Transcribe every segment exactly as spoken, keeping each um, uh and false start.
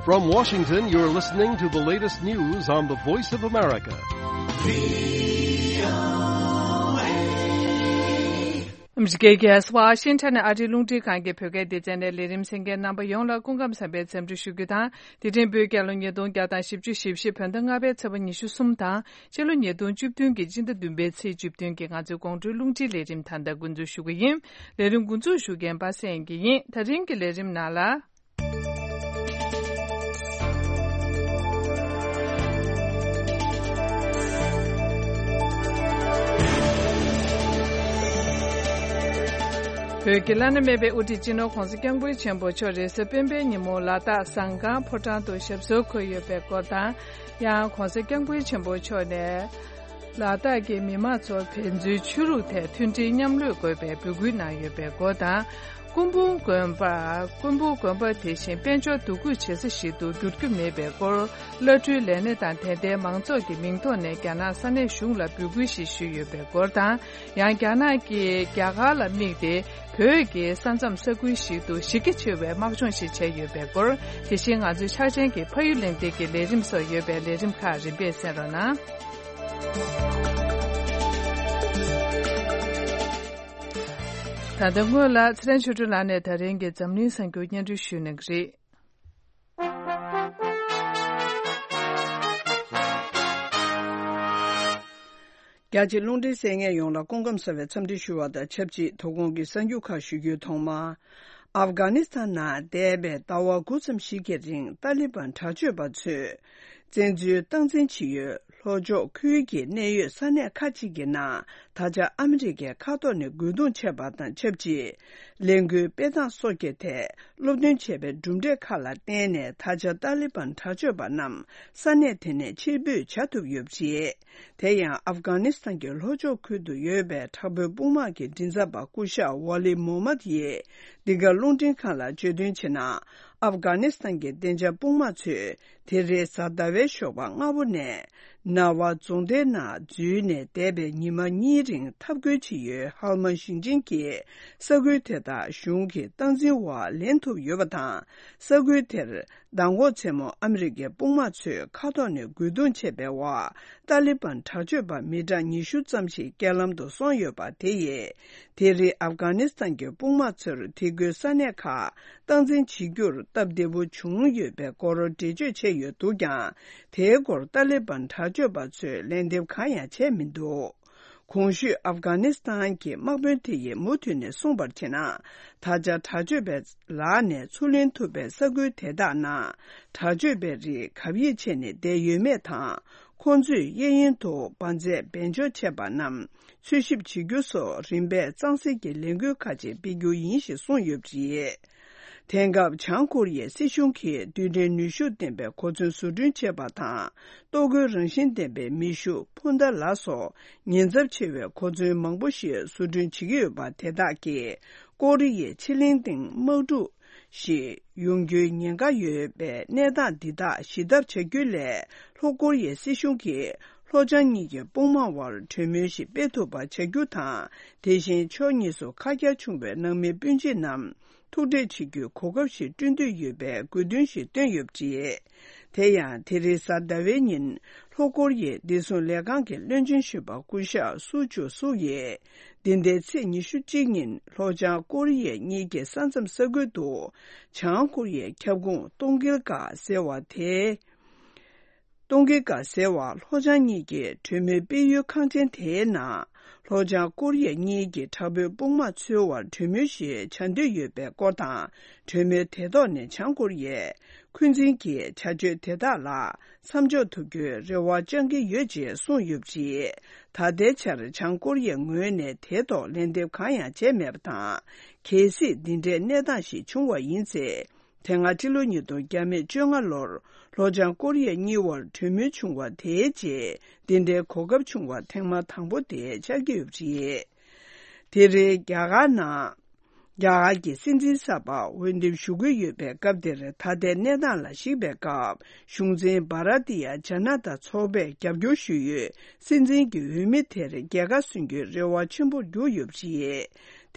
From Washington, you're listening to the latest news on the Voice of America. ཨམ་རི་ཀའི་Washington་ཨ་རིའི་རླུང་འཕྲིན་ཁང་གི་བོད་སྐད་སྡེ་ཚན་ནས་ལས་རིམ་གསན་མཁན་རྣམ་པ་ཡོངས་ལ་སྐུ་ཁམས་བཟང་བའི་འཚམས་འདྲི་ཞུ་རྒྱུ་དང་། འདི་ཐེངས་བོད་རྒྱལ་ལོ་ཉིས་སྟོང་བརྒྱ་དང་བཞི་བཅུ་ཞེ་བཞི་བོད་ཟླ་ལྔ་པའི་ཚེས་པ་ཉི་ཤུ་གསུམ་དང་། སྤྱི་ལོ་ཉིས་སྟོང་བཅུ་བདུན་གྱི་སྤྱི་ཟླ་བདུན་པའི་ཚེས་བཅུ་བདུན་གྱི་ང་ཚོའི་དགོང་དྲོའི་རླུང་འཕྲིན་ལས་རིམ་ད་ལྟ་འགོ་འཛུགས་ཞུ་གི་ཡིན། ལས་རིམ་འགོ་འཛུགས་ཞུ་མཁན་པ་སངས་སྐྱིད་ཡིན། ད་རིང་གི་ལས་རིམ་ནང་ལ། བོད་ཀྱི་བླ་ན་མེད་པའི་དབུ་ཁྲིད་སྤྱི་ནོར་༧གོང་ས་༧སྐྱབས་མགོན་ཆེན་པོ་མཆོག་རེས་གཟའ་སྤེན་པའི་ཉིན་མོ་ལ་དྭགས་ཟམ་ཁང་ཕོ་བྲང་དུ་ཞབས་སོར་འཁོད་ཡོད་པའི་སྐོར་དང་། ཡང་༧གོང་ས་༧སྐྱབས་མགོན་ཆེན་པོ་མཆོག་ནས་ལ་དྭགས་ཀྱི་མི་མང་ཚོར་ཕན་ཚུན་ཆོས་ལུགས་ཐད་མཐུན་སྒྲིལ་མཉམ་ལས་དགོས་པའི་འབོད་སྐུལ་གནང་ཡོད་པའི་སྐོར་དང་། སྐུ་འབུམ་དགོན་པ། སྐུ་འབུམ་དགོན་པ་དེ་བཞིན་དཔལ་འབྱོར་འདུ་འགོད་བྱེད་ས་ཞིག་ཏུ་འགྱུར་རྒྱུ་མེད་པའི་སྐོར། བླ་སྤྲུལ་ལས་སྣེ་དང་དད་ལྡན་མང་ཚོགས་ཀྱི་མིང་ཐོག་ནས་རྒྱ་ནག་ས་གནས་གཞུང་ལ་འབོད་སྐུལ་ཞིག་ཞུས་ཡོད་པའི་སྐོར་དང་། ཡང་རྒྱ་ནག་གིས་རྒྱ་གར་ལ་དམིགས་ཏེ་བོད་ཀྱི་ས་མཚམས་ས་ཁུལ་ཞིག་ཏུ་གཞི་རྒྱ་ཆེ་བའི་དམག་སྦྱོང་ཞིག་བྱས་ཡོད་པའི་སྐོར། དེ་བཞིན་ང་ཚོའི་ཕྱག་ཆེན་གྱི་ཕ་ཡུལ་གླེང་སྟེགས་ཀྱི་ལས་རིམ་སོགས་ཡོད་པའི་ལས་རིམ་ཁག་རིམ་པས་གསན་རོགས་གནང་། ད་ལྟ་སྔོན་ལ་ཚེ་རིང་ཆོས་སྒྲོན་ལགས་ནས་ད་རིང་གི་འཛམ་གླིང་གསར་འགྱུར་སྙན་སྒྲོན་ཞུ་གནང་གི་རེད། རྒྱ་ཆེ་རླུང་འཕྲིན་གསན་མཁན་ཡོངས་ལ་སྐུ་ཁམས་བཟང་བའི་འཚམས་འདྲི་ཞུ་བ་དང་ཆབས་ཅིག་དོ་དགོང་གི་གསར་འགྱུར་ཁག་ཞུ་རྒྱུའི་ཐོག་མར། ཨབ་གྷ་ནི་སི་ཐན་ནང་འདས་པའི་ཟླ་བ་དགུ་ཙམ་ཞིག་གི་རིང་ཏཱ་ལི་བན་དྲག་སྤྱོད་པ་ཚོས་བཙན་འཛུལ་སྟངས་འཛིན་བྱེད་ཡུལ་ལྷོ་ཕྱོགས་ཁུལ་གྱི་གནད་ཡོད་ས་གནས་ཁག་ཅིག་གི་ནང་ད་ཆ་ཨ་མི་རི་ཀའི་མཁའ་ཐོག་ནས་རྒོལ་རྡུང་བྱས་པ་དང་ཆབས་ཅིག་ལས་འགུལ་སྤེལ་སྟངས་སོགས་ཀྱི་ཐད་སློབ་སྟོན་བྱས་པའི་གྲུབ་འབྲས་ཁག་ལ་བརྟེན་ནས་ད་ཆ་ཏཱ་ལི་བན་དྲག་སྤྱོད་པ་རྣམས་ས་གནས་དེ་ནས་ཕྱིར་འབུད་བྱ་ཐུབ་ཡོད་པ་རེད། དེ་ཡང་ཨབ་གྷ་ནི་སི་ཐན་གྱི་ལྷོ་ཕྱོགས་ཁུལ་དུ་ཡོད་པའི་དྲག་པོའི་དཔུང་དམག་གི་མགྲིན་ཚབ་པ་སྐུ་ཞབས་ཝ་ལི་མོ་མད་ཡིས་འདི་ག་རླུང་འཕྲིན་ཁང་ལ་བརྗོད་དོན་བྱས་ན། ཨབ་གྷ་ནི་སི་ཐན་གྱི་བདེ་འཇགས་དཔུང་དམག་ཚོས་དེ་རིང་གཟའ་ཟླ་བའི་ཞོགས་པ་སྔ་པོ་ནས་ནཱ་ཝ་རྫོང་སྡེའི་ནང་འཛུལ་ནས་འདས་པའི་ཉི་མ་གཉིས་རིང་འཐབ་རྒོལ་བྱེད་ཡུལ་ཧལ་མ་ཞིང་ཆེན་གྱི་ས་ཁུལ་དེ་དག་གཞུང་གི་སྟངས་འཛིན་འོག་ལེན་ཐུབ་ཡོད་པ་དང་། ས་ཁུལ་དེར་མདང་དགོང་མཚན་མོ་ཨ་མི་རི་ཀའི་དཔུང་དམག་ཚོས་མཁའ་ཐོག་ནས་རྒོལ་རྡུང་བྱས་པའི་འོག་ཏཱ་ལི་བན་དྲག་སྤྱོད་པ་མི་གྲངས་ཉི་ཤུ་ཙམ་ཞིག་རྐྱེན་ལམ་དུ་སོང་ཡོད་པ་དེ་ཡིས། དེ་རིང་ཨབ་གྷ་ནི་སི་ཐན་གྱི་དཔུང་དམག་ཚོར་དེ་ཁུལ་ས་གནས་ཁག་སྟངས་འཛིན་བྱེད་རྒྱུར་སྟབས་བདེ་པོ་བྱུང་ཡོད་པའི་སྐོར་འགྲེལ་བརྗོད་བྱས་ཡོད་འདུག་ཀྱང་། དེའི་སྐོར་ཏཱ་ལི་བན་དྲག་སྤྱོད་པ་ཚོས་ལན་འདེབས་གང་ཡང་བྱས་མི་འདུག་གོང་ཞུས་ཨབ་གྷ་ནི་སི་ཐན་གྱི་དམག་དཔོན་དེ་ཡིས་མུ་མཐུད་ནས་གསུངས་པར་བྱས་ན། ད་ཆ་དྲག་སྤྱོད་པའི་ལག་ནས་ཚུར་ལེན་ཐུབ་པའི་ས་ཁུལ་དེ་དག་ནང་དྲག་སྤྱོད་པའི་རིགས་གབ་ཡིབ་བྱས་ནས་བསྡད་ཡོད་མེད་དང་། ཁོང་ཚོས་གཡས་གཡོན་དུ་འབར་རྫས་སྦས་འཇོག་བྱས་པ་རྣམས་འཚོལ་ཞིབ་བྱེད་རྒྱུ་སོགས་རིམ་པས་གཙང་སེལ་གྱི་ལས་འགུལ་ཁག་ཅིག་སྤེལ་རྒྱུ་ཡིན་ཞེས་གསུངས་ཡོད་པ་རེད། དེང་སྐབས་བྱང་ཀོ་རི་ཡའི་སྲིད་གཞུང་གིས་རྡུལ་ཕྲན་ནུས་ཤུགས་ལྡན་པའི་གོ་མཚོན་བཟོ་སྐྲུན་བྱས་པ་དང་། ལྟོ་གོས་རང་བཞིན་ལྡན་པའི་མེ་ཤུགས་འཕུར་མདའ་ལ་སོགས་ཉེན་ཚབས་ཆེ་བའི་གོ་མཚོན་མང་པོ་ཞིག་བཟོ་སྐྲུན་བྱེད་ཀྱི་ཡོད་པ་དེ་དག་གིས་ཀོ་རི་ཡའི་ཕྱེད་གླིང་སྟེང་དམག་འཁྲུག་ཞིག་ཡོང་རྒྱུའི་ཉེན་ཁ་ཡོད་པའི་གནས་སྟངས་འདི་དག་ཞི་ཐབས་བྱ་རྒྱུ་ལས་ལྷོ་ཀོ་རི་ཡའི་སྲིད་གཞུང་གིས་ལྷོ་བྱང་གཉིས་ཀྱི་དཔུང་དམག་དབར་གྲོས་མོལ་ཞིག་སྤེལ་ཐུབ་པ་བྱ་རྒྱུ་དང་། དེ་བཞིན་ཕྱོགས་གཉིས་སུ་ཁ་གྱར་བྱུང་བའི་ནང་མི་སྤུན་མཆེད་རྣམས་ཐུག་འཕྲད་བྱེད་རྒྱུའི་གོ་སྐབས་ཤིག་བསྐྲུན་འདོད་ཡོད་པའི་དགོས་འདུན་ཞིག་བཏོན་ཡོད་པ་རེད། དེ་ཡང་དེ་རིང་གཟའ་ཟླ་བའི་ཉིན་ལྷོ་ཀོ་རི་ཡའི་བདེ་སྲུང་ལས་ཁང་གི་བློན་ཆེན་གཞོན་པ་སྐུ་ཞབས་སུ་ཅུ་སུ་ཡིས་འདི་ཟླའི་ཚེས་ཉི་ཤུ་གཅིག་ཉིན་ལྷོ་བྱང་ཀོ་རི་ཡའི་གཉིས་ཀྱི་ས་མཚམས་ས་ཁུལ་དུ་བྱང་ཀོ་རི་ཡའི་ཁྱབ་ཁོངས་ཏོང་ཀིལ་ཀ་ཟེར་བ་དེ། ཏོང་ཀིལ་ཀ་ཟེར་བ་ལྷོ་བྱང་གཉིས་ཀྱི་གྲོས་མོལ་སྤེལ་ཡུལ་ཁང་ཆེན་དེའི་ནང་ལྷོ་བྱང་ཀོ་རི་ཡ་གཉིས་ཀྱི་དྲག་པོའི་དཔུང་དམག་ཚོའི་དབར་གྲོས་མོལ་ཞིག་བྱ་འདོད་ཡོད་པའི་སྐོར་དང་། གྲོས་མོལ་དེ་ཐོག་ནས་བྱང་ཀོ་རི་ཡས་འཁོན་འཛིན་གྱི་བྱ་སྤྱོད་དེ་དག་ལ་མཚམས་འཇོག་ཐུབ་རྒྱུའི་རེ་བ་བཅང་གི་ཡོད་ཅེས་གསུངས་ཡོད་པ་རེད། ད་ལྟའི་ཆར་བྱང་ཀོ་རི་ཡའི་ངོས་ནས་དེའི་ཐོག་ལན་འདེབས་གང་ཡང་བྱས་མེད་པ་དང་། གལ་སྲིད་འདི་འདྲའི་གནས་སྟངས་ཤིག་བྱུང་བ་ཡིན་ཚེ། དེ་སྔ་ཕྱི་ལོ་ཉིས་སྟོང་བརྒྱ་མེད་བཅོ་ལྔ་ལོར་ལྷོ་བྱང་ཀོ་རི་ཡ་གཉིས་དབར་གྲོས་མོལ་བྱུང་བ་དེའི་རྗེས་འདི་འདྲའི་གོ་སྐབས་བྱུང་བ་ཐེངས་མ་དང་པོ་དེ་ཆགས་ཀྱི་ཡོད་པ་རེད། དེ་རིང་རྒྱ་གར་ནང་རྒྱ་གར་གྱི་སྲིད་འཛིན་གསར་པ་འོས་འདེམས་ཞུ་གི་ཡོད་པའི་སྐབས་དེར། ད་ལྟའི་གནས་སྟངས་ལ་གཞིགས་པའི་སྐབས་གཞུང་འཛིན་བྷ་ར་ཏི་ཡ་ཇ་ན་ཏ་ཚོགས་པས་རྒྱབ་སྐྱོར་ཞུས་ཡོད་སྲིད་འཛིན་གྱི་འོས་མི་དེར་རྒྱལ་ཁ་སོན་རྒྱུའི་རེ་བ་ཆེན་པོར་གྱུར་ཡོད་པ་རེད།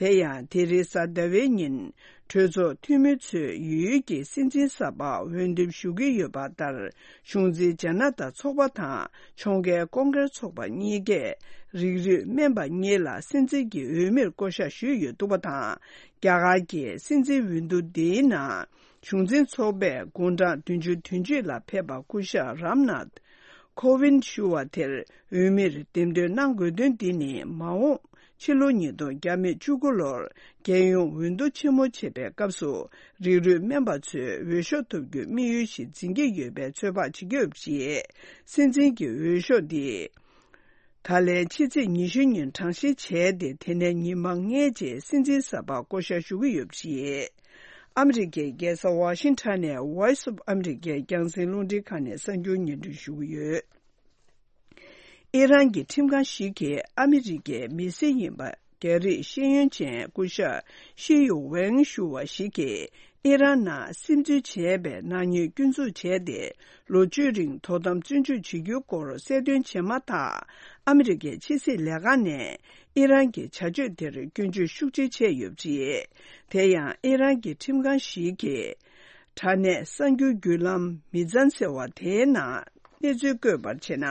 དེ་ཡང་དེ་རིང་གཟའ་ཟླ་བའི་ཉིན་གྲོས་ཚོགས་འཐུས་མི་ཚོས་ཡུལ་གྱི་སྲིད་འཛིན་གསར་པར་འོས་འདེམས་ཞུ་གི་ཡོད་པ་ལྟར། གཞུང་འཛིན་ཇ་ན་ཏ་ཚོགས་པ་དང་ཕྱོགས་འགལ་ཀོང་ཀེར་ཚོགས་པ་གཉིས་ཀས་རིགས་རུས་སྨན་པ་གཉིས་ལ་སྲིད་འཛིན་གྱི་འོས་མིར་བསྐོ་བཞག་ཞུས་ཡོད་འདུག་པ་དང་། རྒྱ་གར་གྱི་སྲིད་འཛིན་འོས་བསྡུ་འདིའི་ནང་གཞུང་འཛིན་ཚོགས་པས་དགུང་གྲངས་བདུན་ཅུ་དོན་གཅིག་ལ་ཕེབས་པ་སྐུ་ཞབས་རམ་ནཱཐ་ཁོ་ཝིན་ཞུ་བ་དེར་འོས་མིར་འདེམས་ཐོན་གནང་དགོས་དོན་འདི་ནི། མ་འོངས་ཕྱི་ལོ་ཉིས་སྟོང་བརྒྱ་མེད་བཅུ་དགུ་ལོར་རྒྱལ་ཡོངས་འོས་བསྡུ་ཆེན་མོ་བྱེད་པའི་སྐབས་སུ་རིགས་རུས་སྨན་པ་ཚོས་འོས་ཤོག་ཐོབ་རྒྱུའི་དམིགས་ཡུལ་ཞིག་འཛིན་གྱི་ཡོད་པའི་ཚོད་དཔག་བྱེད་ཀྱི་ཡོད་པ་རེད། སྲིད་འཛིན་གྱི་འོས་ཤོག་འདི་ད་ལན་ཕྱི་ཚེས་ཉི་ཤུ་ཉིན་གྲངས་བཤེར་བྱས་ཏེ། དེ་ནས་ཉི་མ་ལྔའི་རྗེས་སྲིད་འཛིན་གསར་པར་བསྐོ་བཞག་ཞུ་གི་ཡོད་པ་རེད། ཨ་མི་རི་ཀའི་རྒྱལ་ས་ཝ་ཤིང་ཊོན་ནས་Voice of America རྒྱང་སྲིང་རླུང་འཕྲིན་ཁང་ནས་གསར་འགྱུར་སྙན་སྒྲོན་ཞུ་གི་ཡོད། ཨི་རན་གྱི་ཁྲིམས་ཁང་ཞིག་གིས་ཨ་མི་རི་ཀའི་མི་སེར་ཡིན་པ་རྒྱ་རིགས་ཤེས་ཡོན་ཅན་སྐུ་ཞབས་ཤི་ཡུ་ཝེང་ཞུ་བ་ཞིག་གིས་ཨི་རན་ནང་སིམ་འཛུལ་བྱས་པའི་ནག་ཉེས་སྐྱོན་འཛུགས་བྱས་ཏེ། ལོ་བཅུའི་རིང་དོ་དམ་བཙོན་འཇུག་བྱེད་རྒྱུའི་སྐོར་གསལ་སྟོན་བྱས་མ་ཐག་ཨ་མི་རི་ཀའི་ཕྱི་སྲིད་ལས་ཁང་ནས་ཨི་རན་གྱི་བྱ་སྤྱོད་དེར་སྐྱོན་བརྗོད་ཤུགས་ཆེ་བྱས་ཡོད་པ་རེད། དེ་ཡང་ཨི་རན་གྱི་ཁྲིམས་ཁང་ཞིག་གིས་དྲ་གནས་གསར་འགྱུར་བརྒྱུད་ལམ་མི་ཛན་ཟེར་བ་དེའི་ནང་གནས་ཚུལ་བཀོད་པར་བྱས་ན།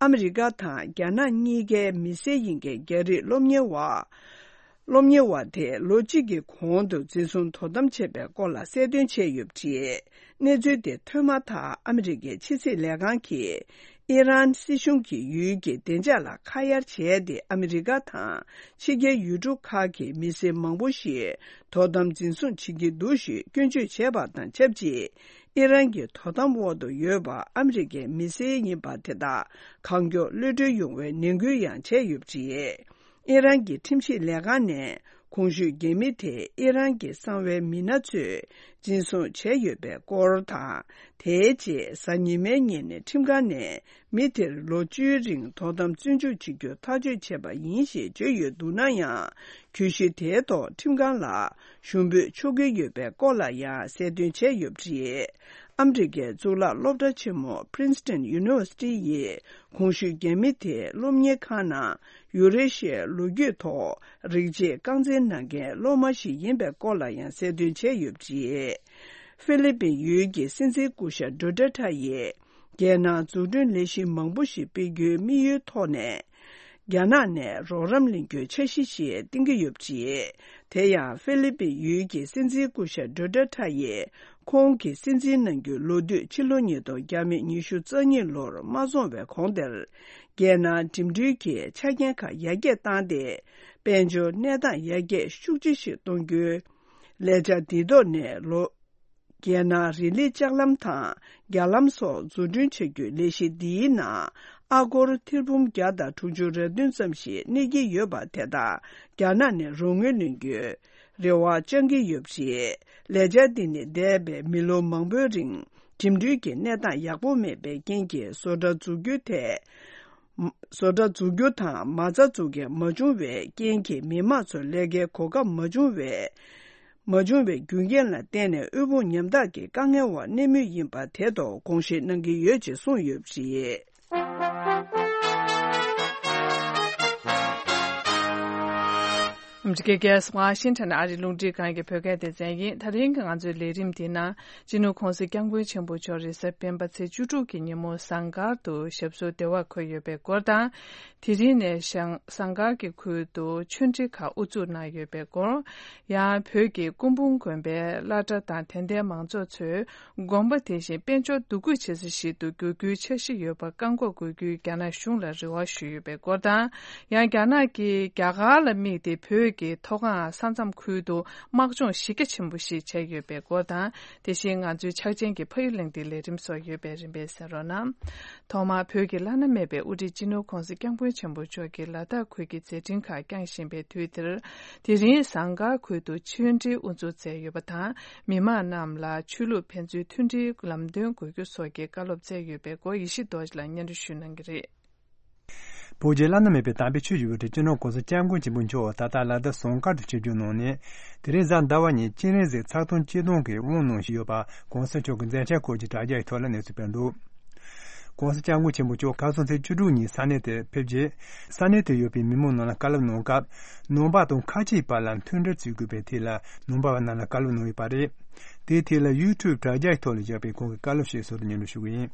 ཨ་མི་རི་ཀ་དང་རྒྱ་ནག་གཉིས་ཀའི་མི་སེར་ཡིན་མཁན་རྒྱ་རིགས་སློབ་གཉེར་བ། སློབ་གཉེར་བ་དེས་ལོ་གཅིག་གི་གོང་དུ་འཛིན་བཟུང་དོ་དམ་བྱས་པའི་སྐོར་ལ་གསལ་སྟོན་བྱས་ཡོད་པ་རེད། གནས་ཚུལ་དེ་ཐོན་མ་ཐག་ཨ་མི་རི་ཀའི་ཕྱི་སྲིད་ལས་ཁང་གིས་ཨི་རན་སྲིད་གཞུང་གི་ཡུལ་གྱི་བདེ་འཇགས་ལ་ཁ་གཡར་བྱས་ཏེ། ཨ་མི་རི་ཀ་དང་ཕྱི་རྒྱལ་ཡུལ་གྲུ་ཁག་གི་མི་སེར་མང་པོ་ཞིག་དོ་དམ་འཛིན་བཟུང་བྱེད་ཀྱི་འདུག་ཞེས་སྐྱོན་བརྗོད་བྱས་པ་དང་ཆབས་ཅིག་ཨི་རན་གྱི་དོ་དམ་འོག་ཏུ་ཡོད་པ་ཨ་མི་རི་ཀའི་མི་སེར་ཡིན་པ་དེ་དག་གང་མགྱོགས་གློད་གྲོལ་ཡོང་བའི་ནན་སྐུལ་ཡང་བྱས་ཡོད་པ་རེད། ཨི་རན་གྱི་ཁྲིམས་ཞིབ་ལས་ཁང་ནས་གོང་ཞུས་རྒྱ་མི་དེ་ཨི་རན་གྱི་གསང་བའི་མི་སྣ་ཚོས་འཛིན་བཟུང་བྱས་ཡོད་པའི་སྐོར་དང་། དེའི་རྗེས་གཟའ་ཉི་མའི་ཉིན་ནས་ཁྲིམས་ཁང་ནས་མི་དེར་ལོ་བཅུའི་རིང་དོ་དམ་བཙོན་འཇུག་བྱེད་རྒྱུ་ཐག་གཅོད་བྱས་པ་ཡིན་ཞེས་བརྗོད་ཡོད་འདུག་ན་ཡང་། གྱོད་གཞི་དེའི་ཐོག་ཁྲིམས་ཁང་ལ་ཞུ་འབོད་ཆོག་གི་ཡོད་པའི་སྐོར་ལ་ཡང་གསལ་སྟོན་བྱས་ཡོད་པ་རེད། ཨ་མི་རི་ཀའི་གཙུག་ལག་སློབ་གྲྭ་ཆེན་མོ་Princeton University ཡིས་གོང་ཞུས་རྒྱ་མི་དེ་སློབ་གཉེར་ཁང་ནང་ཡུ་རེ་ཤི་ཡའི་ལོ་རྒྱུས་ཐོག་རིག་བྱེད་རྐང་འཛིན་གནང་མཁན་སློབ་མ་ཞིག་ཡིན་པའི་སྐོར་ལ་ཡང་གསལ་སྟོན་བྱས་ཡོད་པ་རེད། ཧྥི་ལི་པིན་ཡུལ་གྱི་སྲིད་འཛིན་སྐུ་ཞབས་ཌུ་ཏེར་ཏྲ་ཡིས་རྒྱལ་ནང་འཛུགས་སྐྲུན་ལས་གཞི་མང་པོ་ཞིག་སྤེལ་རྒྱུའི་དམིགས་ཡུལ་ཐོག་ནས། རྒྱ་ནག་ནས་རོགས་རམ་ལེན་རྒྱུའི་འཆར་གཞི་ཞིག་བཏིང་གི་ཡོད་པ་རེད། དེ་ཡང་ཧྥི་ལི་པིན་ཡུལ་གྱི་སྲིད་འཛིན་སྐུ་ཞབས་ཌུ་ཏེར་ཏྲ་ཡིས་ཁོང་གི་སྲིད་འཛིན་གནང་རྒྱུའི་ལོ་དུས་ཕྱི་ལོ་ཉིས་སྟོང་བརྒྱ་མེད་ཉི་ཤུ་རྩ་གཉིས་ལོར་མ་རྫོགས་པའི་གོང་དེར། རྒྱལ་ནང་འགྲིམ་འགྲུལ་གྱི་ཆ་རྐྱེན་ཁག་ཡར་རྒྱས་བཏང་སྟེ། དཔལ་འབྱོར་གནས་སྟངས་ཡར་རྒྱས་ཤུགས་ཆེ་ཞིག་གཏོང་རྒྱུའི་ལས་འཆར་འདིའི་ཐོག་ནས་ལོ། རྒྱལ་ནང་རི་ལི་ལྕགས་ལམ་དང་རྒྱ་ལམ་སོགས་འཛུགས་སྐྲུན་བྱ་རྒྱུའི་ལས་གཞི་འདིའི་ནང་ཨ་སྒོར་ཐེར་འབུམ་བརྒྱ་དང་དྲུག་ཅུ་རེ་བདུན་ཙམ་ཞིག་གནས་ཀྱི་ཡོད་པ་དེ་དག་རྒྱ་ནག་ནས་རོགས་དངུལ་ལེན་རྒྱུའི་རེ་བ་བཅང་གི་ཡོད་པ་རེད། ལས་འཆར་འདི་ནི་འདས་པའི་མི་ལོ་མང་པོའི་རིང་འགྲིམ་འགྲུལ་གྱི་གནས་སྟངས་ཡག་པོ་མེད་པའི་རྐྱེན་གྱིས་བཟོ་གྲྭ་འཛུགས་རྒྱུ་དེ། བཟོ་གྲྭ་འཛུགས་རྒྱུ་དང་མ་རྩ་འཛུགས་མཁན་མ་བྱུང་བའི་རྐྱེན་གྱིས་མི་མང་ཚོར་ལས་ཀའི་གོ་སྐབས་མ་བྱུང་བའི། མ་བྱུང་བའི་རྒྱུ་རྐྱེན་ལ་བརྟེན་ནས་དབུལ་ཕོངས་ཉམ་ཐག་གི་དཀའ་ངལ་འོག་གནས་མུས་ཡིན་པ་དེ་ཐོག་དགོངས་བཞེས་གནང་གི་ཡོད་ཅེས་གསུངས་ཡོད་པ་རེད། ཨ་མི་རི་ཀའི་རྒྱལ་ས་ཝ་ཤིང་ཊོན་ཨ་རིའི་རླུང་འཕྲིན་ཁང་གི་བོད་སྐད་སྡེ་ཚན་ཡིན། ད་རིང་གི་ང་ཚོའི་ལས་རིམ་འདིའི་ནང་། སྤྱི་ནོར་༸གོང་ས་༸སྐྱབས་མགོན་ཆེན་པོ་མཆོག་རེས་གཟའ་སྤེན་པ་ཚེས་བཅུ་དྲུག་གི་ཉིན་མོ་ཟངས་དཀར་དུ་ཞབས་སོར་བདེ་བར་འཁོད་ཡོད་པའི་སྐོར་དང་། དེ་རིང་ནས་ཞང་ཟངས་དཀར་གྱི་ཁུལ་དུ་ཆོས་འབྲེལ་ཁག་དབུ་འཛུགས་གནང་ཡོད་པའི་སྐོར། ཡང་བོད་ཀྱི་སྐུ་འབུམ་དགོན་པའི་བླ་གྲྭ་དང་དད་ལྡན་མང་ཚོགས་ཚོས་དགོན་པ་དེ་བཞིན་དཔལ་འབྱོར་འདུ་འགོད་བྱེད་ས་ཞིག་ཏུ་འགྱུར་རྒྱུའི་འཆར་གཞི་ཡོད་པར་བཀག་འགོག་དགོས་རྒྱུའི་རྒྱ་ནག་གཞུང་ལ་རེ་བ་ཞུས་ཡོད་པའི་སྐོར་དང་། ཡང་རྒྱ་ནག་གིས་རྒྱ་གར་ལ་དམིགས་ཏེ་བོད་ཀྱི་མཐོ་སྒང་ས་མཚམས་ཁུལ་དུ། དམག་སྦྱོང་གཞི་རྒྱ་ཆེན་པོ་ཞིག་བྱས་ཡོད་པའི་སྐོར་དང་། དེ་བཞིན་ང་ཚོའི་ཕྱག་ཆེན་གྱི་ཕ་ཡུལ་གླེང་སྟེགས་ལས་རིམ་སོགས་ཡོད་པས་རིམ་པས་གསན་རོགས་གནང་། ཐོག་མར་བོད་ཀྱི་བླ་ན་མེད་པའི་དབུ་ཁྲིད་སྤྱི་ནོར་༸གོང་ས་༸སྐྱབས་མགོན་ཆེན་པོ་མཆོག་གིས་ལ་དྭགས་ཁུལ་གྱི་མཛད་འཕྲིན་ཁག་བསྐྱངས་བཞིན་པའི་དུས་འདིར། དེ་རིང་ཟངས་དཀར་ཁུལ་དུ་ཆོས་འབྲེལ་དབུ་འཛུགས་མཛད་ཡོད་པ་དང་། མི་མང་རྣམས་ལ་ཆོས་ལུགས་ཕན་ཚུན་མཐུན་སྒྲིལ་ལམ་སྟོན་དགོས་རྒྱུ་སོགས་ཀྱི་བཀའ་སློབ་སྩལ་ཡོད་པའི་སྐོར་ཡེ་ཤེས་རྡོ་རྗེ་ལགས་སྙན་སྒྲོན་ཞུ་གནང་གི་རེད། བོད་ཀྱི་བླ་ན་མེད་པའི་དམ་པའི་ཆོས་ཀྱི་དབུ་ཁྲིད་སྤྱི་ནོར་༸གོང་ས་༸སྐྱབས་མགོན་ཆེན་པོ་མཆོག་ད་ལྟ་ལ་དྭགས་ཟངས་དཀར་དུ་ཆིབས་བསྒྱུར་གནང་ནས། དེ་རིང་གཟའ་ཟླ་བ་ཉིན་སྤྱན་རས་གཟིགས་ཚར་སྟོང་གཅིག་སྟོང་གི་དབུ་གནང་བཞིན་ཡོད་པ་༸གོང་ས་མཆོག་གི་མཛད་འཆར་སྐོར་གྱི་དྲ་རྒྱའི་ཐོག་ལ་གནས་ཚུལ་སྤེལ་འདུག ༸གོང་ས་༸སྐྱབས་མགོན་ཆེན་པོ་མཆོག་ཁ་སང་ཚེས་བཅུ་དྲུག་ཉིན་ས་གནས་དེར་ཕེབས་རྗེས། ས་གནས་དེར་ཡོད་པའི་མི་མང་རྣམས་ལ་བཀའ་སློབ་གནང་སྐབས། ནང་པ་དང་ཁ་ཆེའི་བར་ལ་མཐུན་སྒྲིལ་བྱེད་དགོས་པའི་ཐད་ལ་ནང་པ་བ་རྣམས་ལ་བཀའ་སློབ་གནང་ཡོད་པ་རེད། དེའི་ཐད་ལ་ཡུ་ཊུབ་དྲ་རྒྱའི་ཐོག་ལ་བཞག་པའི་ཁོང་གི་བཀའ་སློབ་ཞིག་ཟུར་དུ་སྙན་སྒྲོན་ཞུ་གི་ཡིན།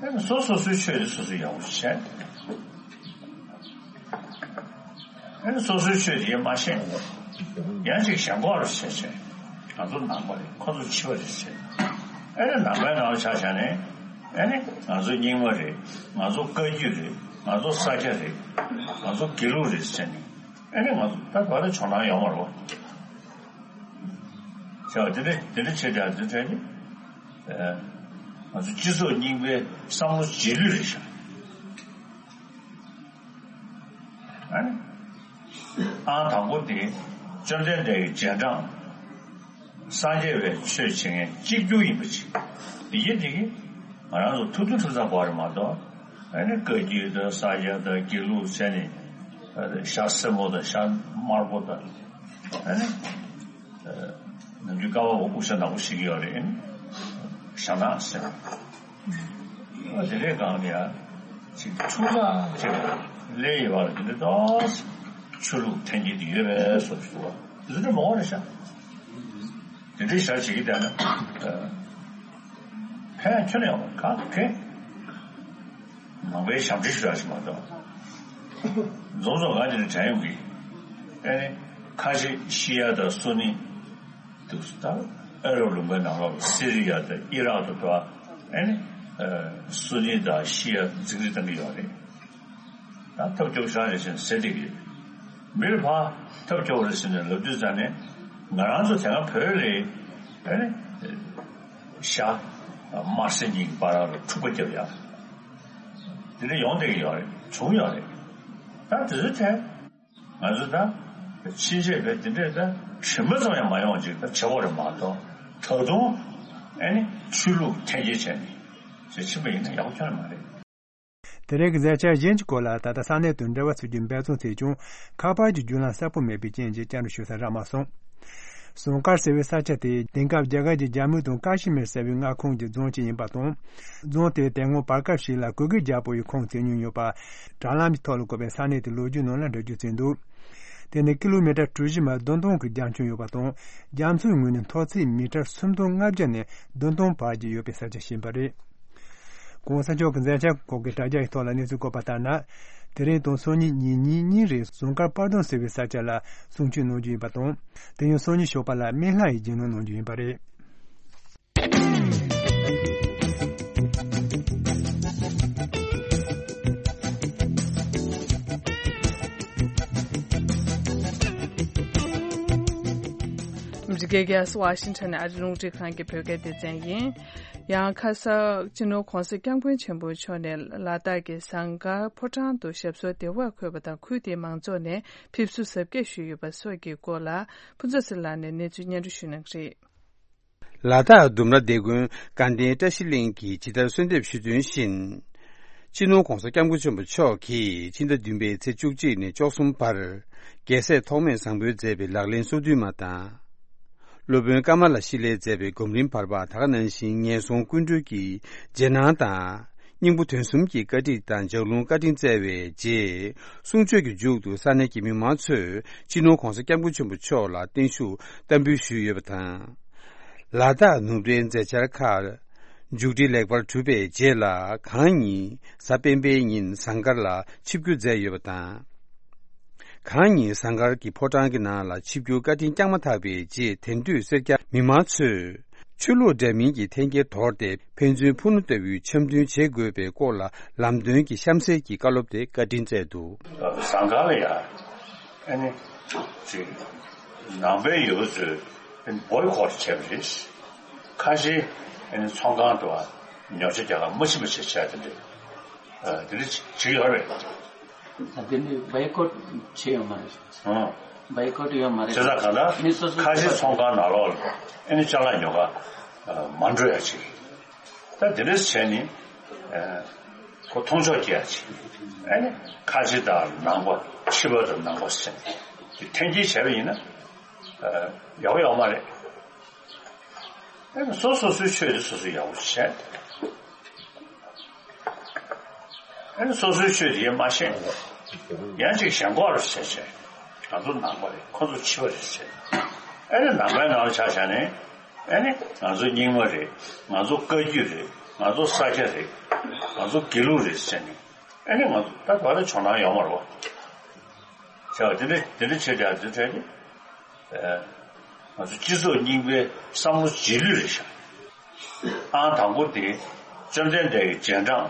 ཨེ་ནི་སོ་སོ་སོའི་ཆོས་དེ་སོ་སོས་ཡག་པོ་བྱས། ཨེ་ནི་སོ་སོའི་ཆོས་དེ་མ་ཤེས། ཡང་ཅིག་གཞན་གོ་རུ་བྱས་བྱས། ང་ཚོ་ནང་པ་རེད། ཁོ་ཚོ་ཕྱི་པ་རེད་བྱས། ཨེ་ནི་ནང་པའི་ནང་ལ་ཆ་བཞག་ནས། ཨེ་ནི་ང་ཚོ་རྙིང་མ་རེད། ང་ཚོ་བཀའ་བརྒྱུད་རེད། ང་ཚོ་ས་སྐྱ་རེད། ང་ཚོ་དགེ་ལུགས་རེད་ཟེར་ནས། ཨེ་ནི་ང་ཚོ་ད་བར་ལ་ཇོ་ནང་ཡོང་བ་རེད་བ། བྱས་པ་དེ་འདྲ་དེ་འདྲ་བྱས་ཀྱང་དེ་འདྲ་ནི། ཨེ། ང་ཚོ་སྤྱི་ཚོགས་རྙིང་པའི་བསམ་བློ་རྗེས་ལུས་རེད་ཤག་ཨ་ནི། ཨང་དང་པོ་དེ་བཅོམ་ལྡན་འདས་ཀྱི་རྗེས་འབྲང་། སངས་རྒྱས་པའི་ཆོས་བྱེད་མཁན་གཅིག་གྱུར་ཡིན་པ་ཅིག་དེ་ཡིན་དེ་གིས་ང་རང་ཚོ་ཐུབ་ཐུབ་ཐུབ་ཚང་པ་རེད་མ་གཏོགས། ཨ་ནི་བཀའ་བརྒྱུད་དང་ས་སྐྱ་དང་དགེ་ལུགས་བྱས་ནས། ཤ་སེར་མོ་དང་ཤ་དམར་པོ་དང་། ཨ་ནི། ནམ་རྒྱུན་ཀ་བ་འོ་དབུ་ཞྭ་ནག་པོ་ཞིག་ཡོད་རེད། ཞྭ་ནག་ཟེར། ཨ་དེ་རེད་གང་ལ་ཡ། ཅིག་ཚུགས་ཐག་ཅིག་ལས་ཡོད་པ་ལ་དེ་འདྲ་ཏོག་ཆོས་ལུགས་འཐེན་འཁྱེར་དེ་ཡོད་པའི་བཟོ་ཞིག་འདུག་བ། དེ་ཚོ་འདྲ་མང་བ་རེད་ཤག་དེ་འདྲའི་ཞག་བྱེད་ཀྱི་བསྡད་ན། ཕན་ཁྱོན་ནས་ཡོང་བ་ག་གེ། ནང་པའི་ཞབས་འདྲེན་ཞུ་ཡག་ཞིག་མ་གཏོགས། རྫོང་རྫོང་ག་དེ་ནས་དྲན་ཡོང་གི། ཨེ་ནི། ཁ་ཆེ་ཤི་ཡ་དང་སུ་ནི། འདུག་སེ་ད། ཨ་རབ་ལུང་པའི་ནང་ལོགས་སི་རི་ཡ་དང་ཨི་རག་ཏུ་འགྲོ་བ། ཨེ་ནི། སུ་ནི་དང་ཤི་ཡ་འཛིང་རེས་བཏང་གི་ཡོད་རེད། ད་ཐབས་སྐྱོ་ཤ་རེ་བཞིན་ཟེར་བསྡད་ཀྱི་ཡོད། མིར་ཕ་ཐབས་སྐྱོ་བ་རེ་བཞིན་ནས་ལབ་དུས་ཙང་ནས། ང་རང་ཚོ་དེ་སྔ་བོད་ལས། ཨེ་ནི། ཤ། དམར་སེར་གཉིས་ཀྱི་བར་ལ་འཁྲུག་པ་བརྒྱབ་ཡ། དེ་འདྲ་ཡོང་བསྡད་ཀྱི་ཡོད་རེད། བྱུང་ཡོད་རེད། ད་དེ་ཚོའི་ཐད། ང་ཚོ་ད། ཕྱིན་ཆད་བས་དེ་འདྲས་ད་དྲི་མ་ཙམ་ཡང་མ་ཡོང་ཅིག་ད་བྱེད་དགོས་རེད་མ་གཏོགས། ད་དུང་། ཨེ་ནི་ཆོས་ལུགས་འཐེན་འཁྱེར་བྱས་ནས་ཅིག་ཕྱིན་པ་ཡིན་ན་ཡག་པོ་ཁྱོན་ནས་མ་རེད། དེ་རིང་གི་མཛད་འཆར་གཞན་གྱི་སྐོར་ལ་ད་ལྟ་ས་གནས་དང་འབྲེལ་བ་བྱེད་རྒྱུའི་འབད་བརྩོན་བྱས་ཀྱང་ཁ་པར་གྱི་བརྒྱུད་ལམ་གསལ་པོ་མེད་པའི་རྐྱེན་གྱིས་བཅར་འདྲི་ཞུ་ས་རག་མ་སོང་། ཟངས་དཀར་ཟེར་བའི་ས་ཆ་དེ་དེང་སྐབས་རྒྱ་གར་གྱི་ཇམ་མུ་དང་ཀ་ཤི་མིར་ཟེར་བའི་མངའ་ཁོངས་ཀྱི་རྫོང་གཅིག་ཡིན་པ་དང་། རྫོང་དེ་དེ་སྔོན་བར་སྐབས་ཤིག་ལ་གུ་གེ་རྒྱལ་པོ་ཡི་ཁོངས་བརྩི་མྱོང་ཡོད་པ། དྲ་ལམ་གྱི་ཐོག་ལ་བཀོད་པའི་ས་གནས་དེའི་ལོ་རྒྱུས་ནང་ལ་འགྲེལ་བརྗོད་བྱས་འདུག་དེ་ནི་ཀི་ལོ་མི་ཊར་གྲུ་བཞི་མ་བདུན་སྟོང་གི་རྒྱ་ཁྱོན་ཡོད་པ་དང་། རྒྱ་མཚོའི་ངོས་ནས་མཐོ་ཚད་མི་ཊར་སུམ་སྟོང་ལྔ་བརྒྱ་ནས་བདུན་སྟོང་བར་གྱི་ཡོད་པའི་ས་ཆ་ཞིག་ཡིན་པ་རེད། གོང་ས་མཆོག་གི་མཛད་འཆར་སྐོར་གྱི་དྲ་རྒྱ་ཡི་ཐོག་ལ་གནས་ཚུལ་བཀོད་པ་ལྟར་ན། དེ་རིང་དང་སང་ཉིན་ཉིན་གཉིས་གཉིས་རིང་ཟངས་དཀར་དཔལ་སྡོང་ཟེར་བའི་ས་ཆ་ལ་གསུང་ཆོས་གནང་རྒྱུ་ཡིན་པ་དང་། དེ་ཡང་སང་ཉིན་ཞོགས་པ་ལ་སྨན་བླ་ཡི་རྗེས་གནང་གནང་རྒྱུ་ཡིན་པ་རེད། འདི་གའི་རྒྱལ་ས་ཝ་ཤིང་ཊོན་ནས་ཨ་རི་རླུང་འཕྲིན་ཁང་གི་བོད་སྐད་སྡེ་ཚན་ཡིན། ཡང་ཁ་ས་སྤྱི་ནོར་༸གོང་ས་༸སྐྱབས་མགོན་ཆེན་པོ་མཆོག་ནས་ལ་དྭགས་ཀྱི་ཟངས་དཀར་ཕོ་བྲང་དུ་ཞབས་སོར་བདེ་བར་འཁོད་པ་དང་། ཁུལ་དེའི་མང་ཚོགས་ནས་ཕེབས་བསུ་གཟབ་རྒྱས་ཞུས་ཡོད་པ་སོགས་ཀྱི་སྐོར་ལ་ཕུན་ཚོགས་ཚེ་རིང་ལགས་ནས་གནས་ཚུལ་སྙན་སྒྲོན་ཞུ་གནང་གི་རེད། ལ་དྭགས་ལྡུམ་ར་སྡེ་དགོན་དགའ་ལྡན་བཀྲ་ཤིས་གླིང་གིས་ཇི་ལྟར་གསོལ་འདེབས་ཞུས་དོན་བཞིན། སྤྱི་ནོར་༸གོང་ས་༸སྐྱབས་མགོན་ཆེན་པོ་མཆོག་གིས་ཕྱི་ཟླ་བདུན་པའི་ཚེས་བཅུ་གཅིག་ནས་བཅུ་གསུམ་བར་རྒྱལ་སྲས་ཐོགས་མེད་བཟང་པོའི་མཛད་པའི་ལག་ལེན་སོ་བདུན་མ་དང་། སློབ་དཔོན་ཀ་མ་ལ་ཤཱི་ལའི་མཛད་པའི་སྒོམ་རིམ་བར་པ། ད་ག་ནང་བཞིན་ངན་སོང་ཀུན་གྲོལ་གྱི་རྗེས་གནང་དང་། སྙིང་པོ་དོན་གསུམ་གྱི་བཀའ་ཁྲིད་དང་ལྗགས་ལུང་བཀའ་དྲིན་སྩལ་བའི་རྗེས། གསུང་ཆོས་ཀྱི་མཇུག་ཏུ་ས་གནས་ཀྱི་མི་མང་ཚོས་སྤྱི་ནོར་༸གོང་ས་༸སྐྱབས་མགོན་ཆེན་པོ་མཆོག་ལ་བརྟན་བཞུགས་བསྟར་འབུལ་ཞུས་ཡོད་པ་དང་། ལ་དྭགས་ནུབ་རའི་མཛད་འཆར་ཁག་མཇུག་སྒྲིལ་ལེགས་པར་གྲུབ་པའི་རྗེས་ལ། གང་ཉིད་གཟའ་སྤེན་པའི་ཉིན་ཟངས་དཀར་ལ་ཆིབས་བསྒྱུར་མཛད་ཡོད་པ་དང་། གང་ཉིད་ཟངས་དཀར་གྱི་ཕོ་བྲང་གི་ནང་ལ་ཆིབས་བསྒྱུར་བཀའ་དྲིན་བསྐྱངས་མ་ཐག་པའི་རྗེས། དེང་དུས་སེར་སྐྱ་མི་མང་ཚོས་ཆོས་ལུགས་འདྲ་མིན་གྱི་འཐེན་འཁྱེར་དོར་ཏེ། ཕན་ཚུན་ཕུ་ནུ་ལྟ་བུའི་འཆམ་མཐུན་བྱེད་དགོས་པའི་སྐོར་ལ་ལམ་སྟོན་གྱི་གཤམ་གསལ་གྱི་བཀའ་སློབ་དེ་བཀའ་དྲིན་སྩལ་འདུག་ཟངས་དཀར་ལ་ཡ། ཨ་ནི། ཅིག་ནང་པའི་ཡུལ་ཚོས་ཨ་ནི་བོའི་ཀོ་ཊི་བྱས་པ་རེད། ཁ་ཤས་ཨ་ནི་ཚོང་ཁང་དུ་ཉོ་ཆ་རྒྱག་ག་མ་ཕྱིན་པ་བྱས་བྱས་དེ་འདྲ། ཨ། དེ་འདྲ་བྱེད་ཀྱི་ཡོད་རེད། ད་དེ་ནི་བོའི་ཀོ་ཊི་བྱས་ཡོད་མ་རེད། ཨང་། བོའི་ཀོ་ཊི་ཡོད་མ་རེད། བྱས་ཙང་གང་ལྟར་མི་སོ་སོ་ཁ་ཤས་ཚོང་ཁང་ནང་ལོགས་ལ་ཨ་ནི་ཅ་ལག་ཉོ་ག་མ་འགྲོ་ཡ་ཅིག་ད་དེ་འདྲ་བྱས་ནས། ཨ། ཁོ་མཐོང་ཕྱོགས་སྐྱེ་ཡ་ཅིག་ཨ་ནི་ཁ་ཆེ་དང་ནང་པ། ཕྱི་པ་དང་ནང་པ་ཟེར་ནས་འཐེན་འཁྱེར་བྱས་པ་ཡིན་ན། ཨ། ཡག་པོ་ཡོད་མ་རེད། ཨ་ནི་སོ་སོ་སོའི་ཆོས་དེ་སོ་སོས་ཡག་པོ་བྱས། ཨ་ནི་སོ་སོའི་ཆོས་དེ་མ་ཤེས། ཡང་ཅིག་གཞན་གོ་རུ་བྱས་བྱས། ང་ཚོ་ནང་པ་རེད། ཁོ་ཚོ་ཕྱི་པ་རེད་བྱས། ཨ་ནི་ནང་པའི་ནང་ལ་ཆ་བཞག་ནས། ཨ་ནི་ང་ཚོ་རྙིང་མ་རེད། ང་ཚོ་བཀའ་བརྒྱུད་རེད། ང་ཚོ་ས་སྐྱ་རེད། ང་ཚོ་དགེ་ལུགས་རེད་ཟེར་ནས། ཨ་ནི་ང་ཚོ་ད་བར་དུ་ཇོ་ནང་ཡོང་མ་རེད་བ། བྱས་པ་དེ་འདྲ་དེ་འདྲ་བྱས་བྱས་དེ་འདྲ་དེ། ང་ཚོ་སྤྱི་ཚོགས་རྙིང་པའི་བསམ་བློ་རྗེས་ལུས་རེད་ཤག་ཨང་དང་པོ་དེ་བཅོམ་ལྡན་འདས་ཀྱི་རྗེས་འབྲང་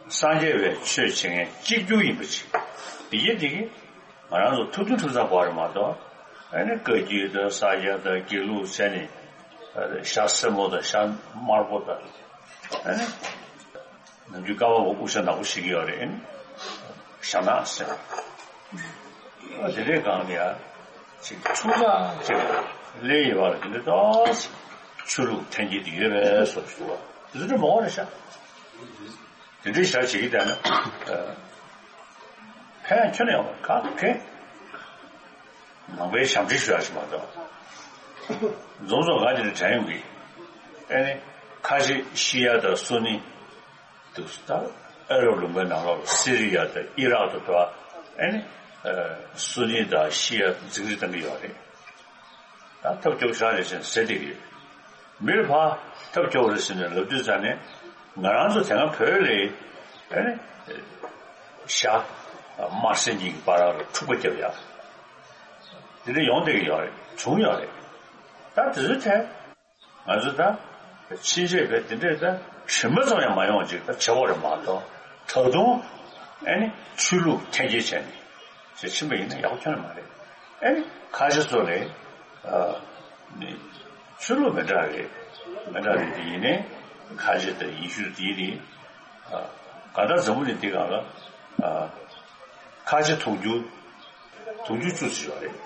སངས་རྒྱས་པའི་ཆོས་བྱེད་མཁན་གཅིག་གྱུར་ཡིན་པ་ཅིག་དེ་ཡིན་དེ་གིས་ང་རང་ཚོ་ཐུབ་ཐུབ་ཐུབ་ཚང་དགོས་རེད་མ་གཏོགས། ཨ་ནི་བཀའ་བརྒྱུད་དང་ས་སྐྱ་དང་དགེ་ལུགས་ཟེར་ནས་ཤ་སེར་མོ་དང་ཤ་དམར་པོ་དང་། ཨ་ནི། ནམ་རྒྱུན་ཀ་བ་བོ་དབུ་ཞྭ་ནག་པོ་ཞིག་ཡོད་རེད། ཞྭ་ནག་ཟེར། ཨ་དེ་འདྲའི་སྒང་ལ་ཡ། ཅིག་ཆུང་ཙག་ཅིག་ལ་ལས་ཡོད་པ་ལ་དེ་འདྲའི་ཏོག་ཙམ་ཆོས་ལུགས་འཐེན་འཁྱེར་དེ་ཡོད་པའི་བཟོ་ཞིག་འདུག་བ། དེ་ཚོ་འདྲ་མང་བ་རེད་ཤག་དེ་འདྲའི་ཞག་བྱེད་ཀྱི་བསྡད་ན། ཕན་ཁྱོན་ནས་ཡོང་བ་ག་ཕན། ནང་པའི་ཞབས་འདྲེན་ཞུ་ཡག་ཞིག་མ་གཏོགས། འཛོམས་སོང་ག་དེ་ནས་དྲན་ཡོང་གི། ཨེ་ནི། ཁ་ཆེ་ཤི་ཡ་དང་སུ་ནི། འདུག་ད། ཨ་རབ་ལུང་པའི་ནང་ལོགས་ལ་སི་རི་ཡ་དང་ཨི་རག་ཏུ་འགྲོ། ཨེ་ནི། སུ་ནི་དང་ཤི་ཡ་འཛིང་རེས་བཏང་གི་ཡོད་རེད། ད་ཐབས་སྐྱོ་ཤ་རེད་ཟེར་ཟེར་བསྡད་ཀྱི་ཡོད། མིར་ཕ་ཐབས་སྐྱོ་བ་རེད་ཟེར་ནས་ལབ་དུས་ཙང་ནས། ང་རང་ཚོ་དེ་སྔ་བོད་ལ། ཨེ་ནི། ཞྭ། དམར་སེར་གཉིས་ཀྱི་བར་ལ་འཁྲུག་པ་བརྒྱབ་ཡ། དེ་འདྲ་ཡོང་བསྡད་ཀྱི་ཡོད་རེད། བྱུང་ཡོད་རེད། ད་དེ་ཚོའི་ཐད། ང་ཚོ་ད་ཕྱིན་ཆད་བས་དེ་འདྲས་ད་རིམ་པ་ཙམ་ཡང་མ་ཡོང་ཅིག་ད་བྱེད་དགོས་རེད་མ་གཏོགས། ད་དུང་ཨེ་ནི་ཆོས་ལུགས་འཐེན་འཁྱེར་བྱས་ནས་ཅིག་ཕྱིན་པ་ཡིན་ན་ཡག་པོ་ཁྱོན་ནས་མ་རེད། ཨེ་ནི་ཁ་ཆེ་ཚོ་ལས་ནི་ཆོས་ལུགས་མི་འདྲ་རེད། མི་འདྲ་རེད་དེ་ཡིན་ནའི་ཁ་ཆེ་དང་ཡེ་ཤུ་དེ་ནི་གང་ལྟར་འཛམ་བུ་གླིང་འདི་སྒང་ལ་ཁ་ཆེ་དུང་ཕྱུར་དུང་ཕྱུར་བཅུ་ཙམ་ཡོད་རེད།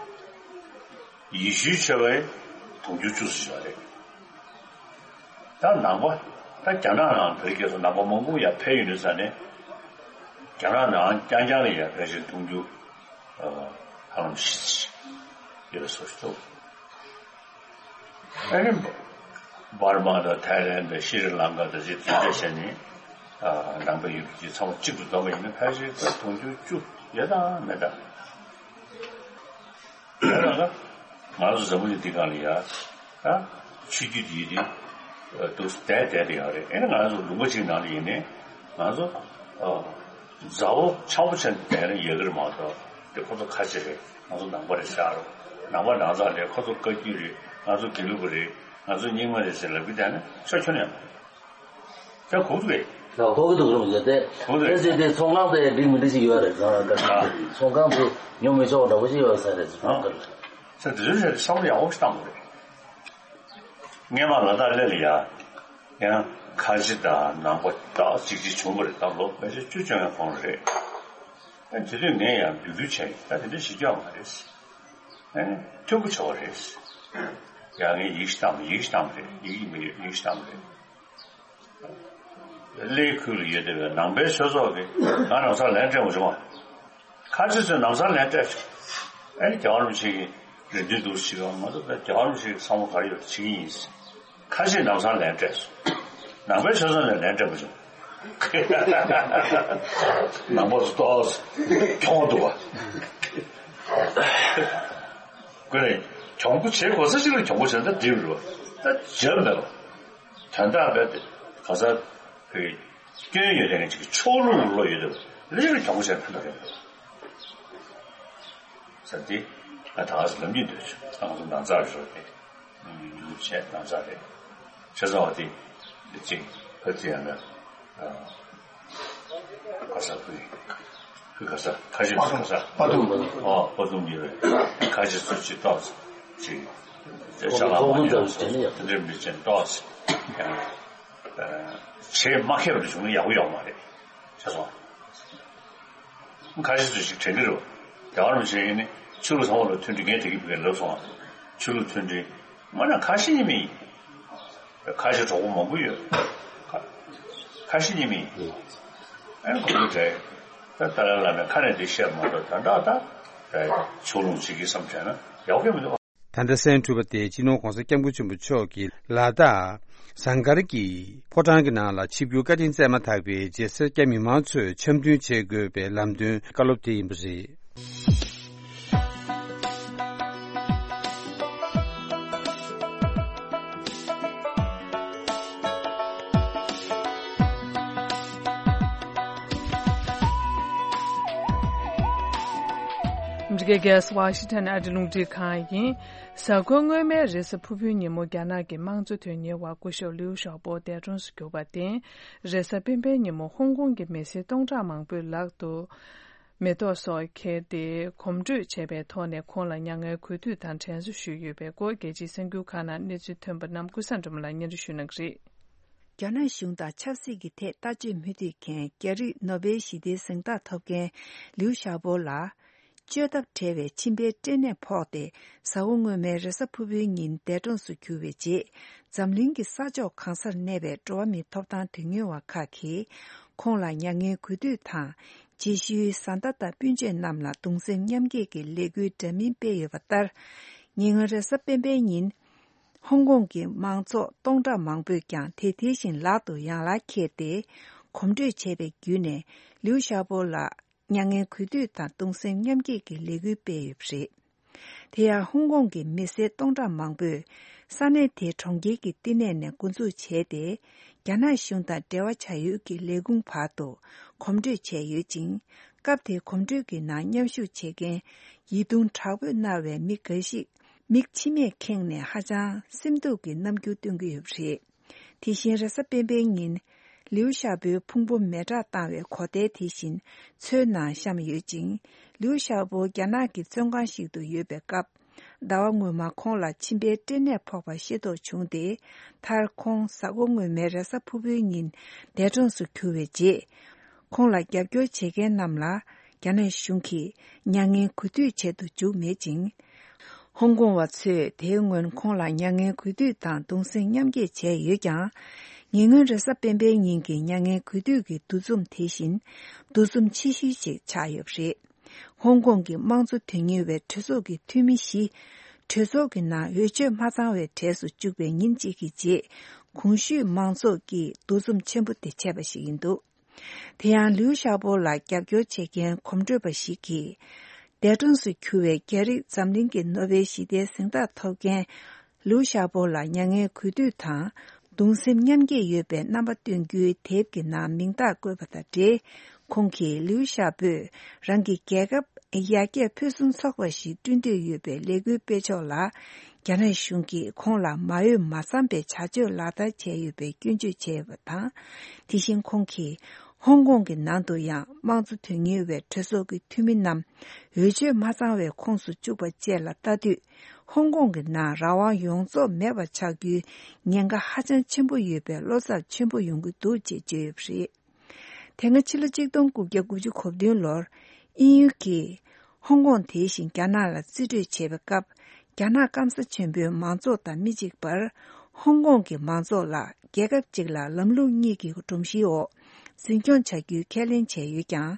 ཡེ་ཤུའི་ཆོས་པ་དུང་ཕྱུར་བཅུ་ཙམ་ཡོད་རེད། ད་ནང་པ། ད་རྒྱ་ནག་ནང་བོད་སྐད་སོགས་ནང་པ་མང་པོ་ཡར་ཕེབས་ཡོང་དུས་ཙང་ནས། རྒྱ་ནག་ནང་རྐྱང་རྐྱང་ལ་ཡར་ཕལ་ཆེར་དུང་ཕྱུར་ཧ་ལམ་བཞི་ཙམ་ཡོད་པའི་བཟོ་ཞིག་འདུག་ཨ་ནི་འབར་མ་དང་ཐའི་ལན་དང་ཤྲི་ལང་ཀ་དང་ཅིག་དེ་འདྲ་བྱས་ནས་ནང་པ་ཡོད་པ་ཅིག་ཚང་མ་གཅིག་ཏུ་བསྡོམས་པ་ཡིན་ན་ཕལ་ཆེར་དུང་ཕྱུར་བཅུ་ཡོད་དམ་མེད་དམ། ཡང་ན་ང་ཚོ་འཛམ་བུ་གླིང་འདི་སྒང་ལ་ཡ། ད་ཆོས་བརྒྱུད་འདི་ཡི་འདུག་བསྡད་བསྡད་དེ་ཡོད་རེད། ཨེ་ནི་ང་ཚོ་ལུང་པ་གཅིག་ནང་ལ་ཡིན་ནའི་ང་ཚོ་མཛའ་བོ་འཆམ་པོ་བྱས་ནས་བསྡད་ན་ཡག་གི་རེད་མ་གཏོགས། དེ་ཁོ་ཚོ་ཁ་ཆེ་རེད། ང་ཚོ་ནང་པ་རེད་ཤག་རོ། ནང་པ་ནང་ཚགས་རེད། ཁོ་ཚོ་བཀའ་བརྒྱུད་རེད། ང་ཚོ་དགེ་ལུགས་པ་རེད། ང་ཚོ་རྙིང་མ་རེད་ཟེར་ལབ་ཀྱི་བསྡད་ན་ཆོ་ཁྱོན་ནས་ཡོད་མ་རེད། ད་གོ་གི་འདུག་རུང་ཡོད་དེ། གོ་གི་འདུག་དེ་ཚེ་དེ་ཚོང་ཁང་དེ་འགྲིག་མི་འགྲིག་ཞིག་ཡོད་རེད། ཚོང་ཁང་དེ་ཉོ་མི་ཆོག་འདྲ་པོ་ཞིག་ཡོད་ས་རེད། ཚོང་ཁང་དེ་ལ། ས་དེ་ཚོའི་ཆ་དེ་བསམ་བློ་ཡག་པོ་ཞིག་བཏང་དགོས་རེད། སྔས་མ་ལ་དྭགས་གླེ་ལ་ཡ། ཡང་ཁ་ཆེ་དང་ནང་པ་ཏག་ཅིག་ཅིག་བྱུང་བ་རེད། ད་ལོ་ཕལ་ཆེར་བཅུ་བཅོ་ལྔའི་གོང་རེད། ཨ་དེ་དུས་ངས་ཡང་འབོད་སྐུལ་བྱས་ཡིན། ད་དེ་འདྲ་ཞིག་སྐྱོ་མ་རེད། ཨ་ནི་མཐུན་པོ་བྱ་བ་རེད། ཡང་ངས་ཡིག་ཞིག་བཏང་། ཡིག་ཞིག་བཏང་རེད། ཡིག་ཡིག་མི་ཡོད། ཡིག་ཞིག་བཏང་རེད། གླེའི་ཁུལ་ལ་ཡོད་བསྡད་པའི་ནང་པའི་ཆོས་ཚོགས་ཀྱིས་ང་ལམ་སང་ལན་སྤྲད་མ་བྱུང་བ། ཁ་ཆེ་ཚོས་ལམ་སང་ལན་སྤྲད་བྱུང་། ཨ་ནི་རྒྱལ་བ་རིན་པོ་ཆེ་གིས་རེ་འདུན་འདུག་ཟེར་བ། ང་ཚོ་རྒྱལ་བ་རིན་པོ་ཆེ་གི་བསམ་བློ་ག་རེ་ཡོད་བྱེད་ཀྱི་ཡིན། ཁ་ཆེས་ལམ་སང་ལན་སྤྲད་སོང་། ནང་པའི་ཆོས་ཚོགས་ནས་ལན་སྤྲད་མ་བྱུང་། ནང་པ་ཚོ་ཏོག་ཙམ་གྱོང་འདུག་བ། ཁོ་ནས་གྱོང་པོ་བྱེད་དགོས་ས་ཞིག་ལ་གྱོང་པོ་བྱས་ན་ད་འགྲིག་རེད་བ། ད་བྱས་མེད་པ། དོན་དག་རྦད་དེ་ག་ས་གི་སྐྱོན་ཡོད་མཁན་ཅིག་ཕྱོགས་ལྷུང་བློ་ཡོད་དེ་ལས་ལ་གྱོང་པོ་བྱས་ཕན་ཐོགས་ཡོད་པ་ཟེར་ཏེ། ང་ད་ག་ས་ལབ་ཉིན་འདོད་བྱུང་། ང་ཚོ་ནང་ཚགས་རེད་ཤོག་དེ་ཉུ་བྱས་ནང་ཚགས་རེད། བྱས་ཙང་བ་དེ་གཅིག་ཕ་ཚི་ཡང་ན། ག་ས་ཁུལ། ཁུལ་ག་ས། ཁ་ཤས་ཁུལ་ག་ས། པ་དུམ། ཨོ་པ་དུམ་ཉེ་བའི་ཁ་ཤས་སུ་ཅིག་ཏོག་ཙམ་ཅིག་ཅ་ལག་མ་ཉོ་ཟེར་ནས་དེ་འདྲའི་མི་ཅན་ཏོག་ཙམ་ཡང་བྱེད་མ་ཁེབས་རེ་བྱུང་ན་ཡག་པོ་ཡོད་མ་རེད། ཤེས་སོང་། ཁ་ཤས་སུ་ཞིག་དྲན་གྱི་རེད། རྒྱལ་བ་རིན་པོ་ཆེ་ཡིན་ནི་ཆོས་ལུགས་ཚང་མ་ལ་མཐུན་སྒྲིལ་ངས་དེ་གི་བི་ག་ལབ་སོང་ང་། ཆོས་ལུགས་མཐུན་སྒྲིལ། མ་ན་ཁ་ཤས་ཉི་མ་ཡིན། ཁ་ཤས་གྲོགས་པོ་མང་པོ་ཡོད། ཁ་ཁ་ཤས་ཉི་མ་ཡིན། ཨ་ནི་ཁོང་ཚོ་གྲས་ད་ཏཱ་ལའི་བླ་མའི་ཁ་ནས་འདི་བཤད་མ་གཏོགས་ད་འདྲ་ད་ཕྱོགས་ལྷུང་བྱེད་ཀྱི་བསམ་བྱས་ན་ཡག་པོ་མི་འདུག་ད་ལྟ་གསན་གྲུབ་པ་དེ་སྤྱི་ནོར་༸གོང་ས་༸སྐྱབས་མགོན་ཆེན་པོ་མཆོག་གིས་ལ་དྭགས་ཟངས་དཀར་གྱི་ཕོ་བྲང་གི་ནང་ལ་ཆིབས་བསྒྱུར་བཀའ་དྲིན་སྩལ་མ་ཐག་པའི་རྗེས་སེར་སྐྱ་མི་མང་ཚོས་འཆམ་མཐུན་བྱེད་དགོས་པའི་ལམ་སྟོན་བཀའ་སློབ་དེ་ཡིན་པ་རེད། འདི་ག་གལ་སྲིད་ཝ་ཤིང་ཊོན་ཨ་རི་རླུང་འཕྲིན་ཁང་ཡིན། གཟའ་འཁོར་སྔོན་མའི་རེས་གཟའ་ཕུར་བུའི་ཉིན་མོ་རྒྱ་ནག་གི་དམངས་གཙོ་དོན་གཉེར་བ་སྐུ་ཞབས་ལིའུ་ཞའོ་པོ་འདས་གྲོངས་སུ་གྱུར་པར་བརྟེན། རེས་གཟའ་སྤེན་པའི་ཉིན་མོ་ཧོང་ཀོང་གི་མི་སེར་སྟོང་ཕྲག་མང་པོས་ལག་ཏུ་མེ་ཏོག་སོགས་ཁྱེར་ཏེ་གོམ་བགྲོད་བྱས་པའི་ཐོག་ནས་ཁོང་ལ་མྱ་ངན་གུས་འདུད་དང་དྲན་གསོ་ཞུས་ཡོད་པའི་སྐོར། རྒྱལ་སྤྱིའི་གསར་འགྱུར་ཁག་ནང་གནས་ཚུལ་ཐོན་པ་རྣམས་ཀུན་བཟང་སྒྲོལ་མ་ལགས་སྙན་སྒྲོན་ཞུ་གནང་གི་རེད། རྒྱ་ནག་གཞུང་དང་ཆབ་སྲིད་ཀྱི་ཐད་ལྟ་སྤྱོད་མུ་མཐུད་མཁན་རྒྱ་རིགས་ནོ་བེལ་ཞི་བདེའི་གཟེངས་རྟགས་ཐོབ་མཁན་ལིའུ་ཞའོ་པོ་ལ། བཅོས་ཐབས་བྲལ་བའི་མཆིན་པའི་སྐྲན་ནད་ཕོག་སྟེ་གཟའ་འཁོར་སྔོན་མའི་རེས་གཟའ་ཕུར་བུའི་ཉིན་འདས་གྲོངས་སུ་གྱུར་བའི་རྗེས། འཛམ་གླིང་གི་ས་ཕྱོགས་གང་སར་གནས་པའི་འགྲོ་བ་མིའི་ཐོབ་ཐང་དོན་གཉེར་བ་ཁག་གིས་ཁོང་ལ་མྱ་ངན་གུས་འདུད་དང་། རྗེས་ཤུལ་བཟའ་ཟླ་དང་སྤུན་མཆེད་རྣམས་ལ་གདུང་སེམས་མཉམ་སྐྱེད་ཀྱི་ལས་འགུལ་འདྲ་མིན་སྤེལ་ཡོད་པ་ལྟར། ཉེ་སྔོན་རེས་གཟའ་སྤེན་པའི་ཉིན། ཧོང་ཀོང་གི་མང་ཚོགས་སྟོང་ཕྲག་མང་པོས་ཀྱང་དེ་དེ་བཞིན་ལག་ཏུ་ཡང་ལག་འཁྱེར་ཏེ། གོམ་བགྲོད་བྱས་པའི་བརྒྱུད་ནས་ལིའུ་ཞའོ་པོ་ལ་མྱ་ངན་གུས་འདུད་དང་གདུང་སེམས་མཉམ་སྐྱེད་ཀྱི་ལས་འགུལ་སྤེལ་ཡོད་པ་རེད། དེ་ཡང་ཧོང་ཀོང་གི་མི་སེར་སྟོང་ཕྲག་མང་པོས་ས་གནས་དེའི་གྲོང་ཁྱེར་གྱི་བསྟི་གནས་ནས་འགོ་འཛུགས་བྱས་ཏེ། རྒྱ་ནག་གཞུང་དང་འབྲེལ་བ་བྱ་ཡུལ་གྱི་ལས་ཁུངས་བར་དུ་གོམ་བགྲོད་བྱས་ཡོད་ཅིང་། སྐབས་དེའི་གོམ་བགྲོད་ཀྱི་ནང་མཉམ་ཞུགས་བྱེད་མཁན་ཡིད་གདུང་དྲག་པོས་མནར་བའི་མི་འགའ་ཞིག་མིག་མཆི་མས་ཁེངས་ནས་ཧ་ཅང་སེམས་སྡུག་གི་རྣམ་འགྱུར་སྟོན་གྱི་ཡོད་པ་རེད། དེ་བཞིན་རེས་གཟའ་སྤེན་པའི་ཉིན། ལིའུ་ཞའོ་པོའི་ཕུང་པོ་མེ་སྲེག་བཏང་བའི་གོ་ཐལ་དེ་བཞིན་མཚོའི་ནང་བཤམས་ཡོད་ཅིང་། ལིའུ་ཞའོ་པོ་རྒྱ་ནག་གི་བཙོན་ཁང་ཞིག་ཏུ་ཡོད་པའི་སྐབས། ཟླ་བ་སྔོན་མ་ཁོང་ལ་མཆིན་པའི་སྐྲན་ནད་ཕོག་པ་ཤེས་རྟོགས་བྱུང་སྟེ། མཐར་ཁོང་གཟའ་འཁོར་སྔོན་མའི་རེས་གཟའ་ཕུར་བུའི་ཉིན་འདས་གྲོངས་སུ་གྱུར་བའི་རྗེས། ཁོང་ལ་རྒྱབ་སྐྱོར་བྱེད་མཁན་རྣམས་ལ་རྒྱ་ནག་གཞུང་གིས་མྱ་ངན་གུས་འདུད་བྱེད་དུ་འཇུག་མེད་ཅིང་། ཧོང་ཀོང་བ་ཚོས་དེའི་སྔོན་ཁོང་ལ་མྱ་ངན་གུས་འདུད་དང་གདུང་སེམས་མཉམ་སྐྱེད་བྱས་ཡོད་ཀྱང་། ཉེ་སྔོན་རེས་གཟའ་སྤེན་པའི་ཉིན་གྱི་མྱ་ངན་གུས་འདུད་ཀྱི་འདུ་འཛོམས་དེ་བཞིན་འདུ་འཛོམས་ཆེ་ཤོས་ཤིག་ཆགས་ཡོད་པ་རེད། ཧོང་ཀོང་གི་དམངས་གཙོ་དོན་གཉེར་བའི་གྲོས་ཚོགས་ཀྱི་འཐུས་མི་བཞི། གྲོས་ཚོགས་ཀྱི་ནང་འོས་ཆོས་མ་ཚང་བའི་གྲས་སུ་བཅུག་པའི་ཉིན་གཅིག་གི་རྗེས། གོང་ཞུས་མང་ཚོགས་ཀྱིས་འདུ་འཛོམས་ཆེན་པོ་དེ་བྱས་པ་ཞིག་ཡིན་འདུག་དེ་ཡང་ལིའུ་ཞའོ་པོ་ལ་རྒྱབ་སྐྱོར་བྱེད་མཁན་གོམ་བགྲོད་པ་ཞིག་གིས། འདས་གྲོངས་སུ་གྱུར་བའི་རྒྱ་རིགས་འཛམ་གླིང་གི་ནོ་བེལ་ཞི་བདེའི་གཟེངས་རྟགས་ཐོབ་མཁན་ལིའུ་ཞའོ་པོ་ལ་མྱ་ངན་གུས་འདུད་དང་གདུང་སེམས་མཉམ་སྐྱེད་ཡོད་པའི་རྣམ་པ་སྟོན་རྒྱུའི་དེབ་ཀྱི་ནང་མིང་རྟགས་བཀོད་པ་དང་འབྲེལ། ཁོང་གིས་ལིའུ་ཞའོ་པོས་རང་གི་རྒྱལ་ཁབ་ཡར་རྒྱས་ཕུན་སུམ་ཚོགས་པ་ཞིག་བསྐྲུན་འདོད་ཡོད་པའི་ལས་འགུལ་སྤེལ་ཕྱོགས་ལ། རྒྱ་ནག་གཞུང་གིས་ཁོང་ལ་མ་འོས་མ་འཚམ་པའི་བྱ་སྤྱོད་ལག་བསྟར་བྱས་ཡོད་པའི་སྐྱོན་བརྗོད་བྱས་ཡོད་པ་དང་། དེ་བཞིན་ཁོང་གིས་ཧོང་ཀོང་གི་ནང་དུ་ཡང་དམངས་གཙོ་དོན་གཉེར་བའི་གྲོས་ཚོགས་ཀྱི་འཐུས་མི་རྣམས་འོས་ཆོས་མ་ཚང་བའི་ཁོངས་སུ་བཅུག་པ་བཅས་ལ་ལྟ་དུས། ཧོང་ཀོང་གི་ནང་རང་དབང་ཡོངས་རྫོགས་མེད་པ་ཆགས་རྒྱུའི་ཉེན་ཁ་ཧ་ཅང་ཆེན་པོ་ཡོད་པའི་བློ་འཚབ་ཆེན་པོ་ཡོང་གི་འདུག་ཅེས་བརྗོད་ཡོད་པ་རེད། དེ་སྔ་ཕྱི་ལོ་གཅིག་སྟོང་དགུ་བརྒྱ་དགུ་བཅུ་གོ་བདུན་ལོར་དབྱིན་ཡུལ་གྱིས་ཧོང་ཀོང་དེ་བཞིན་རྒྱ་ནག་ལ་རྩིས་སྤྲོད་བྱས་པའི་སྐབས། རྒྱ་ནག་སྐམ་ས་ཆེན་པོའི་མང་ཚོགས་དང་མི་གཅིག་པར། ཧོང་ཀོང་གི་མང་ཚོགས་ལ་རྒྱལ་ཁབ་གཅིག་ལ་ལམ་ལུགས་གཉིས་ཀྱི་སྒྲོམ་གཞིའི་འོག་འཛིན་སྐྱོང་བྱ་རྒྱུའི་ཁས་ལེན་བྱས་ཡོད་ཀྱང་།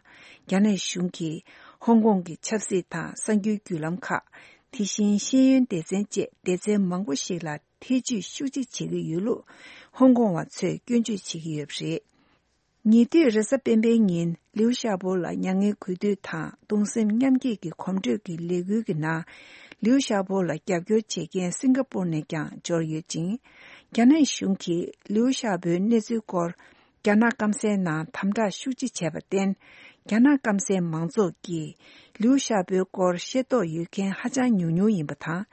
རྒྱ་ནག་གཞུང་གིས་ཧོང་ཀོང་གི་ཆབ་སྲིད་དང་གསར་འགྱུར་བརྒྱུད་ལམ་ཁག་དེ་བཞིན་ཤེས་ཡོན་སྡེ་ཚན་བཅས་སྡེ་ཚན་མང་པོ་ཞིག་ལ་ཐེ་ཇུས་ཤུགས་ཆེ་བྱེད་ཀྱི་ཡོད་ལུགས་ཧོང་ཀོང་བ་ཚོས་སྐྱོན་བརྗོད་བྱེད་ཀྱི་ཡོད་པ་རེད། ཉེ་དུས་རེས་གཟའ་སྤེན་པའི་ཉིན་ལིའུ་ཞའོ་པོ་ལ་མྱ་ངན་གུས་འདུད་དང་གདུང་སེམས་མཉམ་སྐྱེད་ཀྱི་གོམ་བགྲོད་ཀྱི་ལས་འགུལ་གྱི་ནང་། ལིའུ་ཞའོ་པོ་ལ་རྒྱབ་སྐྱོར་བྱེད་མཁན་སིང་ག་པུར་ནས་ཀྱང་འབྱོར་ཡོད་ཅིང་། རྒྱ་ནག་གཞུང་གིས་ལིའུ་ཞའོ་པོའི་གནས་ཚུལ་སྐོར་རྒྱ་ནག་སྐམ་སའི་ནང་དམ་དྲག་ཤུགས་ཆེ་བྱས་པར་བརྟེན། རྒྱ་ནག་སྐམ་སའི་མང་ཚོགས་ཀྱིས་ལིའུ་ཞའོ་པོའི་སྐོར་ཤེས་རྟོགས་ཡོད་མཁན་ཧ་ཅང་ཉུང་ཉུང་ཡིན་པ་དང་།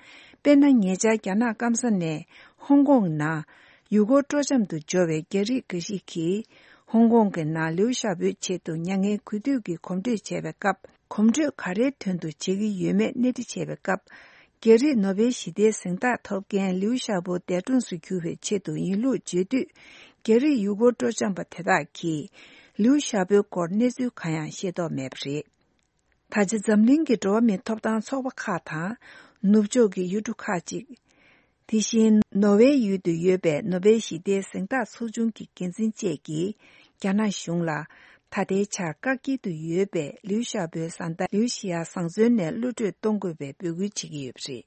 དཔེར་ན། ཉེ་ཆར་རྒྱ་ནག་སྐམ་ས་ནས་ཧོང་ཀོང་ནང་ཡུལ་སྐོར་སྤྲོ་འཆམ་དུ་འབྱོར་བའི་རྒྱ་རིགས་འགའ་ཞིག་གིས། ཧོང་ཀོང་གི་ནང་ལིའུ་ཞའོ་པོའི་ཆེད་དུ་མྱ་ངན་གུས་འདུད་ཀྱི་གོམ་བགྲོད་བྱས་པའི་སྐབས། གོམ་བགྲོད་ག་རེའི་དོན་དུ་བྱེད་ཀྱི་ཡོད་མེད་གནས་འདྲི་བྱས་པའི་སྐབས། རྒྱ་རིགས་ནོ་བེལ་ཞི་བདེའི་གཟེངས་རྟགས་ཐོབ་མཁན་ལིའུ་ཞའོ་པོ་འདས་གྲོངས་སུ་གྱུར་བའི་ཆེད་དུ་ཡིན་ལུགས་བརྗོད་དུས། རྒྱ་རིགས་ཡུལ་སྐོར་སྤྲོ་འཆམ་པ་དེ་དག་གིས་ལིའུ་ཞའོ་པོའི་སྐོར་གནས་ཚུལ་གང་ཡང་ཤེས་རྟོགས་མེད་པ་རེད། ད་ཆ་འཛམ་གླིང་གི་འགྲོ་བ་མིའི་ཐོབ་ཐང་ཚོགས་པ་ཁག་དང་། ནུབ་ཕྱོགས་ཀྱི་ཡུལ་གྲུ་ཁག་ཅིག་དེ་བཞིན་ནོར་ཝེ་ཡུལ་དུ་ཡོད་པའི་ནོ་བེལ་ཞི་བདེའི་གཟེངས་རྟགས་ཚོགས་ཆུང་གི་འགན་འཛིན་བཅས་ཀྱིས་རྒྱ་ནག་གཞུང་ལ་ད་ལྟའི་ཆར་བཀག་སྐྱིལ་དུ་ཡོད་པའི་ལིའུ་ཞའོ་པོའི་བཟའ་ཟླ་ལིའུ་ཞི་ཡ་བཟང་བཙོན་ནས་གློད་གྲོལ་གཏོང་དགོས་པའི་འབོད་སྐུལ་བྱེད་ཀྱི་ཡོད་པ་རེད།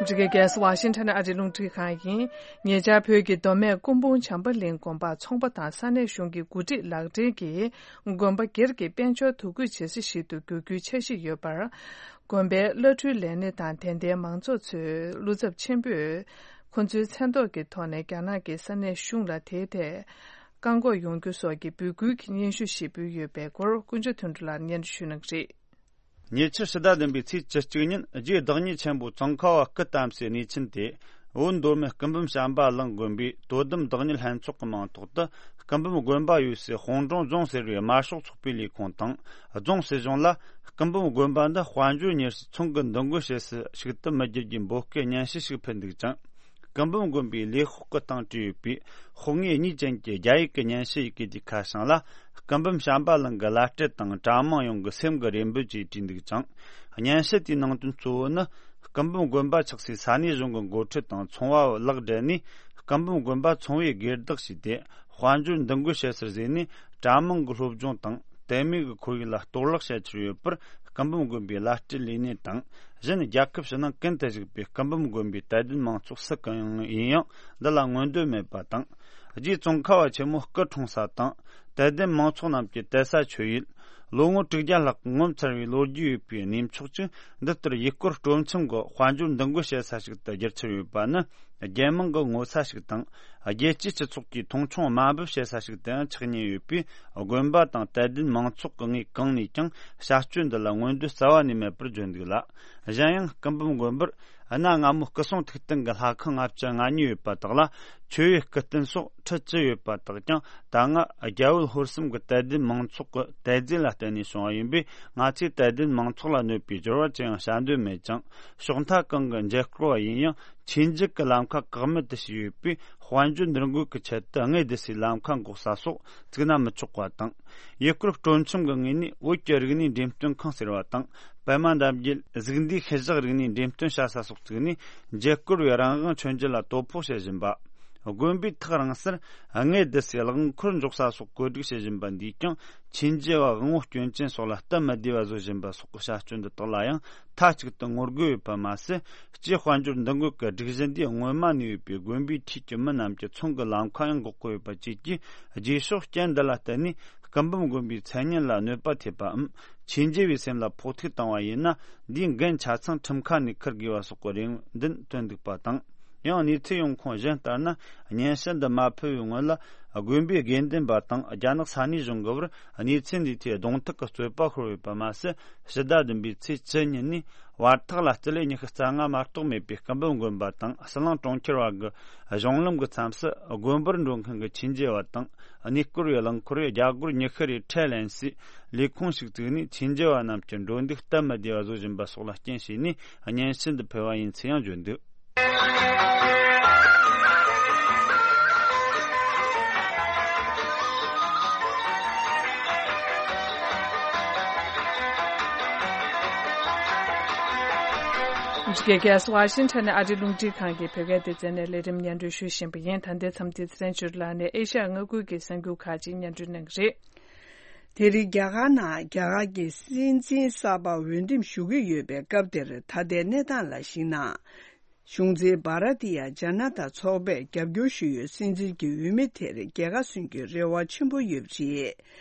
ཨ་མི་རི་ཀའི་རྒྱལ་ས་ཝ་ཤིང་ཊོན་ཨ་རིའི་རླུང་འཕྲིན་ཁང་ཡིན། ཉེ་ཆར་བོད་ཀྱི་མདོ་སྨད་སྐུ་འབུམ་བྱམས་པ་གླིང་དགོན་པར་ཚོང་པ་དང་ས་གནས་གཞུང་གི་འགོ་ཁྲིད་ལག་འབྲེལ་གྱིས་དགོན་པ་སྒེར་གྱི་དཔལ་འབྱོར་དོ་འགོད་བྱེད་ས་ཞིག་ཏུ་འགྱུར་རྒྱུའི་འཆར་གཞི་ཡོད་པར། དགོན་པའི་བླ་སྤྲུལ་ལས་སྣེ་དང་དད་ལྡན་མང་ཚོགས་ཚོས་བློ་འཚབ་ཆེན་པོས། ཁོ་ཚོའི་མཚན་ཐོག་གི་ཐོག་ནས་རྒྱ་ནག་གི་ས་གནས་གཞུང་ལ་དེའི་ཐད་བཀག་འགོག་ཡོང་རྒྱུ་སོགས་ཀྱི་འབོད་སྐུལ་གྱི་སྙན་ཞུ་ཞིག་ཕུལ་ཡོད་པའི་སྐོར་ཀུན་གྱི་དོན་གྲུབ་ལགས་སྙན་སྒྲོན་ཞུ་གནང་གི་རེད། ཉེ་ཆར་ཕྱི་ཟླ་བདུན་པའི་ཚེས་བཅུ་གཅིག་ཉིན་རྗེ་བདག་ཉིད་ཆེན་པོ་ཙོང་ཁ་བ་སྐུ་བལྟམས་སའི་གནས་ཆེན་དེ། བོད་མདོ་སྨད་སྐུ་འབུམ་བྱམས་པ་གླིང་དགོན་པའི་དོ་དམ་བདག་ཉིད་ལྷན་ཚོགས་ཀྱི་མིང་ཐོག་ཏུ། སྐུ་འབུམ་དགོན་པ་ཡོད་སའི་དཔུང་གྲོང་རྫོང་ཟེར་བའི་དམར་ཤོག་ཚོགས་པའི་ལས་ཁུངས་དང་། རྫོང་སྲིད་གཞུང་ལ། སྐུ་འབུམ་དགོན་པ་འདི་དཔལ་འབྱོར་གཉེར་སའི་ཚོང་གི་འདུ་འགོད་བྱེད་ས་ཞིག་ཏུ་མི་བསྒྱུར་རྒྱུའི་འབོད་སྐུལ་སྙན་ཞུ་ཞིག་ཕུལ་འདུག་ཅིང་། སྐུ་འབུམ་དགོན་པའི་ལས་ཤོག་གི་སྟེང་བྲིས་ཡོད་པའི་ཤོག་ངོས་གཉིས་ཅན་གྱི་རྒྱ་ཡིག་གི་སྙན་ཞུ་ཡི་གེ་དེའི་ཁ་བྱང་ལ། སྐུ་འབུམ་བྱམས་པ་གླིང་གི་བླ་སྤྲུལ་དང་གྲྭ་མང་ཡོངས་ཀྱི་སེམས་ཀྱི་རེ་འབོད་ཅེས་བྲིས་འདུག་ཅིང་། སྙན་ཞུ་དེའི་ནང་དོན་གཙོ་བོ་ནི། སྐུ་འབུམ་དགོན་པ་ཆགས་སའི་ས་གནས་གཞུང་གི་འགོ་ཁྲིད་དང་ཚོང་བ་ལག་སྦྲེལ་ནས། སྐུ་འབུམ་དགོན་པ་ཚོང་བའི་སྒེར་བདག་བྱས་ཏེ། དཔལ་འབྱོར་འདུ་འགོད་བྱེད་སར་བཟོས་ནས། གྲྭ་མང་གི་སློབ་སྦྱོང་དང་། དད་མོས་ཀྱི་ཁོར་ཡུག་ལ་གཏོར་བརླག་བྱ་འཆར་ཡོད་པར། སྐུ་འབུམ་དགོན་པའི་བླ་སྤྲུལ་ལས་སྣེ་དང་། གཞན་རྒྱལ་ཁབ་ཕྱི་ནང་ཀུན་ཏུ་བཞུགས་པའི་སྐུ་འབུམ་དགོན་པའི་དད་ལྡན་མང་ཚོགས་སུ་གང་ཡང་ཡིན་ཡང་འདི་ལ་མངོན་འདོད་མེད་པ་དང་། རྗེ་ཙོང་ཁ་བ་ཆེན་མོ་སྐུ་འཁྲུངས་ས་དང་། དད་ལྡན་མང་ཚོགས་རྣམས་ཀྱི་དད་ས་ཆོས་ཡུལ། ལོ་ངོ་དྲུག་བརྒྱ་ལྷག་ངོ་མཚར་བའི་ལོ་རྒྱུས་ཡོད་པའི་གནས་མཆོག་ཅིག་འདི་ལྟར་ཡུལ་སྐོར་སྤྲོ་འཆམ་གྱི་དཔལ་འབྱོར་འདུ་འགོད་བྱེད་ས་ཞིག་ཏུ་བསྒྱུར་འཆར་ཡོད་པ་ནི། རྒྱལ་དམངས་ཀྱི་ངོ་ཚ་ཞིག་དང་། རྒྱལ་སྤྱིའི་སྤྱི་ཚོགས་ཀྱིས་མཐོང་ཆུང་དམའ་འབེབས་བྱེད་ས་ཞིག་ཏུ་ཡང་ཆགས་ཉེན་ཡོད་པས། དགོན་པ་དང་དད་ལྡན་མང་ཚོགས་ཀྱི་ངོས་གང་ནས་ཀྱང་བྱ་སྤྱོད་འདི་ལ་མངོན་འདོད་རྩ་བ་ནས་མེད་པར་བརྗོད་འདུག་ལ། གཞན་ཡང་སྐུ་འབུམ་དགོན་པར་གནའ་སྔ་མོ་སྐུ་སྲུང་ཐིག་རྟེན་གྱི་ལྷ་ཁང་ལྔ་བཅུ་ང་གཉིས་ཡོད་པ་དག་ལ། མཆོད་འོས་སྐུ་རྟེན་སོགས་ཁྲི་བཅུ་ཡོད་པ་དག་ཀྱང་ད་སྔ་རྒྱ་བོད་ཧོར་གསུམ་གྱི་དད་ལྡན་མང་ཚོགས་ཀྱི་དད་རྫས་ལ་བརྟེན་ནས་བྱུང་བ་ཡིན་པས། ང་ཚོས་དད་ལྡན་མང་ཚོགས་ལ་གནོད་པའི་སྦྱོར་བ་ཅི་ཡང་བྱ་འདོད་མེད་ཅིང་། ཕྱོགས་མཐའ་གང་གི་འཇལ་སྐོར་བ་ཡིན་ཡང་། ཆོས་འབྱེད་ཀྱི་ལམ་ཁ་བཀག་མེད་དུ་བྱས་ཡོད་པས། དཔལ་འབྱོར་འདུ་འགོད་ཀྱི་ཆེད་དུ་དངོས་སྡུད་སའི་ལམ་ཁ་འགོག་ས་སོགས་བཙུགས་ན་མི་ཆོག་པ་དང་། ཡུལ་སྐོར་སྤྲོ་འཆམ་གྱི་ངོས་ནས་བོད་ཀྱི་རིག་གནས་འགྲེམས་སྟོན་ཁང་ཟེར་བ་དང་། པད་མ་འདབ་རྒྱུད་གཟུགས་འདས་ཤུལ་བཞག་རིག་གནས་འགྲེམས་སྟོན་བྱ་ས་སོགས་བཙུགས་ནས། འཇལ་སྐོར་བའི་རང་དབང་མཆོད་མཇལ་ལ་དོ་ཕོག་བྱེད་བཞིན་པ། དགོན་པའི་ཐག་རིང་སར་དངོས་སྡུད་སའི་རླངས་འཁོར་འཇོག་ས་སོགས་བཀོད་སྒྲིག་བྱེད་བཞིན་པ་འདིས་ཀྱང་། ཆོས་འབྱེད་པ་དབང་བོ་སྐྱོན་ཅན་སོགས་ལ་སྟབས་མི་བདེ་བ་བཟོ་བཞིན་པ་སོགས་ཀྱི་བྱ་སྤྱོད་འདི་དག་ལ་ཡང་མཐའ་གཅིག་ཏུ་ངོ་རྒོལ་ཡོད་པ་མ་ཟད། སྤྱིར་དཔལ་འབྱོར་འདུ་འགོད་ཀྱི་སྒྲིག་གཞི་འདིས་སྔོན་མ་ནས་ཡོད་པའི་དགོན་པའི་འཁྲིས་ཀྱི་མི་རྣམས་ཀྱི་ཚོང་གི་ལམ་ཁ་ཡང་འགོག་གི་ཡོད་པ་བཅས་ཀྱིས། རྗེས་ཕྱོགས་རྐྱེན་འདི་ལ་བརྟེན་ནས་སྐུ་འབུམ་དགོན་པའི་མཚན་སྙན་ལ་གནོད་པ་ཐེབས་པའམ། ཆོས་འབྱེད་པའི་སེམས་ལ་ཕོག་ཐུག་བཏང་བ་ཡིན་ན། འདིའི་འགན་ཆ་ཚང་ཁྲིམས་ཁང་ནས་འཁུར་དགོས་པ་སོགས་ཀྱི་རེ་འདུན་བཏོན་འདུག་པ་དང་། ཡང་གནས་ཚུལ་ཡོང་ཁུངས་གཞན་ལྟར་ན། སྙན་ཞུ་འདི་མ་ཕུལ་བའི་སྔོན་ལ། དགོན་པའི་དགེ་འདུན་པ་དང་རྒྱ་ནག་ས་གནས་གཞུང་གི་བར་གནས་ཚུལ་འདིའི་ཐད་གདོང་ཐུག་གི་རྩོད་པ་ཤོར་ཡོད་པ་མ་ཟད། ཕྱི་ཟླ་བདུན་པའི་ཚེས་བཅུ་ཉིན་ནས་བར་ཐག་ལ་སྤྱི་ལེ་ཉི་ཤུ་རྩ་ལྔ་མ་གཏོགས་མེད་པའི་སྐུ་འབུམ་དགོན་པ་དང་ཟི་ལིང་གྲོང་ཁྱེར་བར་གྱི་གཞུང་ལམ་གྱི་མཚམས་སུ། དགོན་པར་འགྲོ་མཁན་གྱི་ཆོས་འབྱེད་པ་དང་གནས་སྐོར་བའི་རླངས་འཁོར་རྒྱ་སྒོར་ཉི་ཤུ་རེ་ཁྲལ་ལེན་སའི་ལས་ཁུངས་ཤིག་བཙུགས་ནས། ཆོས་འབྱེད་པ་རྣམས་ཀྱི་འགྲོ་འདུག་སྟབས་མི་བདེ་བ་བཟོ་བཞིན་པ་སོགས་ལ་རྐྱེན་བྱས་ནས། སྙན་ཞུ་འདི་ཕུལ་བ་ཡིན་ཚུལ་ཡང་བརྗོད་འདུག། འདི་ག་ཝ་ཤིང་ཊོན་ནས་ཨ་རིའི་རླུང་འཕྲིན་ཁང་གི་བོད་སྐད་སྡེ་ཚན་ནས་ལས་རིམ་སྙན་སྒྲོན་ཞུ་བཞིན་པ་ཡིན། ད་ལྟའི་མཚམས་འདིར་ཚེ་རིང་ཆོས་སྒྲོན་ལགས་ནས་ཨེ་ཤ་ཡ་མངའ་ཁུལ་གྱི་གསར་འགྱུར་ཁག་ཅིག་སྙན་སྒྲོན་གནང་གི་རེད། དེ་རིང་རྒྱ་གར་ནང་རྒྱ་གར་གྱི་སྲིད་འཛིན་གསར་པ་འོས་འདེམས་ཞུ་གི་ཡོད་པའི་སྐབས་དེར། ད་ལྟའི་གནས་སྟངས་ལ་གཞིགས་ན། གཞུང་འཛིན་བྷ་ར་ཏི་ཡ་ཇ་ན་ཏ་ཚོགས་པས་རྒྱབ་སྐྱོར་ཞུ་ཡུལ་སྲིད་འཛིན་གྱི་འོས་མི་དེར་རྒྱལ་ཁ་སོན་རྒྱུའི་རེ་བ་ཆེན་པོ་ཡོད་པ་རེད།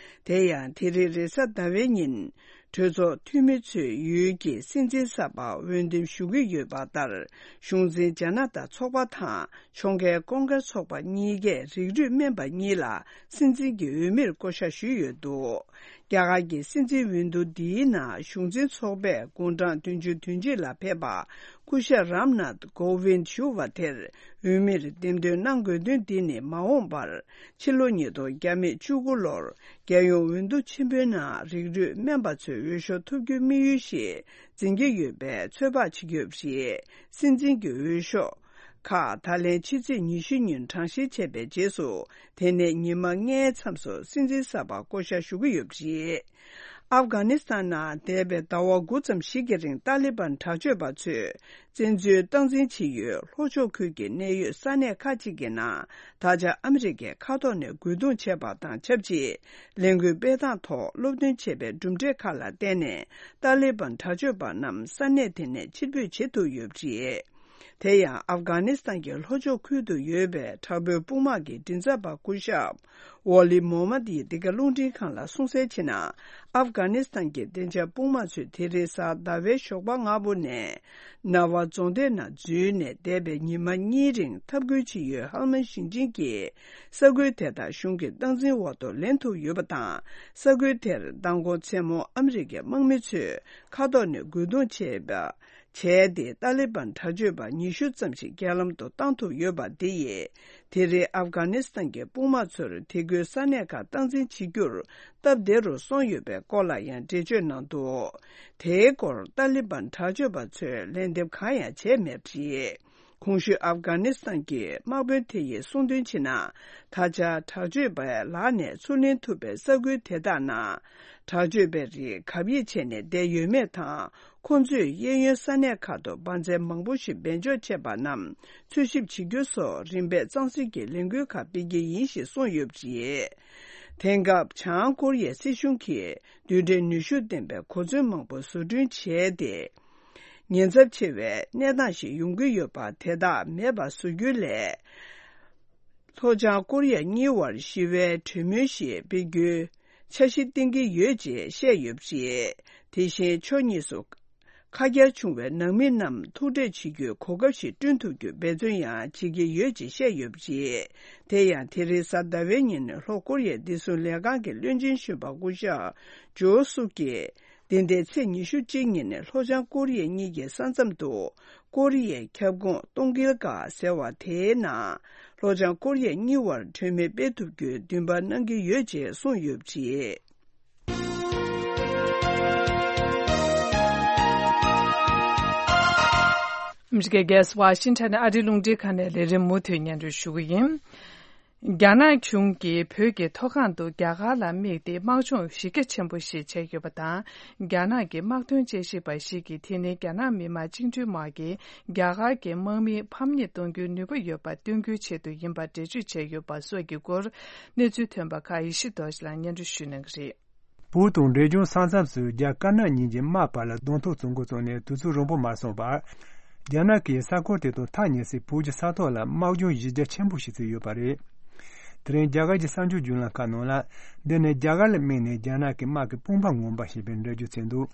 དེ་ཡང་དེ་རིང་རེས་གཟའ་ཟླ་བའི་ཉིན། གྲོས་ཚོགས་འཐུས་མི་ཚོས་ཡུལ་གྱི་སྲིད་འཛིན་གསར་པ་འོས་འདེམས་ཞུ་གི་ཡོད་པ་ལྟར། གཞུང་འཛིན་ཇ་ན་ཏ་ཚོགས་པ་དང་ཕྱོགས་འགལ་ཀོང་ཀེ་སི་ཚོགས་པ་གཉིས་ཀས་རིགས་རུས་དམན་པ་གཉིས་ལ་སྲིད་འཛིན་གྱི་འོས་མིར་བསྐོ་བཞག་ཞུས་ཡོད་འདུག། རྒྱ་གར་གྱི་སྲིད་འཛིན་འོས་བསྡུ་འདིའི་ནང་གཞུང་འཛིན་ཚོགས་པས་དགུང་གྲངས་བདུན་ཅུ་དོན་གཅིག་ལ་ཕེབས་པ། སྐུ་ཞབས་རམ་ནཱཐ་ཀོ་ཝིན་ཞུ་བ་དེར་འོས་མིར་འདེམས་ཐོན་གནང་དགོས་དོན་འདི་ནི། མ་འོངས་པར་ཕྱི་ལོ་ཉིས་སྟོང་བརྒྱ་མེད་བཅུ་དགུ་ལོར་རྒྱལ་ཡོངས་འོས་བསྡུ་ཆེན་པོའི་ནང་རིགས་རུས་དམན་པ་ཚོས་འོས་ཤོག་ཐོབ་རྒྱུའི་དམིགས་ཡུལ་ཞིག་འཛིན་གྱི་ཡོད་པའི་ཚོད་དཔག་བྱེད་ཀྱི་ཡོད་པ་རེད། སྲིད་འཛིན་གྱི་འོས་ཤོག་ཁག་ད་ལན་ཕྱི་ཚེས་ཉི་ཤུ་ཉིན་གྲངས་བཤེར་བྱས་པའི་རྗེས་སུ། དེ་ནས་ཉི་མ་ལྔའི་མཚམས་སུ་སྲིད་འཛིན་གསར་པ་བསྐོ་བཞག་ཞུ་གི་ཡོད་པ་རེད། ཨབ་གྷ་ནི་སི་ཐན་ནང་འདས་པའི་ཟླ་བ་དགུ་ཙམ་ཞིག་གི་རིང་ཏཱ་ལི་བན་དྲག་སྤྱོད་པ་ཚོས་བཙན་འཛུལ་སྟངས་འཛིན་བྱེད་ཡུལ་ལྷོ་ཕྱོགས་ཁུལ་གྱི་གནད་ཡོད་ས་གནས་ཁག་ཅིག་གི་ནང་ད་ཆ་ཨ་མི་རི་ཀའི་མཁའ་ཐོག་ནས་རྒོལ་རྡུང་བྱས་པ་དང་ཆབས་ཅིག་ལས་འགུལ་སྤེལ་སྟངས་ཐོག་སློབ་སྟོན་བྱས་པའི་གྲུབ་འབྲས་ཁག་ལ་བརྟེན་ནས། ཏཱ་ལི་བན་དྲག་སྤྱོད་པ་རྣམས་ས་གནས་དེ་ནས་ཕྱིར་འབུད་བྱེད་ཐུབ་ཡོད་པ་རེད། དེ་ཡང་ཨབ་གྷ་ནི་སི་ཐན་གྱི་ལྷོ་ཕྱོགས་ཁུལ་དུ་ཡོད་པའི་དྲག་པོའི་དཔུང་དམག་གི་མགྲིན་ཚབ་པ་སྐུ་ཞབས་ཝོ་ལི་མོ་མད་ཡིས་འདི་ག་རླུང་འཕྲིན་ཁང་ལ་གསུངས་གསལ་བྱས་ན། ཨབ་གྷ་ནི་སི་ཐན་གྱི་བདེ་འཇགས་དཔུང་དམག་ཚོས་དེ་རིང་གཟའ་ཟླ་བའི་ཞོགས་པ་སྔ་པོ་ནས་ནཱ་ཝ་རྫོང་སྡེ་ནང་འཛུལ་ནས་འདས་པའི་ཉི་མ་གཉིས་རིང་འཐབ་རྒོལ་བྱེད་ཡུལ་ཧལ་མན་ཞིང་ཆེན་གྱི་ས་ཁུལ་དེ་དག་གཞུང་གི་སྟངས་འཛིན་འོག་ཏུ་ལེན་ཐུབ་ཡོད་པ་དང་། ས་ཁུལ་དེར་མདང་དགོང་མཚན་མོ་ཨ་མི་རི་ཀའི་དམག་མི་ཚོས་མཁའ་ཐོག་ནས་རྒོལ་རྡུང་བྱས་པ། བྱས་ཏེ། ཏཱ་ལི་བན་དྲག་སྤྱོད་པ་ཉི་ཤུ་ཙམ་ཞིག་རྐྱེན་ལམ་དུ་བཏང་ཐུབ་ཡོད་པ་འདི་ཡིས། དེ་རིང་ཨབ་གྷ་ནི་སི་ཐན་གྱི་དཔུང་དམག་ཚོར་དེ་ཁུལ་ས་གནས་ཁག་སྟངས་འཛིན་བྱེད་རྒྱུར་སྟབས་བདེ་རུ་སོང་ཡོད་པའི་སྐོར་ལ་ཡང་འགྲེལ་བརྗོད་གནང་འདུག་དེའི་སྐོར་ཏཱ་ལི་བན་དྲག་སྤྱོད་པ་ཚོས་ལན་འདེབས་གང་ཡང་བྱས་མེད་པ་རེད། གོང་ཞུས་ཨབ་གྷ་ནི་སི་ཐན་གྱི་དམག་དཔོན་དེ་ཡིས་གསུངས་དོན་བྱས་ན། ད་ཆ་དྲག་སྤྱོད་པའི་ལག་ནས་ཚུར་ལེན་ཐུབ་པའི་ས་ཁུལ་དེ་དག་ནང་། དྲག་སྤྱོད་པའི་རིགས་གབ་ཡིབ་བྱས་ནས་བསྡད་ཡོད་མེད་དང་། ཁོང་ཚོས་གཡས་གཡོན་ས་གནས་ཁག་ཏུ་འབར་རྫས་མང་པོ་ཞིག་སྦས་འཇོག་བྱས་པ་རྣམས་འཚོལ་ཞིབ་བྱེད་རྒྱུ་སོགས་རིམ་པས་གཙང་སེལ་གྱི་ལས་འགུལ་ཁག་སྤེལ་གྱི་ཡིན་ཞེས་གསུངས་ཡོད་པ་རེད། དེང་སྐབས་བྱང་ཀོ་རི་ཡའི་སྲིད་གཞུང་གིས་རྡུལ་ཕྲན་ནུས་ཤུགས་ལྡན་པའི་གོ་མཚོན་མང་པོ་བཟོ་སྐྲུན་བྱས་ཏེ། ཉེན་ཚབས་ཆེ་བའི་གནས་སྟངས་ཤིག་ཡོང་གི་ཡོད་པ་དེ་དག་མེད་པ་བཟོ་རྒྱུའི་སླད། ལྷོ་བྱང་ཀོ་རི་ཡ་གཉིས་བར་ཞི་བའི་གྲོས་མོལ་ཞིག་སྤེལ་རྒྱུའི་འཆར་གཞི་བཏིང་གི་ཡོད་ཅེས་བཤད་ཡོད་པ་རེད། དེ་བཞིན་ཕྱོགས་གཉིས་སུ་ཁ་གྱར་བྱུང་བའི་ནང་མི་རྣམས་ཐུག་འཕྲད་བྱེད་རྒྱུའི་གོ་སྐབས་ཤིག་བསྐྲུན་ཐུབ་རྒྱུའི་འབད་བརྩོན་ཡང་བྱེད་ཀྱི་ཡོད་ཅེས་བཤད་ཡོད་པ་རེད། དེ་ཡང་དེ་རིང་གཟའ་ཟླ་བའི་ཉིན་ལྷོ་ཀོ་རི་ཡའི་བདེ་སྲུང་ལས་ཁང་གི་བློན་ཆེན་གཞོན་པ་སྐུ་ཞབས་ཇོ་སུག་གིས། འདི་ཟླའི་ཚེས་ཉི་ཤུ་གཅིག་ཉིན་ནས་ལྷོ་བྱང་ཀོ་རི་ཡ་གཉིས་ཀྱི་ས་མཚམས་དུ་ཀོ་རི་ཡའི་ཁྱབ་ཁོངས་སྟོང་ཀིལ་ག་ཟེར་བ་དེའི་ནང་ལྷོ་བྱང་ཀོ་རི་ཡ་གཉིས་བར་གྲོས་མོལ་སྤེལ་ཐུབ་རྒྱུའི་འདུན་པ་གནང་གི་ཡོད་ཅེས་གསུངས་ཡོད་པ་རེད། ཨ་མི་རི་ཀའི་རྒྱལ་ས་ཝ་ཤིང་ཊོན་ནས་ཨ་རིའི་རླུང་འཕྲིན་ཁང་ནས་ལས་རིམ་མུ་མཐུད་སྙན་སྒྲོན་ཞུ་གི་ཡིན། རྒྱ་ནག་གཞུང་གིས་བོད་ཀྱི་མཐོ་སྒང་དུ་རྒྱ་གར་ལ་དམིགས་ཏེ་དམག་སྦྱོང་གཞི་རྒྱ་ཆེན་པོ་ཞིག་བྱས་ཡོད་པ་དང་། རྒྱ་ནག་གི་དམག་དོན་དཔྱད་ཞིབ་པ་ཞིག་གིས་དེ་ནི་རྒྱ་ནག་མི་དམངས་བཅིངས་འགྲོལ་དམག་གིས་རྒྱ་གར་གྱི་དམག་མིའི་ཕམ་ཉེས་གཏོང་རྒྱུའི་ནུས་པ་ཡོད་པ་སྟོན་རྒྱུའི་ཆེད་དུ་ཡིན་པར་འགྲེལ་བརྗོད་བྱས་ཡོད་པ་སོགས་ཀྱི་སྐོར་གནས་ཚུལ་ཐོན་པ་ཁག་ཡེ་ཤེས་རྡོ་རྗེ་ལགས་སྙན་སྒྲོན་ཞུ་གནང་གི་རེད། བོད་དང་འབྲས་ལྗོངས་ས་མཚམས་སུ་རྒྱ་དཀར་ནག་གཉིས་ཀྱི་དམག་བར་ལ་གདོང་ཐུག་བྱུང་འགོ་བཙུགས་ནས་དུས་ཚོད་རིང་པོ་མ་སོང་བར། རྒྱ་ནག་གིས་ས་ཁུལ་དེ་དང་ཐག་ཉེ་སའི་བོད་ཀྱི་ས་ཐོག་ལ་དམག་སྦྱོང་གཞི་རྒྱ་ཆེན་པོ་ཞིག་བྱས་ཡོད་པ་རེད། དེ་རིང་རྒྱ་གར་གྱི་གསར་འགྱུར་བརྒྱུད་ལམ་ཁག་ནང་ལ། འདི་ནི་རྒྱ་གར་ལ་དམིགས་ནས་རྒྱ་ནག་གི་དམག་གི་དཔུང་པ་ངོམ་པ་ཞེས་པའི་འགྲེལ་བརྗོད་བྱས་འདུག་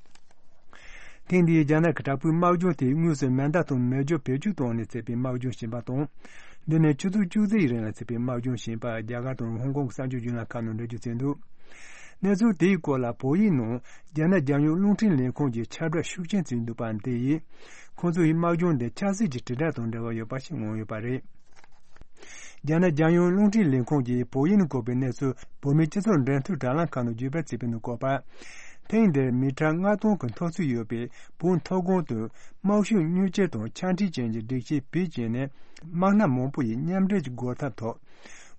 ཐེངས་འདིའི་རྒྱ་ནག་གི་དྲག་པོའི་དམག་སྦྱོང་དེ་དངོས་སུ་མེ་མདའ་དང་མེ་སྒྱོགས་བེད་སྤྱོད་བཏང་ནས་བྱས་པའི་དམག་སྦྱོང་ཞིག་ཡིན་པ་དང་། འདི་ནི་ཆུ་ཚོད་བཅུ་ཙམ་ཡི་རིང་ལ་བྱས་པའི་དམག་སྦྱོང་ཞིག་ཡིན་པ་རྒྱ་གར་དང་ཧོང་ཀོང་གི་གསར་འགྱུར་བརྒྱུད་ལམ་ཁག་ནང་འགྲེལ་བརྗོད་བྱས་འདུག་གནས་ཚུལ་དེའི་སྐོར་ལ་བོད་ཡིག་ནང་རྒྱ་ནག་རྒྱལ་ཡོངས་རླུང་འཕྲིན་ལས་ཁུངས་ཀྱིས་ཁྱབ་བསྒྲགས་ཤུགས་ཆེན་བྱས་འདུག་པ་འདི་ཡིས། ཁོང་ཚོ་ཡིས་དམག་སྦྱོང་འདི་ཆབ་སྲིད་ཀྱི་དྲིལ་བསྒྲགས་དང་འབྲེལ་བ་ཡོད་པ་ཞིག་མངོན་ཡོད་པ་རེད། རྒྱ་ནག་རྒྱལ་ཡོངས་རླུང་འཕྲིན་ལས་ཁུངས་ཀྱིས་བོད་ཡིག་ནང་བཀོད་པའི་གནས་ཚུལ་བོད་མིའི་སྤྱི་ཚོགས་འབྲེལ་མཐུད་དྲ་ལམ་ཁག་ནང་བརྒྱུད་སྤེལ་བྱས་པའི་ནང་བཀོད་པར། ཐེངས་འདིར་མི་ཊར་ལྔ་སྟོང་གི་མཐོ་ཚད་ཡོད་པའི་བོད་མཐོ་སྒང་དུ་དམག་ཤུགས་མྱུར་སྐྱེལ་དང་ཆ་འཕྲིན་ཅན་གྱི་སྒྲིག་ཆས་བེད་སྤྱད་ནས་དམག་སྣ་མང་པོ་ཡི་མཉམ་འབྲེལ་གྱི་སྒོ་ཐབ་ཐོག་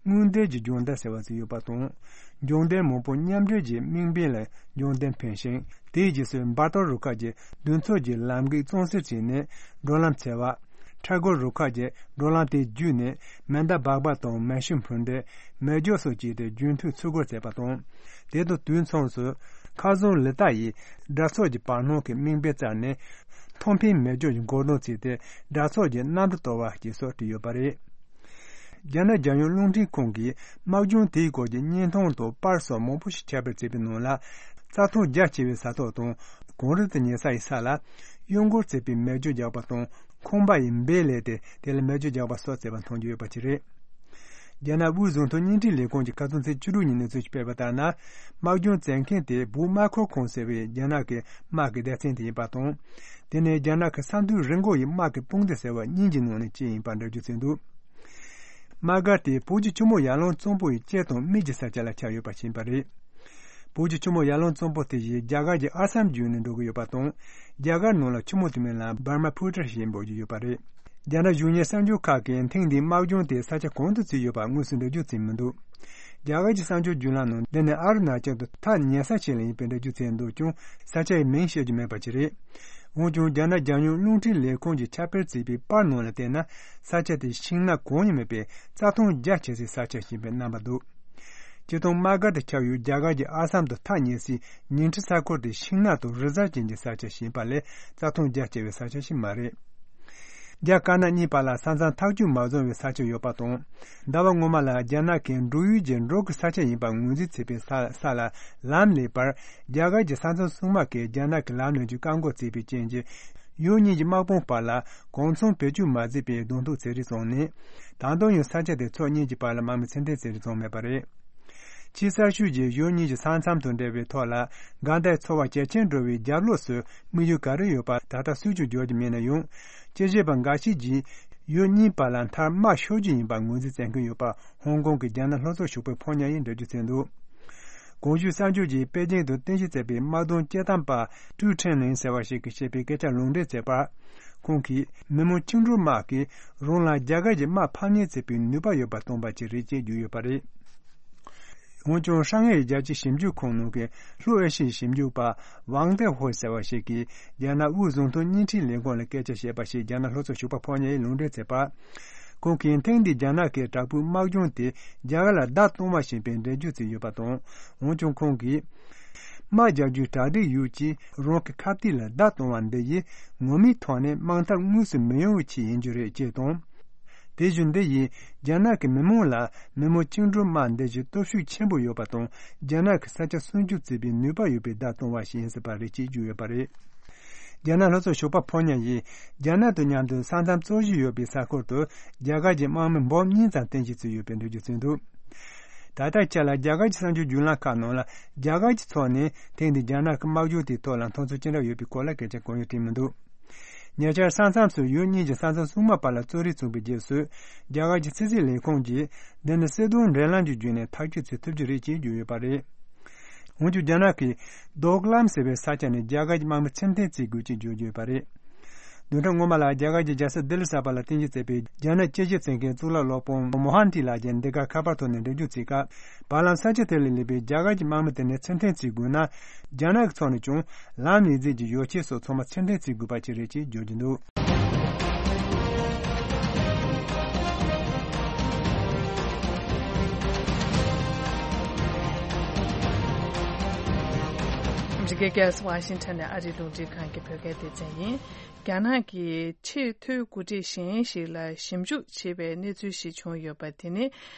སྔོན་བསྡད་ཀྱི་སྦྱོང་བརྡར་ཟེར་བ་ཞིག་ཡོད་པ་དང་། སྦྱོང་བརྡར་མང་པོ་མཉམ་འབྲེལ་གྱི་དམིགས་འབེན་ལ་སྦྱོང་བརྡར་འཕེན་ཞིང་། དེའི་རྗེས་སུ་འབར་གཏོར་རུ་ཁག་གི་མདུན་ཚོགས་ཀྱི་ལམ་གེགས་གཙང་སེལ་བྱས་ནས་འགྲོ་ལམ་འཚེར་བ། འཕྲལ་སྒོ་རུ་ཁག་གི་འགྲོ་ལམ་དེ་བརྒྱུད་ནས་མེ་མདའ་སྦག་སྦག་དང་མེ་ཤུགས་འཕུར་མདེལ། མེ་སྒྱོགས་སོགས་བྱས་ཏེ་རྒྱུན་མཐུད་འཚོལ་སྒོ་མཛད་པ་དང་། དེ་དང་དུས་མཚུངས་སུ་མཁར་རྫོང་ལི་ཏཱ་ཡི་དགྲ་ཚོགས་ཀྱི་བར་སྣང་གི་དམིགས་འབེན་བཙལ་ནས་མཐོ་འཕེན་མེ་སྒྱོགས་ཀྱི་འགོག་སྡོམ་བྱས་ཏེ་དགྲ་ཚོགས་ཀྱི་གནམ་གྲུ་གཏོར་བ་བཅས་སོགས་བྲིས་ཡོད་པ་རེད། རྒྱ་ནག་རྒྱལ་ཡོངས་རླུང་འཕྲིན་ཁང་གིས་དམག་སྦྱོང་དེའི་སྐོར་གྱི་བརྙན་ཐུང་དང་པར་སོགས་མང་པོ་ཞིག་ཁྱབ་སྤེལ་བྱས་པའི་ནང་ལ། རྩྭ་ཐང་རྒྱ་ཆེ་བའི་ས་ཐོག་དང་གངས་རི་དང་ཉེ་ས་ཡི་ས་ལ་གཡུ་མགོར་བརྩིགས་པའི་མེ་སྒྱོགས་རྒྱག་པ་དང་ཁང་པ་ཡི་སྦས་ལས་ཏེ་དེ་ལ་མེ་སྒྱོགས་རྒྱག་པ་སོགས་བྱས་པ་མཐོང་རྒྱུ་ཡོད་པ་ཅིག་རེད། རྒྱ་ནག་དབུས་བཟོ་ཚོང་བརྙན་འཕྲིན་ལས་ཁུངས་ཀྱིས་ཁ་སང་ཚེས་བཅུ་དྲུག་ཉིན་གནས་ཚུལ་ཞིག་སྤེལ་བ་ལྟར་ན། དམག་སྦྱོང་བྱེད་མཁན་དེ་བུ་དམར་ཁོ་ཁོང་ཟེར་བའི་རྒྱ་ནག་གི་དམག་གི་སྡེ་ཚན་དེ་ཡིན་པ་དང་། དེ་ནི་རྒྱ་ནག་གི་ས་མཐོའི་རི་མགོ་ཡི་དམག་གི་དཔུང་སྡེ་ཟེར་བ་གཉིས་ཀྱི་ནང་ནས་གཅིག་ཡིན་པར་འགྲེལ་བརྗོད་བྱས་འདུག་དམག་སྒར་དེ་བོད་ཀྱི་ཆུ་མོ་ཡར་ཀླུང་གཙང་པོ་ཡི་དཀྱིལ་དང་སྨད་ཀྱི་ས་ཆ་ལ་ཆགས་ཡོད་པ་ཞིག་ཡིན་པ་རེད། བོད་ཀྱི་ཆུ་མོ་ཡར་ཀླུང་གཙང་པོ་དེ་བཞིན་རྒྱ་གར་གྱི་ཨ་སམ་བརྒྱུད་ནས་འགྲོ་གི་ཡོད་པ་དང་། རྒྱ་གར་ནང་ལ་ཆུ་མོ་དེ་མིང་ལ་འབར་མ་ཕུ་ཏྲ་ཞེས་འབོད་ཀྱི་ཡོད་པ་རེད། རྒྱ་ནག་གཞུང་གཉེར་གསར་འགྱུར་ཁག་གིས་ཐེངས་འདིའི་དམག་སྦྱོང་དེ་ས་ཆ་གང་དུ་བྱས་ཡོད་པ་དངོས་སུ་འགྲེལ་བརྗོད་བྱས་མི་འདུག་རྒྱ་གར་གྱི་གསར་འགྱུར་བརྒྱུད་ལམ་ནང་འདི་ནི་ཨ་རུ་ན་ཅལ་དུ་ཐག་ཉེ་ས་ཞིག་ལ་ཡིན་པའི་འགྲེལ་བརྗོད་བྱས་འདུག་ཀྱང་ས་ཆ་ཡི་མིང་བཤད་རྒྱུ་མེད་པ་ཅིག་རེད། འོན་ཀྱང་རྒྱ་ནག་རྒྱལ་ཡོངས་རླུང་འཕྲིན་ལས་ཁུངས་ཀྱིས་ཁྱབ་སྤེལ་བྱས་པའི་པར་ནང་ལ་བལྟས་ན། ས་ཆ་དེ་ཤིང་ནགས་གང་ཡང་མེད་པའི་རྩྭ་ཐང་རྒྱ་ཆེ་སའི་ས་ཆ་ཞིག་ཡིན་པའི་རྣམ་པ་འདུག་སྤྱིར་བཏང་དམག་སྒར་དེ་ཆགས་ཡུལ་རྒྱ་གར་གྱི་ཨ་སམ་དུ་ཐག་ཉེ་སའི་ཉིང་ཁྲི་ས་ཁུལ་དེ་ཤིང་ནགས་དང་རི་གཟར་ཅན་གྱི་ས་ཆ་ཞིག་ཡིན་པ་ལས་རྩྭ་ཐང་རྒྱ་ཆེ་བའི་ས་ཆ་ཞིག་མ་རེད། རྒྱ་དཀར་ནག་གཉིས་བར་ལ་ས་མཚམས་ཐག་གཅོད་མ་བཟུང་བའི་ས་ཆ་ཡོད་པ་དང་། ཟླ་བ་སྔོན་མ་ལ་རྒྱ་ནག་གིས་འབྲུག་ཡུལ་གྱི་འབྲོག་གི་ས་ཆ་ཡིན་པར་ངོས་འཛིན་བྱེད་པའི་ས་ས་ལ་ལམ་སླེབས་པར། རྒྱ་གར་གྱི་ས་མཚམས་སྲུང་དམག་གིས་རྒྱ་ནག་གི་ལམ་ནས་ཀྱི་བཀག་འགོག་བྱས་པའི་རྐྱེན་གྱིས། ཡུལ་གཉིས་ཀྱི་དམག་དཔུང་བར་ལ་གོ་མཚོན་བེད་སྤྱོད་མ་བྱས་པའི་གདོང་ཐུག་བྱེད་རིགས་བྱུང་ནས། ད་དུང་ཡང་ས་ཆ་དེ་ཕྱོགས་གཉིས་ཀྱི་བར་ལ་དམག་མི་ཚུན་ཐེ་བྱེད་རིགས་བྱུང་མེད་པ་རེད། ཕྱི་གསར་ཤོག་གིས་ཡུལ་གཉིས་ཀྱི་ས་མཚམས་དང་འབྲེལ་བའི་ཐོག་ལ། འགལ་ཟླའི་ཚོར་བ་ཇེ་ཆེར་འགྲོ་བའི་རྒྱབ་ལོགས་སུ་དམིགས་ཡུལ་ག་རེ་ཡོད་པ་ད་ལྟ་སུས་ཀྱང་བརྗོད་ཀྱི་མེད་ན་ཡང་། དཔྱད་ཞིབ་པ་འགའ་ཞིག་གིས་ཡུལ་གཉིས་བར་ལ་མཐར་དམག་ཤོར་རྒྱུ་ཡིན་པར་ངོས་འཛིན་བྱེད་ཀྱི་ཡོད་པ། ཧོང་ཀོང་གི་རྒྱ་ནག་ལྷོ་ཕྱོགས་ཞོགས་པའི་ཕོ་ཉ་ཡིས་འགྲེལ་བརྗོད་བྱས་འདུག། གོང་ཞུས་གསར་འགྱུར་གྱིས་པེ་ཅིང་དུ་རྟེན་གཞི་བྱས་པའི་དམག་དོན་དཔྱད་གཏམ་པ་ཀྲུའུ་ཁྲེན་ལིན་ཟེར་བ་ཞིག་གིས་བཤད་པའི་སྐད་ཆ་ལུང་འདྲེན་བྱས་པར། ཁོང་གིས་མི་མང་བཅིངས་འགྲོལ་དམག་གིས་རང་ལ་རྒྱ་གར་གྱི་དམག་ཕམ་ཉེས་བྱེད་པའི་ནུས་པ་ཡོད་པ་སྟོན་པ་ཅིག་རེད་ཅེས་བརྗོད་ཡོད་པ་རེད། འོན་ཀྱང་ཧྲང་ཧའེ་རྒྱལ་སྤྱིའི་ཞིབ་འཇུག་ཁང་ནང་གི་ལྷོ་ཨེ་ཤི་ཡའི་ཞིབ་འཇུག་པ་ཝང་ཏེ་ཧོ་ཟེར་བ་ཞིག་གིས་རྒྱ་ནག་དབུས་བཟོ་ཚོང་བརྙན་འཕྲིན་ལས་ཁུངས་ལ་སྐད་ཆ་བཤད་པ་ཞིག་རྒྱ་ནག་ལྷོ་ཕྱོགས་ཞོགས་པ་ཕོ་ཉ་ཡིས་ལུང་འདྲེན་བྱས་པ། ཁོང་གིས་ཐེངས་འདིའི་རྒྱ་ནག་གི་དྲག་པོའི་དམག་སྦྱོང་དེ་རྒྱ་གར་ལ་བརྡ་གཏོང་བ་ཞིག་ཡིན་པའི་འགྲེལ་བརྗོད་བྱས་ཡོད་པ་དང་། འོན་ཀྱང་ཁོང་གིས། དམག་རྒྱག་རྒྱུའི་གྲ་སྒྲིག་ཡོད་ཅེས་རང་གི་ཁ་གཏད་ལ་བརྡ་གཏོང་བ་འདི་ཡིས་ངོ་མའི་ཐོག་ནས་དམག་འཐབ་དངོས་སུ་མི་ཡོང་བའི་ཆེད་ཡིན་རྒྱུ་རེད་ཅེས་དང་། དེ་བཞིན་འདི་ཡིས་རྒྱ་ནག་གི་མི་མང་ལ་མི་མང་བཅིངས་འགྲོལ་དམག་འདི་བཞིན་སྟོབས་ཤུགས་ཆེན་པོ་ཡོད་པ་དང་རྒྱ་ནག་གི་ས་ཆ་སྲུང་སྐྱོབ་བྱེད་པའི་ནུས་པ་ཡོད་པའི་བརྡ་གཏོང་བ་ཞིག་ཡིན་སྲིད་པ་རེད་ཅེས་བརྗོད་ཡོད་པ་རེད། རྒྱ་ནག་ལྷོ་ཕྱོགས་ཞོགས་པ་ཕོ་ཉ་ཡིས་རྒྱ་ནག་དང་མཉམ་དུ་ས་མཚམས་རྩོད་གཞི་ཡོད་པའི་ས་ཁུལ་དུ་རྒྱ་གར་གྱི་དམག་མི་འབུམ་གཉིས་ཙམ་རྟེན་གཞི་བྱས་ཡོད་པའི་འགྲེལ་བརྗོད་བྱས་འདུག། ད་ལྟའི་ཆར་ལ་རྒྱ་གར་གྱི་གསར་འགྱུར་བརྒྱུད་ལམ་ཁག་ནང་ལ་རྒྱ་གར་གྱི་ཕྱོགས་ནས་ཐེངས་འདིའི་རྒྱ་ནག་གི་དམག་སྦྱོང་དེའི་ཐོག་ལ་མཐོང་ཚུལ་ཅི་འདྲ་ཡོད་པའི་སྐོར་ལ་སྐད་ཆ་གང་ཡང་དྲིས་མི་འདུག། ཉེ་ཆར་ས་མཚམས་སུ་ཡུལ་གཉིས་ཀྱི་ས་མཚམས་སྲུང་དམག་བར་ལ་རྩོད་རེས་བྱུང་བའི་རྗེས་སུ། རྒྱ་གར་གྱི་ཕྱི་སྲིད་ལས་ཁུངས་ཀྱིས་འདི་ནི་སྲིད་དོན་འབྲེལ་ལམ་གྱི་བརྒྱུད་ནས་ཐག་གཅོད་བྱེད་ཐུབ་རྒྱུ་རེད་ཅེས་བརྗོད་ཡོད་པ་རེད། འོན་ཀྱང་རྒྱ་ནག་གིས་རྡོག་ལམ་ཟེར་བའི་ས་ཆ་ནས་རྒྱ་གར་གྱི་དམག་མི་ཚུར་འཐེན་བྱེད་དགོས་ཅེས་བརྗོད་ཡོད་པ་རེད། བདུན་ཕྲག་སྔོན་མ་ལ་རྒྱ་གར་གྱི་རྒྱལ་ས་ལྡི་ལི་གསར་པ་ལ་རྟེན་གཞི་བྱས་པའི་རྒྱ་ནག་དཔྱད་ཞིབ་ཚན་གྱི་གཙུག་ལག་སློབ་དཔོན་མོ་ཧན་ཏི་ལགས་ཀྱིས་འདི་ག་ཁ་པར་ཐོག་ནས་འགྲེལ་བརྗོད་བྱས་སྐབས། བར་ལམ་ས་ཆ་དེ་ལ་སླེབས་པའི་རྒྱ་གར་གྱི་དམག་མི་དེ་ནས་ཚུར་འཐེན་བྱེད་དགོས་ན། རྒྱ་ནག་གི་ཕྱོགས་ནས་ཀྱང་ལམ་ལས་རྫས་ཀྱི་ཡོ་བྱད་སོགས་ཚང་མ་ཚུར་འཐེན་བྱེད་དགོས་པ་ཅིག་རེད་ཅེས་བརྗོད་ཀྱི་འདུག། ཨ་མི་རི་ཀའི་རྒྱལ་ས་ཝ་ཤིང་ཊོན་ནས་ཨ་རིའི་རླུང་འཕྲིན་ཁང་གི་བོད་སྐད་སྡེ་ཚན་ཡིན། རྒྱ་ནག་གི་ཆེས་མཐོའི་འགོ་ཁྲིད་གཞན་ཞིག་ལ་ཞིབ་འཇུག་བྱེད་པའི་གནས་ཚུལ་ཞིག་བྱུང་ཡོད་པ། དེ་ནི་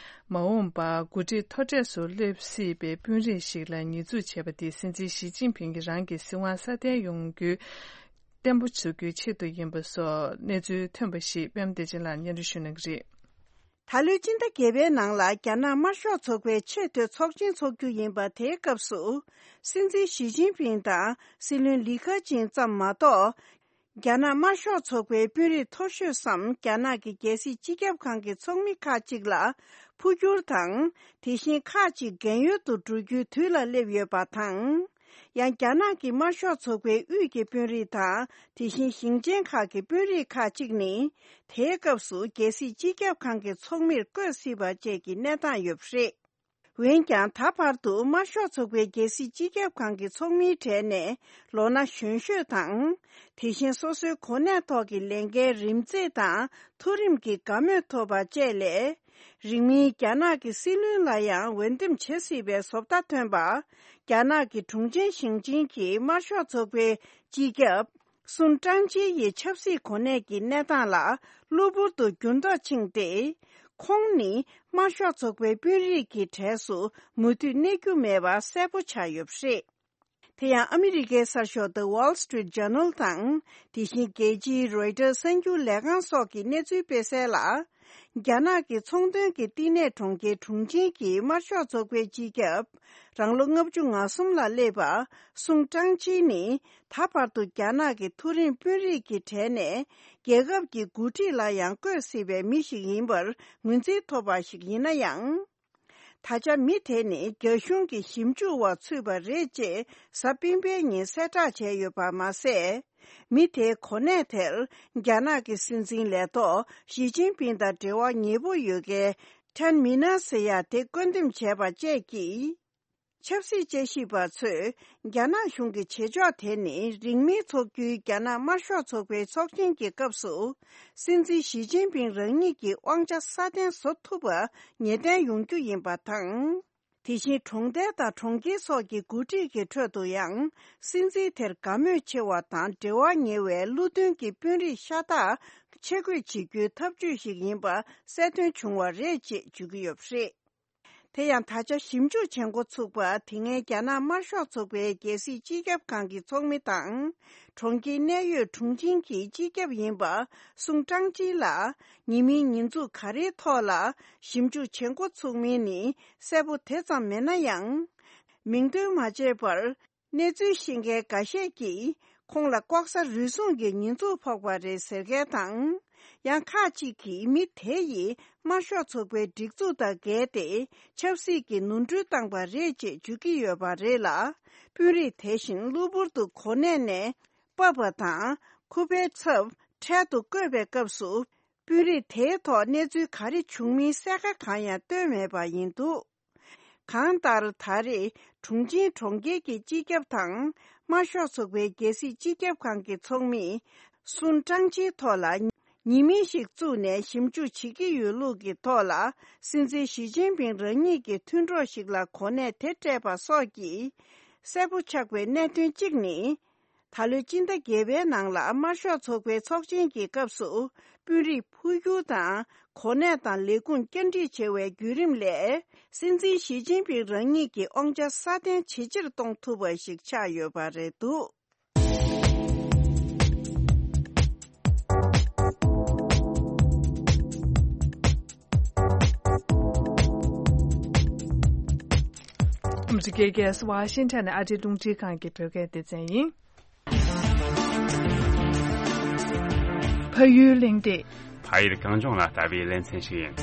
མ་འོངས་པར་འགོ་ཁྲིད་མཐོ་གྲས་སུ་སླེབས་སྲིད་པའི་དཔོན་རིགས་ཤིག་ལ་ཉེས་འཛུགས་བྱས་པ་དེ་སྲིད་འཛིན་ཞི་ཅིན་ཕིང་གིས་རང་གི་སྲིད་དབང་སྲ་བརྟན་ཡོང་རྒྱུ་བརྟན་པོ་བཟོ་རྒྱུའི་ཆེད་དུ་ཡིན་པ་སོགས་གནས་ཚུལ་ཐོན་པ་ཞིག་པད་མ་བདེ་ཆེན་ལགས་སྙན་སྒྲོན་ཞུ་གནང་གི་རེད། ད་ལོའི་སྤྱི་ཟླ་བརྒྱད་པའི་ནང་ལ་རྒྱ་ནག་དམར་ཤོག་ཚོགས་པའི་ཆེས་མཐོའི་ཚོགས་ཆེན་འཚོགས་རྒྱུ་ཡིན་པ། དེའི་སྐབས་སུ་སྲིད་འཛིན་ཞི་ཅིན་ཕིང་དང་སྲིད་བློན་ལི་ཁེ་ཆིང་ཙམ་མ་གཏོགས། རྒྱ་ནག་དམར་ཤོག་ཚོགས་པའི་དཔོན་རིགས་མཐོ་ཤོས་སམ། རྒྱ་ནག་གི་རྒྱལ་སྲིད་སྤྱི་ཁྱབ་ཁང་གི་ཚོགས་མི་ཁག་ཅིག་ལ་འཕོ་འགྱུར་དང་། དེ་བཞིན་ཁག་ཅིག་རྒན་ཡོལ་དུ་འགྲོ་རྒྱུའི་དུས་ལ་སླེབས་ཡོད་པ་དང་། ཡང་རྒྱ་ནག་གི་དམར་ཤོག་ཚོགས་པའི་དབུས་ཀྱི་དཔོན་རིགས་དང་། དེ་བཞིན་ཞིང་ཆེན་ཁག་གི་དཔོན་རིགས་ཁག་ཅིག་ནི། དེའི་སྐབས་སུ་རྒྱལ་སྲིད་སྤྱི་ཁྱབ་ཁང་གི་ཚོགས་མིར་བསྐོས་སྲིད་པ་བཅས་ཀྱི་གནས་སྟངས་ཡོད་པ་རེད། འོན་ཀྱང་། ད་བར་དུ་དམར་ཤོག་ཚོགས་པའི་རྒྱལ་སྲིད་སྤྱི་ཁྱབ་ཁང་གི་ཚོགས་མིའི་གྲས་ནས་ལོ་ན་གཞོན་ཤོས་དང་། དེ་བཞིན་སོ་སོའི་གོ་གནས་ཐོག་གི་ལས་འགན་རིམ་འཛེགས་དང་མཐོ་རིམ་གྱི་དགའ་མོས་ཐོབ་པ་བཅས་ལས། རིང་མིན་རྒྱ་ནག་གི་སྲིད་བློན་ལ་ཡང་འོས་འདེམས་བྱེད་སྲིད་པའི་བཟོ་ལྟ་ཐོན་པ། རྒྱ་ནག་གི་དྲུང་ཆེན་ཞིང་ཆེན་གྱི་དམར་ཤོག་ཚོགས་པའི་སྤྱི་ཁྱབ། སུན་ཀྲང་ཅི་ཡི་ཆབ་སྲིད་གོ་གནས་ཀྱི་གནས་སྟངས་ལ་གློ་བུར་དུ་འགྱུར་ལྡོག་ཕྱིན་ཏེ། ཁོང་ནི་དམར་ཤོག་ཚོགས་པའི་དཔོན་རིགས་ཀྱི་གྲས་སུ་མུ་མཐུད་གནས་རྒྱུ་མེད་པ་གསལ་པོ་ཆགས་ཡོད་པ་རེད། དེ་ཡང་ཨ་མི་རི་ཀའི་གསར་ཤོག་The Wall Street Journal དང་། དེ་བཞིན་རྒྱལ་སྤྱིའི་Reuters གསར་འགྱུར་ལས་ཁང་སོགས་ཀྱིས་གནས་ཚུལ་སྤེལ་གསལ་ལ། རྒྱ་ནག་གི་ཚོང་དོན་གྱི་བསྟི་གནས་གྲོང་ཁྱེར་དྲུང་ཆེན་གྱི་དམར་ཤོག་ཚོགས་པའི་སྤྱི་ཁྱབ། རང་ལོ་ལྔ་བཅུ་ང་གསུམ་ལ་སླེབས་པ། སུང་ཀྲང་ཅི་ནི། ད་བར་དུ་རྒྱ་ནག་གི་མཐོ་རིམ་དཔོན་རིགས་ཀྱི་གྲས་ནས། རྒྱལ་ཁབ་ཀྱི་འགོ་ཁྲིད་ལ་ཡང་བསྐོས་སྲིད་པའི་མི་ཞིག་ཡིན་པར་ངོས་འཛིན་ཐོབ་པ་ཞིག་ཡིན་ན་ཡང་། ད་ཆ་མི་དེ་ནི་རྒྱ་གཞུང་གི་ཞིབ་འཇུག་འོག་ཚུད་པ་རེད་ཅེས་གཟའ་སྤེན་པའི་ཉིན་གསལ་བསྒྲགས་བྱས་ཡོད་པ་མ་ཟད། མི་དེའི་གོ་གནས་དེར་རྒྱ་ནག་གི་སྲིད་འཛིན་ལས་ཐོག་ཞི་ཅིན་ཕིང་དང་འབྲེལ་བ་ཉེ་པོ་ཡོད་མཁན་ཐན་མི་ན་ཟེར་ཡ་དེ་བསྐོ་འདེམས་བྱས་པ་བཅས་ཀྱིས། ཆབ་སྲིད་དཔྱད་ཞིབ་པ་ཚོས་རྒྱ་ནག་གཞུང་གི་བྱེད་ཕྱོགས་དེ་ནི་རིང་མིན་འཚོགས་རྒྱུའི་རྒྱ་ནག་དམར་ཤོག་ཚོགས་པའི་ཚོགས་ཆེན་གྱི་སྐབས་སུ། སྲིད་འཛིན་ཞི་ཅིན་ཕིང་རང་ཉིད་ཀྱི་དབང་ཆ་སྲ་བརྟན་བཟོ་ཐུབ་པ་ངེས་གཏན་ཡོང་རྒྱུ་ཡིན་པ་དང་། དེ་བཞིན་གྲོང་རྡལ་དང་གྲོང་ཁྱེར་སོགས་ཀྱི་འགོ་ཁྲིད་ཀྱི་ཁྲོད་དུ་ཡང་སྲིད་འཛིན་དེར་དགའ་མོས་ཆེ་བ་དང་འབྲེལ་བ་ཉེ་བའི་བློ་མཐུན་གྱི་དཔོན་རིགས་ཤ་སྟག་ཆེད་བསྐོས་བྱེད་རྒྱུའི་ཐབས་ཇུས་ཤིག་ཡིན་པ་གསལ་སྟོན་བྱུང་བ་རེད་ཅེས་བརྗོད་ཀྱི་ཡོད་པ་རེད། དེ་ཡང་ད་ཆ་ཞིབ་འཇུག་བྱེད་འགོ་ཚུགས་པ་དེ་སྔའི་རྒྱ་ནག་དམར་ཤོག་ཚོགས་པའི་རྒྱལ་སྲིད་སྤྱི་ཁྱབ་ཁང་གི་ཚོགས་མི་དང་། གྲོང་ཁྱེར་གནད་ཡོད་ཁྲུང་ཆིང་གི་སྤྱི་ཁྱབ་ཡིན་པ་སུང་ཀྲང་ཅི་ལ་ཉེས་མིང་ཉེས་འཛུགས་ག་རེའི་ཐོག་ལ་ཞིབ་འཇུག་བྱེད་འགོ་ཚུགས་མིན་ནི་གསལ་པོ་དེ་ཙམ་མེད་ན་ཡང་། མིང་འདོན་མ་བྱས་པར། གནས་ཚུལ་ཤེས་མཁན་འགའ་ཤས་ཀྱིས་ཁོང་ལ་ལྐོག་ཟ་རུལ་སུངས་ཀྱི་ཉེས་འཛུགས་ཕོག་པ་རེད་ཟེར་མཁན་དང་། ཡང་ཁག་ཅིག་གིས་མི་དེ་ཡིས་དམར་ཤོག་ཚོགས་པའི་སྒྲིག་འཛུགས་དང་འགལ་ཏེ་ཆབ་སྲིད་ཀྱི་ནོར་འཁྲུལ་བཏང་པ་རེད་ཅེས་བརྗོད་ཀྱི་ཡོད་པ་རེད་ལ། དཔོན་རིགས་དེ་བཞིན་གློ་བུར་དུ་གོ་གནས་ནས་ཕབ་པ་དང་ཁུ་པའི་ཚབ་འཕྲལ་དུ་བསྐོས་པའི་སྐབས་སུ། དཔོན་རིགས་དེའི་ཐོག་གནས་ཚུལ་ག་རེ་བྱུང་མིན་གསལ་ཁ་གང་ཡང་བཏོན་མེད་པ་ཡིན་འདུག་གང་ལྟར་ད་རེས་གྲུང་ཆིང་གྲོང་ཁྱེར་གྱི་སྤྱི་ཁྱབ་དང་དམར་ཤོག་ཚོགས་པའི་རྒྱལ་སྲིད་སྤྱི་ཁྱབ་ཁང་གི་ཚོགས་མིས་སུན་ཀྲང་ཆིའི་ཐོག་ལ་ཉེས་མིང་ཞིག་བཙུགས་ནས་ཞིབ་འཇུག་བྱེད་ཀྱི་ཡོད་ལུགས་ཀྱི་ཐོག་ལ་སྲིད་འཛིན་ཞི་ཅིན་ཕིང་རང་ཉིད་ཀྱི་མཐུན་གྲོགས་ཤིག་ལ་གོ་གནས་དེ་སྤྲད་པ་སོགས་ཀྱིས་གསལ་པོ་ཆགས་པའི་གནད་དོན་གཅིག་ནི། ད་ལོའི་སྤྱི་ཟླ་བརྒྱད་པའི་ནང་ལ་དམར་ཤོག་ཚོགས་པའི་ཚོགས་ཆེན་གྱི་སྐབས་སུ་དཔོན་རིགས་འཕོ་འགྱུར་དང་གོ་གནས་དང་ལས་ཁུངས་བསྐྱར་སྒྲིག་བྱས་པའི་བརྒྱུད་རིམ་ལས་སྲིད་འཛིན་ཞི་ཅིན་ཕིང་རང་ཉིད་ཀྱི་དབང་ཆ་སྲ་བརྟན་ཇེ་ཆེར་གཏོང་ཐུབ་པ་ཞིག་ཆགས་ཡོད་པ་རེད་འདུག་ཨ་མི་རི་ཀའི་རྒྱལ་ས་ཝ་ཤིང་ཊོན་ནས་ཨ་རིའི་རླུང་འཕྲིན་ཁང་གི་བོད་སྐད་སྡེ་ཚན་ཡིན། ཕ་ཡུལ་གླེང་སྟེགས། ཕ་ཡུལ་གངས་ལྗོངས་ལ་ལྟ་བའི་ལེ་ཚན་ཞིག་ཡིན།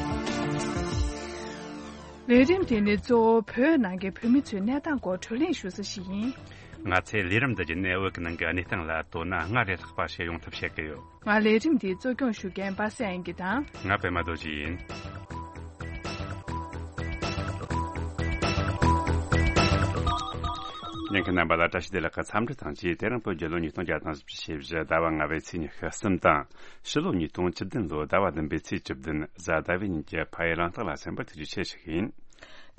ལས་རིམ་དེ་ནི་གཙོ་བོ་བོད་ནང་གི་བོད་མི་ཚོའི་གནས་སྟངས་སྐོར་བགྲོ་གླེང་ཞུ་ས་ཞིག་ཡིན། ང་ཚོས་ལས་རིམ་འདི་བརྒྱུད་ནས་བོད་ཀྱི་ནང་གི་གནས་སྟངས་ལ་དོ་སྣང་སྔར་ལས་ལྷག་པ་བྱེད་ཡོང་ཐབས་བྱེད་ཀྱི་ཡོད། ང་ལས་རིམ་འདིའི་གཙོ་སྐྱོང་ཞུ་མཁན་པ་སངས་དབྱངས་སྐྱིད་དང་། ང་པད་མ་རྡོ་རྗེ་ཡིན། ཉན་མཁན་རྣམ་པ་ལ་བཀྲ་ཤིས་བདེ་ལེགས་ཀྱི་འཚམས་འདྲི་དང་བཅས། དེ་རིང་བོད་རྒྱལ་ལོ་ཉིས་སྟོང་བརྒྱ་དང་བཞི་བཅུ་ཞེ་བཞི་ཟླ་བ་ལྔ་པའི་ཚེས་ཉི་ཤུ་གསུམ་དང་། ཕྱི་ལོ་ཉིས་སྟོང་བཅུ་བདུན་ལོ་ཟླ་བ་བདུན་པའི་ཚེས་བཅུ་བདུན་གཟའ་ཟླ་བའི་ཉིན་གྱི་ཕ་ཡུལ་གླེང་སྟེགས་ལ་གསན་པར་ཐུགས་རྗེ་ཆེ་ཞུ་གི་ཡིན།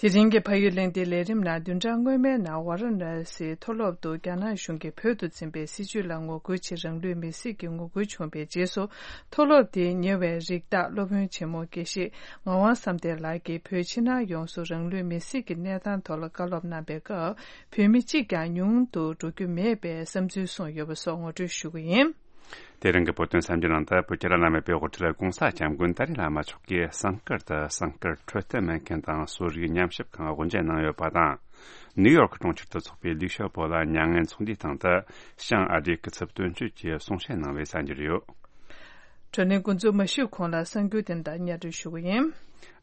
དེ་རིང་གི་ཕ་ཡུལ་གླེང་སྟེགས་ལས་རིམ་ནང་བདུན་ཕྲག་སྔོན་མའི་ནང་ཝཱ་ར་ཎ་སིའི་མཐོ་སློབ་ཏུ་རྒྱ་ནག་གཞུང་གིས་བོད་དུ་འཛིན་པའི་སྲིད་བྱུས་ལ་ངོ་རྒོལ་ཆེད་རང་ལུས་མེར་སྲེག་གི་ངོ་རྒོལ་བྱུང་བའི་རྗེས་སུ། མཐོ་སློབ་དེས་ཉེ་བའི་རིགས་བདག་སློབ་དཔོན་ཆེན་མོ་དགེ་བཤེས་ངག་དབང་བསམ་གཏན་ལགས་ཀྱིས་བོད་ཕྱི་ནང་ཡོངས་སུ་རང་ལུས་མེར་སྲེག་གི་གནས་སྟངས་ཐོག་ལ་བཀའ་སློབ་གནང་པའི་སྐབས། བོད་མི་གཅིག་ཀྱང་ཉུང་དུ་འགྲོ་རྒྱུ་མེད་པའི་བསམ་ཚུལ་གསུངས་ཡོད་པ་སོགས་ངོ་སྤྲོད་ཞུ་གི་ཡིན། དེ་རིང་གི་བོད་དོན་གསར་འགྱུར་ནང་དུ། བོད་ཀྱི་བླ་ན་མེད་པའི་དབུ་ཁྲིད་༧གོང་ས་༧སྐྱབས་མགོན་ཏཱ་ལའི་བླ་མ་མཆོག་གིས་ཟངས་དཀར་དུ་ཟངས་དཀར་འཕྲོད་བསྟེན་སྨན་ཁང་དང་གསོ་རིག་ཉམས་ཞིབ་ཁང་དབུ་འབྱེད་གནང་ཡོད་པ་དང་། ནིའུ་ཡོར་ཁི་གྲོང་ཁྱེར་དུ་འཚོགས་པའི་ལིའུ་ཞའོ་པོ་ལ་མྱ་ངན་ཚོགས་འདུའི་སྟེང་དུ་ཞང་ཨ་སྒྲོལ་སྐུ་ཚབ་དོན་གཅོད་ཀྱིས་གསུང་བཤད་གནང་བའི་གསར་འགྱུར་ཡོད། བགྲོ་གླེང་འགོ་འཛུགས་མ་ཞུས་གོང་ལ་གསར་འགྱུར་དེ་དག་སྙན་སྒྲོན་ཞུ་གི་ཡིན།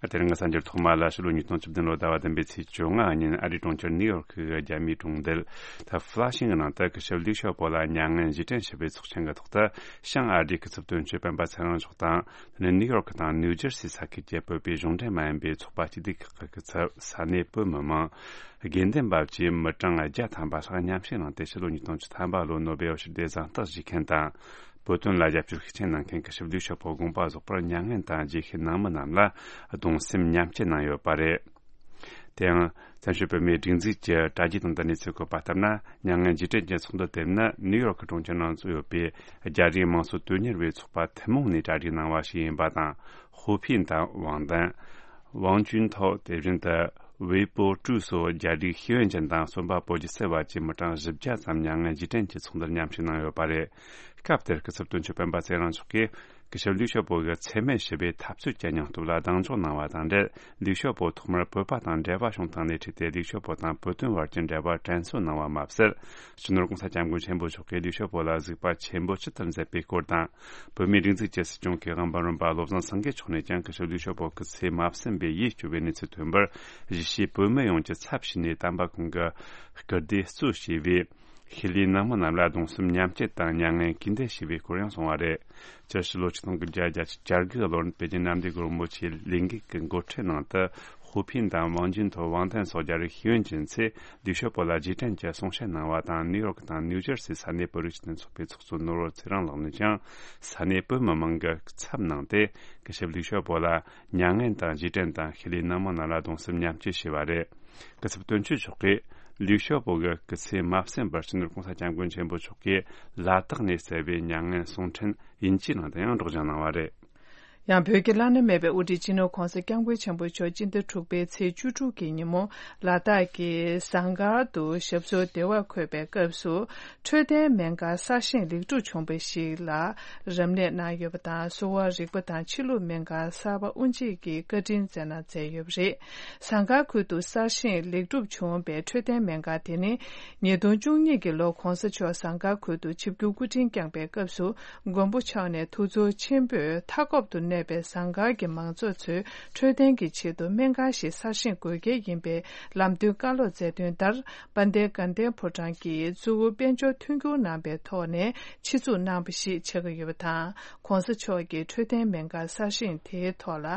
དེ་རིང་གི་གསར་འགྱུར་ཐོག་མ་ལ། ཕྱི་ལོ་ཉིས་སྟོང་བཅུ་བདུན་ལོ་ཟླ་བ་བདུན་པའི་ཚེས་བཅོ་ལྔ་ཉིན་ཨ་རིའི་གྲོང་ཁྱེར་ནིའུ་ཡོར་ཁི་རྒྱ་མིའི་གྲོང་རྡལ་ད་ཧྥུ་ལ་ཤིང་གི་ནང་དུ་སྐུ་ཞབས་ལིའུ་ཞའོ་པོ་ལ་མྱ་ངན་རྗེས་དྲན་ཞུ་བའི་ཚོགས་ཆེན་གྱི་ཐོག་ཏུ། ཞང་ཨ་སྒྲོལ་སྐུ་ཚབ་དོན་གཅོད་སྤེན་པ་ཚེ་རིང་མཆོག་དང་། དེ་ནས་ནིའུ་ཡོར་ཁི་དང་ནིའུ་ཇར་སི་ས་ཁུལ་གྱི་བོད་པའི་གཞུང་འབྲེལ་མ་ཡིན་པའི་ཚོགས་པ་སྤྱི་བདེ་ཁག་གི་ཚབ། ས་གནས་བོད་མི་མང་། དགེ་འདུན་པ་བཅས་མི་གྲངས་བརྒྱ་ཐམ་པ་ལྷག་མཉམ་ཞུགས་གནང་སྟེ། ཕྱི་ལོ་ཉིས་སྟོང་བཅུ་ཐམ་པ་ལོའི་ནོ་སྦེལ་ཞི་བདེའི་གཟེངས་རྟགས་བཞེས་མཁན་དང་། བོད་དོན་ལ་རྒྱབ་སྐྱོར་ཤུགས་ཆེན་གནང་མཁན་སྐུ་ཞབས་ལིའུ་ཞའོ་པོ་དགོངས་པ་རྫོགས་པར་མྱ་ངན་དང་རྗེས་ཤུལ་ནང་མི་རྣམས་ལ་གདུང་སེམས་མཉམ་སྐྱེད་གནང་ཡོད་པ་རེད། དེ་ཡང་། བཙན་བྱོལ་བོད་མིའི་སྒྲིག་འཛུགས་ཀྱི་དྲ་རྒྱའི་སྟེང་དུ་གནས་ཚུལ་བཀོད་པ་ལྟར་ན། མྱ་ངན་རྗེས་དྲན་གྱི་ཚོགས་འདུ་དེ་ནི་ནིའུ་ཡོར་ཁི་གྲོང་ཁྱེར་ནང་ཚུད་ཡོད་པའི་རྒྱ་རིགས་དམངས་གཙོ་དོན་གཉེར་བའི་ཚོགས་པ་ཐུན་མོང་ནས་གྲ་སྒྲིག་གནང་བ་ཞིག་ཡིན་པ་དང་། ཧུའུ་ཕིན་དང་ཝང་ཏན། ཝང་ཅུན་ཐའོ། དེ་བཞིན་དུ་ཝེ་པོ་ཀྲུའུ་སོགས་རྒྱ་རིགས་ཤེས་ཡོན་ཅན་དང་རྩོམ་པ་པོ་རྒྱལ་སྲས་བར་གྱི་མི་གྲངས་བཞི་བརྒྱ་ཙམ་མྱ་ངན་རྗེས་དྲན་གྱི་ཚོགས་འདུར་མཉམ་ཞུགས་གནང་ཡོད་པ་རེད། སྐབས་དེར་སྐུ་ཚབ་དོན་གཅོད་སྤེན་པ་ཚེ་རིང་མཆོག་གིས། སྐུ་ཞབས་ལིའུ་ཞའོ་པོ་གིས་འཚེ་མེད་ཞི་བའི་འཐབ་རྩོད་ཀྱི་སྙིང་སྟོབས་ལ་གདེང་འཇོག་གནང་བ་དང་འབྲེལ། ལིའུ་ཞའོ་པོ་ཐོག་མར་བོད་པ་དང་འབྲེལ་བ་བྱུང་སྟངས་ལས་འཕྲོས་ཏེ། ལིའུ་ཞའོ་པོ་དང་བོད་དོན་བར་གྱི་འབྲེལ་བ་དྲན་གསོ་གནང་བ་མ་ཟད། སྤྱི་ནོར་༧གོང་ས་༧སྐྱབས་མགོན་ཆེན་པོ་མཆོག་གིས་ལིའུ་ཞའོ་པོ་ལ་གཟིགས་པ་ཆེན་པོ་ཇི་ལྟར་མཛད་པའི་སྐོར་དང་། བོད་མིའི་སྒྲིག་འཛུགས་ཀྱི་སྲིད་སྐྱོང་གི་དབང་པོ་རིམ་པ་བློ་བཟང་སེང་གེ་མཆོག་ནས་ཀྱང་སྐུ་ཞབས་ལིའུ་ཞའོ་པོ་སྐུ་ཚེ་མ་ཟིན་པའི་ཡིད་སྐྱོ་བའི་གནས་ཚུལ་ཐོན་པར། གཞིས་བྱེས་བོད་མི་ཡོངས་ཀྱི་ཚབ་བྱས་ནས་དམ་པ་ཁོང་གི་སྐུ་ཟློས་གཙོ་བྱས་པའི། ཤི་ལའི་ནང་མི་རྣམས་ལ་གདུང་སེམས་མཉམ་སྐྱེད་དང་མྱ་ངན་གུས་འདུད་ཞུས་པའི་སྐོར་ཡང་གསུངས་པ་རེད། སྤྱིར་ཕྱི་ལོ་ཆིག་སྟོང་དགུ་བརྒྱ་བརྒྱད་ཅུ་གྱ་དགུ་ལོར་པེ་ཅིན་གནམ་བདེ་སྒོ་རིན་པོ་ཆེའི་ལས་འགུལ་གྱི་འགོ་ཁྲིད་ནང་དུ། ཧུའུ་ཕིན་དང་ཝང་ཅིན་ཐོ་ཝང་ཐན་སོགས་རྒྱ་རིགས་ཤེས་ཡོན་ཅན་ཚོས་ལིའུ་ཞའོ་པོ་ལ་རྗེས་དྲན་གྱི་གསུང་བཤད་གནང་བ་དང་། ནིའུ་ཡོག་དང་ནིའུ་ཇར་སིའི་ས་གནས་བོད་རིགས་སྤྱི་མཐུན་ཚོགས་པའི་ཚོགས་གཙོ་ནོར་བུ་ཚེ་རིང་ལགས་ནས་ཀྱང་ས་གནས་བོད་མི་མང་གི་ཚབ་གནང་སྟེ། སྐུ་ཞབས་ལིའུ་ཞའོ་པོ་ལ་མྱ་ངན་དང་རྗེས་དྲན་དང་ཤུལ་ལུས་ནང་མི་རྣམས་ལ་གདུང་སེམས་མཉམ་སྐྱེད་ཞུས་པ་རེད། སྐུ་ཚབ་དོན་གཅོད་མཆོག་གིས་ལིའུ་ཞའོ་པོ་གི་སྐུ་ཚེ་མ་ཟིན་པར་སྤྱི་ནོར་༸གོང་ས་༸སྐྱབས་མགོན་ཆེན་པོ་མཆོག་གིས་ལ་དྭགས་ནས་བསྩལ་བའི་མྱ་ངན་གསུང་འཕྲིན་དབྱིན་ཇིའི་ནང་དུ་ཡང་སྒྲོག་སྦྱང་གནང་བ་རེད། ཡང་བོད་ཀྱི་བླ་ན་མེད་པའི་དབུ་ཁྲིད་སྤྱི་ནོར་༸གོང་ས་༸སྐྱབས་མགོན་ཆེན་པོ་མཆོག་སྤྱི་ཟླ་དྲུག་པའི་ཚེས་བཅུ་དྲུག་གི་ཉིན་མོ་ལ་དྭགས་ཀྱི་ཟངས་དཀར་དུ་ཞབས་སོར་བདེ་བར་འཁོད་པའི་སྐབས་སུ། འཕྲོད་བསྟེན་སྨན་ཁང་གསར་བཞེངས་ལེགས་གྲུབ་བྱུང་བ་ཞིག་ལ་རབ་གནས་གནང་ཡོད་པ་དང་། གསོ་བ་རིག་པ་དང་ཕྱི་ལུགས་སྨན་ཁང་གསར་པ་དབུ་འབྱེད་ཀྱི་བཀའ་དྲིན་བསྩལ་གནང་མཛད་ཡོད་པ་རེད། ཟངས་དཀར་ཁུལ་དུ་གསར་བཞེངས་ལེགས་གྲུབ་བྱུང་བའི་འཕྲོད་བསྟེན་སྨན་ཁང་དེ་ནི། ཉིས་སྟོང་བཅུ་གཉིས་ཀྱི་ལོར་༸གོང་ས་མཆོག་ཟངས་དཀར་ཁུལ་དུ་ཆིབས་བསྒྱུར་སྐུ་ཕྲེང་བསྐྱངས་པའི་སྐབས་སུ། མགོན་པོ་མཆོག་ནས་ཐུགས་ཚོར་ཆེན་པོས་མཐའ་འཁོབ་ཏུ་གནས་པའི་ཟངས་དཀར་གྱི་མང་ཚོགས་ཚོའི་འཕྲོད་བསྟེན་གྱི་ཆེད་དུ་སྨན་ཁང་ཞིག་གསར་བཞེངས་དགོས་གལ་ཡིན་པའི་ལམ་སྟོན་བཀའ་སློབ་སྩལ་དོན་ལྟར། དཔལ་ལྡན་དགའ་ལྡན་ཕོ་བྲང་གིས་གཙོ་བོ་དཔལ་འབྱོར་མཐུན་འགྱུར་གནང་པའི་ཐོག་ནས་ཆེད་འཛུགས་གནང་བ་ཞིག་ཆགས་ཀྱི་ཡོད་པ་དང་། ༸གོང་ས་མཆོག་གིས་འཕྲོད་བསྟེན་སྨན་ཁང་གསར་བཞེངས་དེའི་ཐོག་ལ་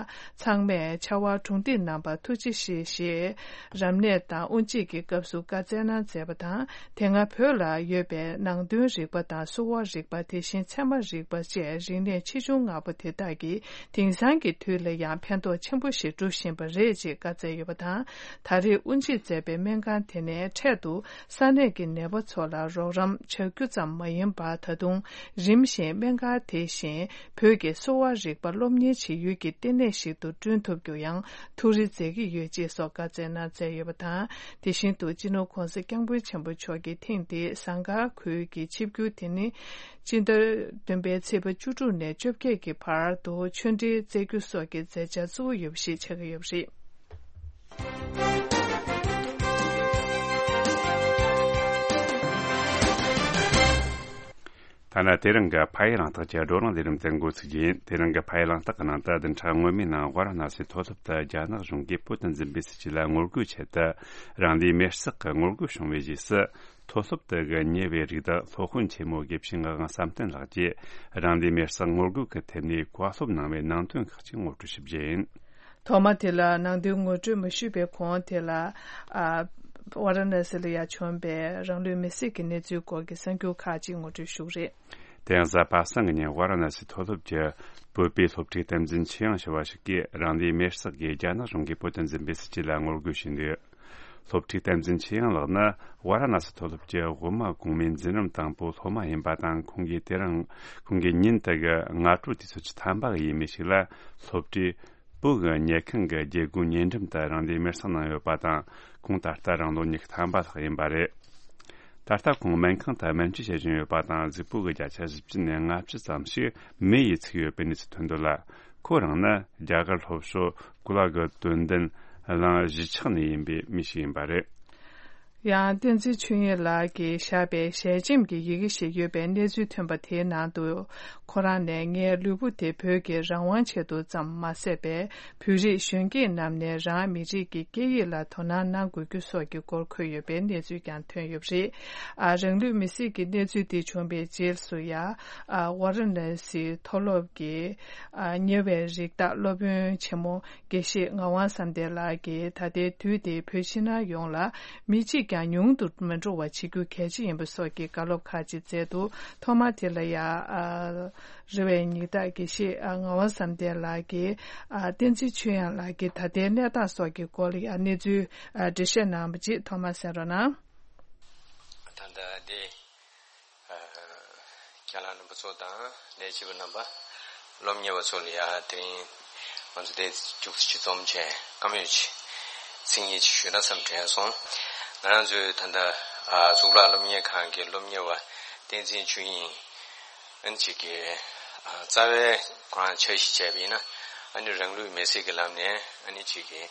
ཚང་མས་ཕྱར་བ་གྲུ་འདེགས་གནང་བར་ཐུགས་རྗེ་ཆེ་ཞེས་རབ་གནས་དང་དབུ་འབྱེད་ཀྱི་སྐབས་སུ་བཀའ་སྩལ་གནང་མཛད་པ་དང་། དེ་སྔ་བོད་ལ་ཡོད་པའི་ནང་དོན་རིག་པ་དང་གསོ་བ་རིག་པ། དེ་བཞིན་ཚད་མ་རིག་པ་བཅས་རིག་གནས་ཆེ་ཆུང་ལྔ་པོ་དེ་དག་གིས་དེང་སང་གི་དུས་ལ་ཡང་ཕན་ཐོགས་ཆེན་པོ་ཞིག་སྒྲུབ་བཞིན་པ་རེད་ཅེས་བཀའ་སྩལ་ཡོད་པ་དང་། ད་རེས་དབུ་འབྱེད་མཛད་པའི་སྨན་ཁང་དེ་ནས་འཕྲལ་དུ་ས་གནས་ཀྱི་ནད་པ་ཚོ་ལ་རོགས་རམ་བྱ་རྒྱུ་ཙམ་མ་ཡིན་པར། ད་དུང་རིམ་བཞིན་སྨན་ཁང་དེ་བཞིན་བོད་ཀྱི་གསོ་བ་རིག་པ་སློབ་གཉེར་བྱེད་ཡུལ་གྱི་ལྟེ་གནས་ཤིག་ཏུ་བསྐྲུན་ཐུབ་རྒྱུ་ཡང་ཐུགས་རེ་མཛད་ཀྱི་ཡོད་ཅེས་སོགས་བཀའ་སྩལ་གནང་མཛད་ཡོད་པ་དང་། དེ་བཞིན་དུ་སྤྱི་ནོར་༸གོང་ས་༸སྐྱབས་མགོན་ཆེན་པོ་མཆོག་གིས་ཐེངས་འདིའི་ཟངས་དཀར་ཁུལ་གྱི་ཆིབས་བསྒྱུར་དེ་ནི། སྤྱི་ཟླ་བདུན་པའི་ཚེས་པ་བཅུ་དྲུག་ནས་བཅོ་བརྒྱད་ཀྱི་བར་དུ་ཆོས་འབྲེལ་སྩལ་རྒྱུ་སོགས་ཀྱི་མཛད་འཆར་གཙོ་བོ་ཡོད་པ་ཞིག་ཆགས་ཀྱི་ཡོད་པ་རེད། ཐ་ན་དེ་རིང་གི་ཕ་ཡུལ་རང་རྟགས་ཀྱི་བགྲོ་གླེང་ལས་རིམ་དེ་འགོ་ཚུགས་རྒྱུ་ཡིན། དེ་རིང་གི་ཕ་ཡུལ་རང་རྟགས་ཀྱི་ནང་དུ་བདུན་ཕྲག་སྔོན་མའི་ནང་ཝཱ་ར་ཎ་སིའི་མཐོ་སློབ་ཏུ་རྒྱ་ནག་གཞུང་གིས་བོད་དུ་འཛིན་པའི་སྲིད་བྱུས་ལ་ངོ་རྒོལ་ཆེད་དུ་རང་ལུས་མེར་སྲེག་གི་ངོ་རྒོལ་བྱུང་བའི་རྗེས་སུ། མཐོ་སློབ་དེ་གི་ཉེ་བའི་རིགས་བདག་སློབ་དཔོན་ཆེན་མོ་དགེ་བཤེས་ངག་དབང་བསམ་གཏན་ལགས་ཀྱིས་རང་ལུས་མེར་སྲེག་ངོ་རྒོལ་གྱི་ཐད་ནས་བཀའ་སློབ་གནང་བའི་ནང་དོན་ཁག་ཅིག་ངོ་སྤྲོད་ཞུ་རྒྱུ་ཡིན། ཐོག་མ་དེ་ལ་ནང་དོན་ངོ་སྤྲོད་མ་ཞུས་པའི་གོང་དེ་ལ། ཨ། ཝཱ་ར་ཎ་སི་ལ་ཡ་བྱུང་པའི་རང་ལུས་མེར་སྲེག་གི་གནས་ཚུལ་སྐོར་གྱི་གསར་འགྱུར་ཁག་ཅིག་ངོ་སྤྲོད་ཞུ་གི་རེད། དེ་ཡང་གཟའ་པ་སངས་ཀྱི་ཉིན་ཝཱ་ར་ཎ་སི་མཐོ་སློབ་ཀྱི་བོད་པའི་སློབ་ཕྲུག་བསྟན་འཛིན་ཆོས་དབྱངས་ཞུ་བ་ཞིག་གིས་རང་ལུས་མེར་སྲེག་གིས་རྒྱ་ནག་གཞུང་གིས་བོད་དུ་འཛིན་པའི་སྲིད་བྱུས་ལ་ངོ་རྒོལ་བྱས་འདུག་སློབ་ཕྲུག་བསྟན་འཛིན་ཆོས་དབྱངས་ལགས་ནི་ཝཱ་ར་ཎ་སི་མཐོ་སློབ་ཀྱི་དབུ་མ་གོང་མའི་འཛིན་རིམ་དང་པོའི་སློབ་མ་ཡིན་པ་དང་། ཁོང་གིས་དེ་རིང་ཁོང་གི་ཉིན་དེ་གི་སྔ་དྲོ་དུས་ཚོད་བཅུ་ཐམ་པ་གི་ཡས་མས་ཤིག་ལ་སློབ་གྲྭའི་བོད་ཀྱི་ཉལ་ཁང་གི་སྒེའུ་ཁུང་ཉེ་འགྲམ་དུ་རང་ལུས་མེར་སྲེག་གནང་ཡོད་པ་དང་། ཁོང་ད་ལྟ་རང་ལོ་ཉི་ཤུ་ཐམ་པ་ལྷག་ཡིན་པ་རེད། ད་ལྟ་ཁོང་སྨན་ཁང་དུ་སྨན་བཅོས་བྱེད་བཞིན་ཡོད་པ་དང་། གཟུགས་པོ་གི་བརྒྱ་ཆ་བཞི་བཅུ་ནས་ལྔ་བཅུ་ཙམ་ཞིག་མེ་ཡིས་ཚིག་ཡོད་པའི་གནས་ཚུལ་ཐོན་འདུག་ལ། ཁོ་རང་ནི་རྒྱ་གར་ལྷོ་ཕྱོགས་གུ་ལ་གི་དོན་ལྡན་གླིང་གཞིས་ཆགས་ནས་ཡིན་པའི་མི་ཞིག་ཡིན་པ་རེད། ཡང་བསྟན་འཛིན་ཆོས་དབྱིངས་ལགས་ཀྱིས་བཞག་པའི་ཞལ་ཆེམས་ཀྱི་ཡི་གེ་ཞིག་ཡོད་པའི་གནས་ཚུལ་ཐོན་པ་དེའི་ནང་དུ། ཁོ་རང་ནས་ངའི་ལུས་པོ་དེ་བོད་ཀྱི་རང་དབང་ཆེད་དུ་ཙམ་མ་ཟད་པའི་བོད་རིགས་གཞོན་སྐྱེས་རྣམས་ནས་རང་མི་རིགས་ཀྱི་སྐད་ཡིག་ལ་དོ་སྣང་གནང་དགོས་རྒྱུ་སོགས་ཀྱི་སྐོར་འཁོད་ཡོད་པའི་གནས་ཚུལ་ཀྱང་ཐོན་ཡོད་པ་རེད། ཨ། རང་ལུས་མེར་སྲེག་གི་གནས་ཚུལ་དེ་བྱུང་བའི་རྗེས་སུ་ཡང་། ཨ། ཝཱ་ར་ཎ་སི་མཐོ་སློབ་ཀྱི། ཨ། ཉེ་བའི་རིགས་བདག་སློབ་དཔོན་ཆེན་མོ་དགེ་བཤེས་ངག་དབང་བསམ་གཏན་ལགས་ཀྱིས། ད་ལྟའི་དུས་དེ་བོད་ཕྱི་ནང་ཡོངས་ལ་མི་གཅིག་ཀྱང་ཉུང་དུ་མི་འགྲོ་བ་བྱེད་རྒྱུ་གལ་ཆེ་ཡིན་པ་སོགས་ཀྱི་བཀའ་སློབ་ཁག་ཅིག་སྩལ་འདུག་ཐོག་མ་དེ་ལ་ཡང་། ཨ། རེ་བའི་ཉི་ཟླ་དགེ་བཤེས། ཨ། ངག་དབང་བསམ་གཏན་ལགས་ཀྱིས། ཨ། བསྟན་འཛིན་ཆོས་དབྱངས་ལགས་ཀྱིས་ད་ལྟའི་གནས་སྟངས་སོགས་ཀྱི་སྐོར་ལ་ཡང་གནས་ཚུལ། ཨ། འགྲེལ་བཤད་གནང་བ་ཅིག་ཐོག་མར་གསན་རོགས་གནང་། ད་ལྟ་འདི། ཨ། རྒན་ལགས་རྣམ་པ་ཚོ་དང་ལས་བྱེད་པ་རྣམ་པ། སློབ་གཉེར་བ་ཚོ་ལ་ཡང་དེ་རིང་ང་ཚོ་འདིར་བཅར་ཏེ་སྤྱི་འཛོམས་བྱས་བཀའ་མོལ་ཅིག་མཚན་སྙན་ཅིག་ཞུས་ན་བསམ་དྲན་སོང་། ང་རང་ཚོའི་ད་ལྟ། ཨ། གཙུག་ལག་སློབ་གཉེར་ཁང་གི་སློབ་གཉེར་བ་བསྟན་འཛིན་ཆོས་དབྱིངས། ཨ་ནི་ཅིག་གིས། ཨ། རྩ་བའི་ཁོ་རང་འཆར་གཞི་བྱས་པ་ཡིན་ན། ཨ་ནི་རང་ལུས་མེར་སྲེག་གི་ལམ་ནས། ཨ་ནི་ཅིག་གིས་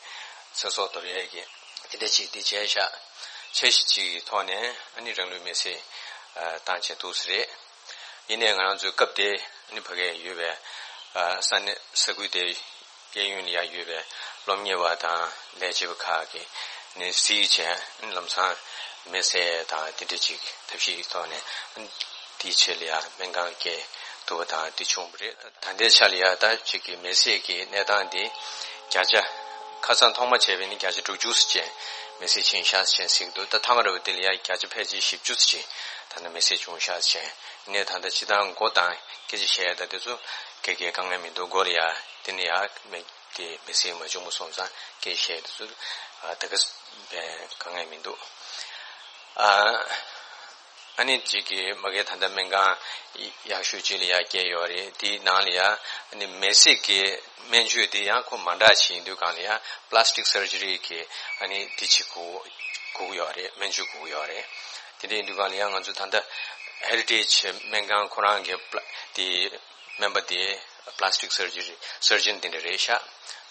ཚེ་སྲོག་དོར་ཡས་ཀྱི་དེ་འདྲ་ཅིག་འདི་བྱས་ཤག་འཆར་གཞི་ཅིག་གི་ཐོག་ནས། ཨ་ནི་རང་ལུས་མེར་སྲེག་ཨ། བཏང་བྱས་འདུག་ས་རེད། ཡིན་ནའི་ང་རང་ཚོའི་སྐབས་དེ། ཨ་ནི་ཕ་གིར་ཡོད་པའི། ཨ། ས་གནས་ས་ཁུལ་དེ། གཡས་གཡོན་ལ་ཡང་ཡོད་པའི་སློབ་གཉེར་བ་དང་ལས་བྱེད་པ་ཁག་གིས་ནི་གཟིགས་བྱས། ལམ་སང་མེར་སྲེག་དང་དེ་འདྲ་ཅིག་ཐབས་ཤེས་ཀྱི་ཐོག་ནས་དེའི་ཆེད་ལ་ཡང་སྨན་ཁང་བསྐྱལ་ཐུབ་པ་དང་དེ་བྱུང་བ་རེད། ད་ལྟའི་ཆ་ལ་ཡང་ད་ཅིག་གི་མེར་སྲེག་གི་གནས་སྟངས་དེ་བརྒྱ་ཆ་ ཁ་སང་ཐོག་མ་བྱས་པའི་ནི་བརྒྱ་ཆ་དྲུག་ཅུ་ཙམ་ཅན་མེ་སྲེག་ཕྱིན་ཤག་ཅེས་ཟེར་གྱི་འདུག་ད་ཐ་མ་ར་བ་དེ་ལ་ཡ་བརྒྱ་ཆ་ཕལ་ཆེར་བཞི་བཅུ་ཙམ་ཅན་ད་ནི་མེ་སྲེག་བྱུང་ཤག་ཅེས་ནས། ད་ལྟ་སྤྱི་བཏང་མགོ་དང་སྐད་ཆ་བཤད་ཡ་ད་དེ་ཚོ་ག་གའི་དཀའ་ངལ་མི་འདུག་མགོ་ལ་ཡ་དེ་ནི་ཡ་མེ་དེ་མེ་སྲེག་མ་བྱུང་བ་སོང་ཙང་སྐད་ཆ་བཤད་ཡ་དེ་ཚོ་ད་ག་བའི་དཀའ་ངལ་མི་འདུག་ཨ། ཨ་ནི་གཅིག་གི་མ་གི་ད་ལྟ་སྨན་ཁང་ཡག་ཤོས་གཅིག་ལ་ཡ་བསྐྱལ་ཡོད་རེད། དེའི་ནང་ལ་ཡ་ཨ་ནི་མེ་སྲེག་གི་སྨན་བཅོས་དེ་ཡང་ཁོ་མ་འདྲ་ཞིག་ཡིན་དུས་སྒང་ལ་ཡ་པ་ལ་སི་ཊིག་སར་ཇི་རི་གི་ཨ་ནི་དེ་ཅིག་དགོས་དགོས་ཀྱི་ཡོད་རེད། སྨན་བཅོས་དགོས་ཀྱི་ཡོད་རེད། དེ་འདྲ་ཡིན་དུས་སྒང་ལ་ཡ་ང་ཚོ་ད་ལྟ་ཧེ་རི་ཊེཇ་སྨན་ཁང་ཁོ་རང་གི་པ་ལ་དེ་སྨན་པ་དེ་པ་ལ་སི་ཊིག་སར་ཇི་རི་སར་ཇན་དེ་འདྲ་རེད་ཤག་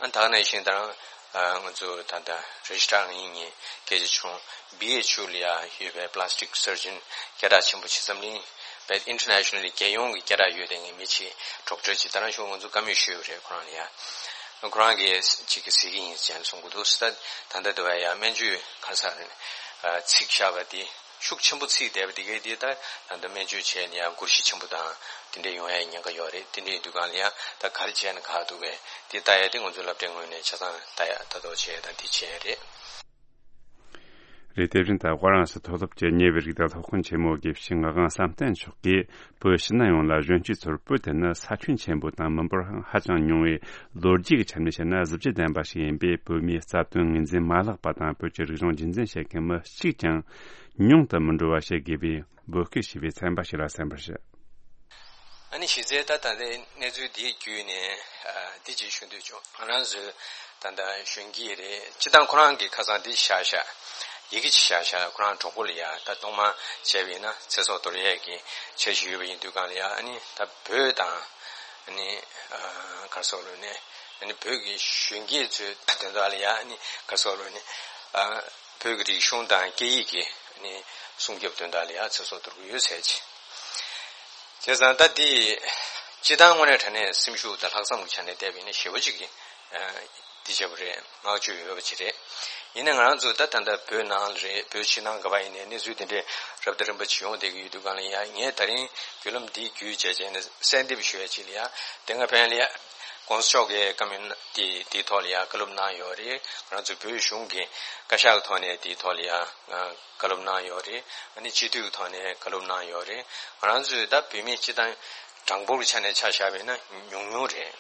ཨ་ད་ག་ནང་བཞིན་ད་རང་ཨ་ང་ཚོ་ད་ལྟ་རེ་ཇི་སི་ཊར་ངེད་གཉིས་སྐད་ཆ་བྱུང་། བྷི་ཨེཆ་ཡུ་ལ་ཡ་ཡོད་པའི་པ་ལ་སི་ཊིག་སར་ཇན་སྐད་གྲགས་ཆེན་པོ་ཅིག་འཛམ་གླིང་བའི་ཨིན་ཊར་ནེ་ཤ་ནལ་རྒྱལ་ཡོངས་ཀྱི་སྐད་གྲགས་ཡོད་པའི་ངེད་མི་ཅིག་ཌོག་ཊར་ཅིག་ད་རང་ཞུ་ང་ཚོ་བཀའ་མོལ་ཞུས་པ་རེད། ཁོ་རང་ལ་ཡ་ཁོ་རང་གིས་ཅིག་གིས་ཟེར་གྱི་ཡིན་ཅེས་གསུང་གི་འདུག་ད་ད་ལྟ་དུ་བ་ཡ་སྨན་བཅོས་ག་ས་རེད་ཚིག་བཞག་པ་དེ། ཤུགས་ཆེན་པོ་ཚིག་བསྡད་པ་དེ་གའི་དེ་ད་ད་ལྟ་སྨན་བཅོས་བྱས་ནས་ཡང་སྒོར་གཞི་ཆེན་པོ་དང་དེ་འདྲ་ཡོང་ཡའི་ཉེན་ཁ་ཡོད་རེད། དེ་འདྲ་ཡིན་དུས་སྒང་ལ་ཡང་ད་ག་རེ་བྱས་ན་ག་འདུག་གས་དེ་ལྟ་ཡ་དེ་ང་ཚོའི་སློབ་གྲྭའི་ངོས་ནས་ཆ་ཚང་ལྟ་ཡ་ལྟ་རྟོག་བྱས་ཡ་དང་དེ་བྱས་ཡ་རེད། རེད། དེ་བཞིན་ད་ཧྥ་རན་སི་མཐོ་སློབ་ཀྱི་ཉེ་བའི་རིགས་དང་སློབ་དཔོན་ཆེན་མོ་དགེ་བཤེས་ངག་དབང་བསམ་གཏན་མཆོག་གིས་བོད་ཕྱི་ནང་ཡོངས་ལ་གཞོན་སྐྱེས་ཚོར་བོད་དེ་ནི་ས་ཁྱོན་ཆེན་པོ་དང་མི་འབོར་ཧ་ཅང་ཉུང་བའི་ལོ་རྒྱུས་ཀྱི་ཆ་ནས་བཤད་ན་གཟི་བརྗིད་ལྡན་པ་ཞིག་ཡིན་པས། བོད་མིའི་རྩ་དོན་ངོས་འཛིན་མ་ལྷག་པ་དང་བོད་ཀྱི་རིག་གཞུང་རྒྱུན་འཛིན་བྱེད་མཁན་མི་གཅིག་ཀྱང་ཉུང་དུ་མི་འགྲོ་བ་བྱེད་དགོས་པའི་འབོད་སྐུལ་ཞུས་པའི་ཚན་པ་ཞིག་ལ་གསན་པར་ཞུ། ཨ་ནི་གཞི་རྩའི་ད་ད་ལྟའི་གནས་ཚུལ་འདིའི་བརྒྱུད་ནས་ཨ་འདི་ཅིག་ཞུ་འདོད་བྱུང་། ང་རང་ཚོའི་ད་ལྟ་གཞོན་སྐྱེས་རེད། སྤྱི་བཏང་ཁོ་རང་གི་ཁ་སང་འདི་བཞག་བཞག་ཡི་གེ་ཅིག་བཞག་བཞག་ཁོ་རང་གྲོགས་པོ་ལ་ཡ་ད་གཏོང་མ་བྱས་པ་ཡིན་ན་ཚེ་སྲོག་དོར་ཡས་ཀྱི་འཆར་གཞི་ཡོད་པ་ཡིན་དུས་སྒང་ལ་ཡ་ཨ་ནི་ད་བོད་དང་ཨ་ནི་ཨ་ག་རེ་ཟེར་དགོས་རེད་ནས་ཨ་ནི་བོད་ཀྱི་གཞོན་སྐྱེས་ཚོའི་དོན་དག་ལ་ཡ་ཨ་ནི་ག་རེ་ཟེར་དགོས་རེད་ནས་ཨ་བོད་ཀྱི་རིག་གཞུང་དང་སྐད་ཡིག་གི་ཨ་ནི་སྲུང་སྐྱོབ་དོན་དག་ལ་ཡ་ཚེ་སྲོག་དོར་གྱི་ཡོད་ཟེར་གྱི། བྱས་ཙང་ད་འདི་སྤྱི་བཏང་དངོས་གནས་དྲང་གནས་སེམས་ཤུགས་དང་ལྷག་བསམ་གྱི་ཆ་ནས་བལྟས་པ་ཡིན་ན་ཞེ་པོ་ཅིག་གི་འདི་བྱས་པ་རེད། བསྔགས་བརྗོད་ཡོད་པ་ཅིག་རེད། ཡིན་ནའི་ང་རང་ཚོ་ད་ད་ལྟ་བོད་ནང་ལ་རེད། བོད་ཕྱི་ནང་ག་པར་ཡིན་ནའི་གནས་ཚུལ་འདི་འདྲའི་རབ་དང་རིམ་པ་ཅིག་ཡོང་བསྡད་ཀྱི་ཡོད་དུས་སྒང་ལ་ཡ་ངས་ད་རིང་བརྒྱུད་ལམ་འདི་བརྒྱུད་བྱས་བྱས་ནས་གསལ་འདེབས་ཞུ་ཡ་ཅིག་ལ་ཡ་དེ་སྔ་ཕན་ལ་ཡ་༸གོང་ས་མཆོག་གིས་བཀའ་མོལ་འདི་འདིའི་ཐོག་ལ་ཡ་བཀའ་སློབ་གནང་ཡོད་རེད། ང་རང་ཚོ་བོད་གཞུང་གི་བཀའ་ཤག་གི་ཐོག་ནས་འདིའི་ཐོག་ལ་ཡ། བཀའ་སློབ་གནང་ཡོད་རེད། ཨ་ནི་སྤྱི་འཐུས་ཀྱི་ཐོག་ནས་བཀའ་སློབ་གནང་ཡོད་རེད། ང་རང་ཚོས་ད་བོད་མི་སྤྱི་བཏང་གྲངས་འབོར་གྱི་ཆ་ནས་ཆ་བཞག་པ་ཡིན་ན་ཉུང་ཉུང་རེད།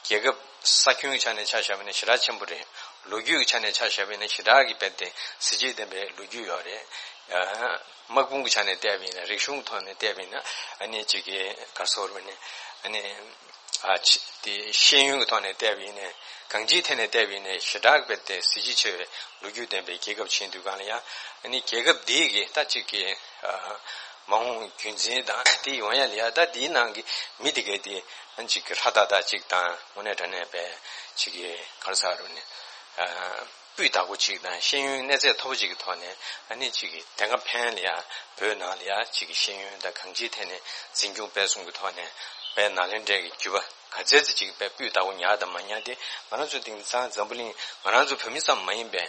རྒྱལ་ཁབ་ས་ཁྱོན་གྱི་ཆ་ནས་ཆ་བཞག་པ་ཡིན་ན་ཞེ་དྲག་ཆེན་པོ་རེད། ལོ་རྒྱུས་ཀྱི་ཆ་ནས་ཆ་བཞག་པ་ཡིན་ན་ཞེ་དྲག་གི་རྦད་དེ་གཟི་བརྗིད་ལྡན་པའི་ལོ་རྒྱུས་ཡོད་རེད། དམག་དཔུང་གི་ཆ་ནས་བལྟས་པ་ཡིན་ན་རིག་གཞུང་གི་ཐོག་ནས་བལྟས་པ་ཡིན་ན་ཨ་ནི་གཅིག་གི་ག་རེ་ཟེར་དགོས་རེད་ཨ་ནི། ཨ་ཅི་དེ་ཤེས་ཡོན་གྱི་ཐོག་ནས་བལྟས་པ་ཡིན་ནའི་གང་ཅིའི་ཐད་ནས་བལྟས་པ་ཡིན་ནའི་ཞེ་དྲག་རྦད་དེ་གཟི་བརྗིད་ཆེ་བའི་ལོ་རྒྱུས་ལྡན་པའི་རྒྱལ་ཁབ་ཅིག་ཡིན་དུས་སྒང་ལ་ཡ་ཨ་ནི་རྒྱལ་ཁབ་འདིའི་གི་ད་ཅིག་གི་ཨ་མ་འོངས་རྒྱུན་འཛིན་དང་དེ་ཡོང་ཡ་ལ་ཡ་ད་འདིའི་ནང་གི་མི་དེ་གའི་དེ་ཨ་ཅིག་གི་ཧྲ་ཏག་ཏག་ཅིག་དང་དངོས་གནས་དྲང་གནས་པའི་ཅིག་གི་ག་རེ་ཟེར་དགོས་རེད་ཨ། སྤུས་དག་པོ་ཅིག་དང་ཤེས་ཡོན་གནས་ཚད་མཐོ་པོ་ཅིག་གི་ཐོག་ནས་ཨ་ནི་ཅིག་གི་དེ་སྔ་ཕན་ལ་ཡ་བོད་ནང་ལ་ཡ་ཅིག་གི་ཤེས་ཡོན་དང་གང་ཅིའི་ཐད་ནས་འཛིན་སྐྱོང་སྤེལ་གསུམ་གྱི་ཐོག་ནས་དཔེ་ནཱ་ལེནྡྲའི་གི་རྒྱུད་པ་ག་ཚད་ཅིག་དཔེ་སྤུས་དག་པོ་ཉར་དང་མ་ཉར་དེ་ང་རང་ཚོ་དེང་སང་འཛམ་བུ་གླིང་ང་རང་ཚོ་བོད་མི་ཙམ་མ་ཡིན་པའི་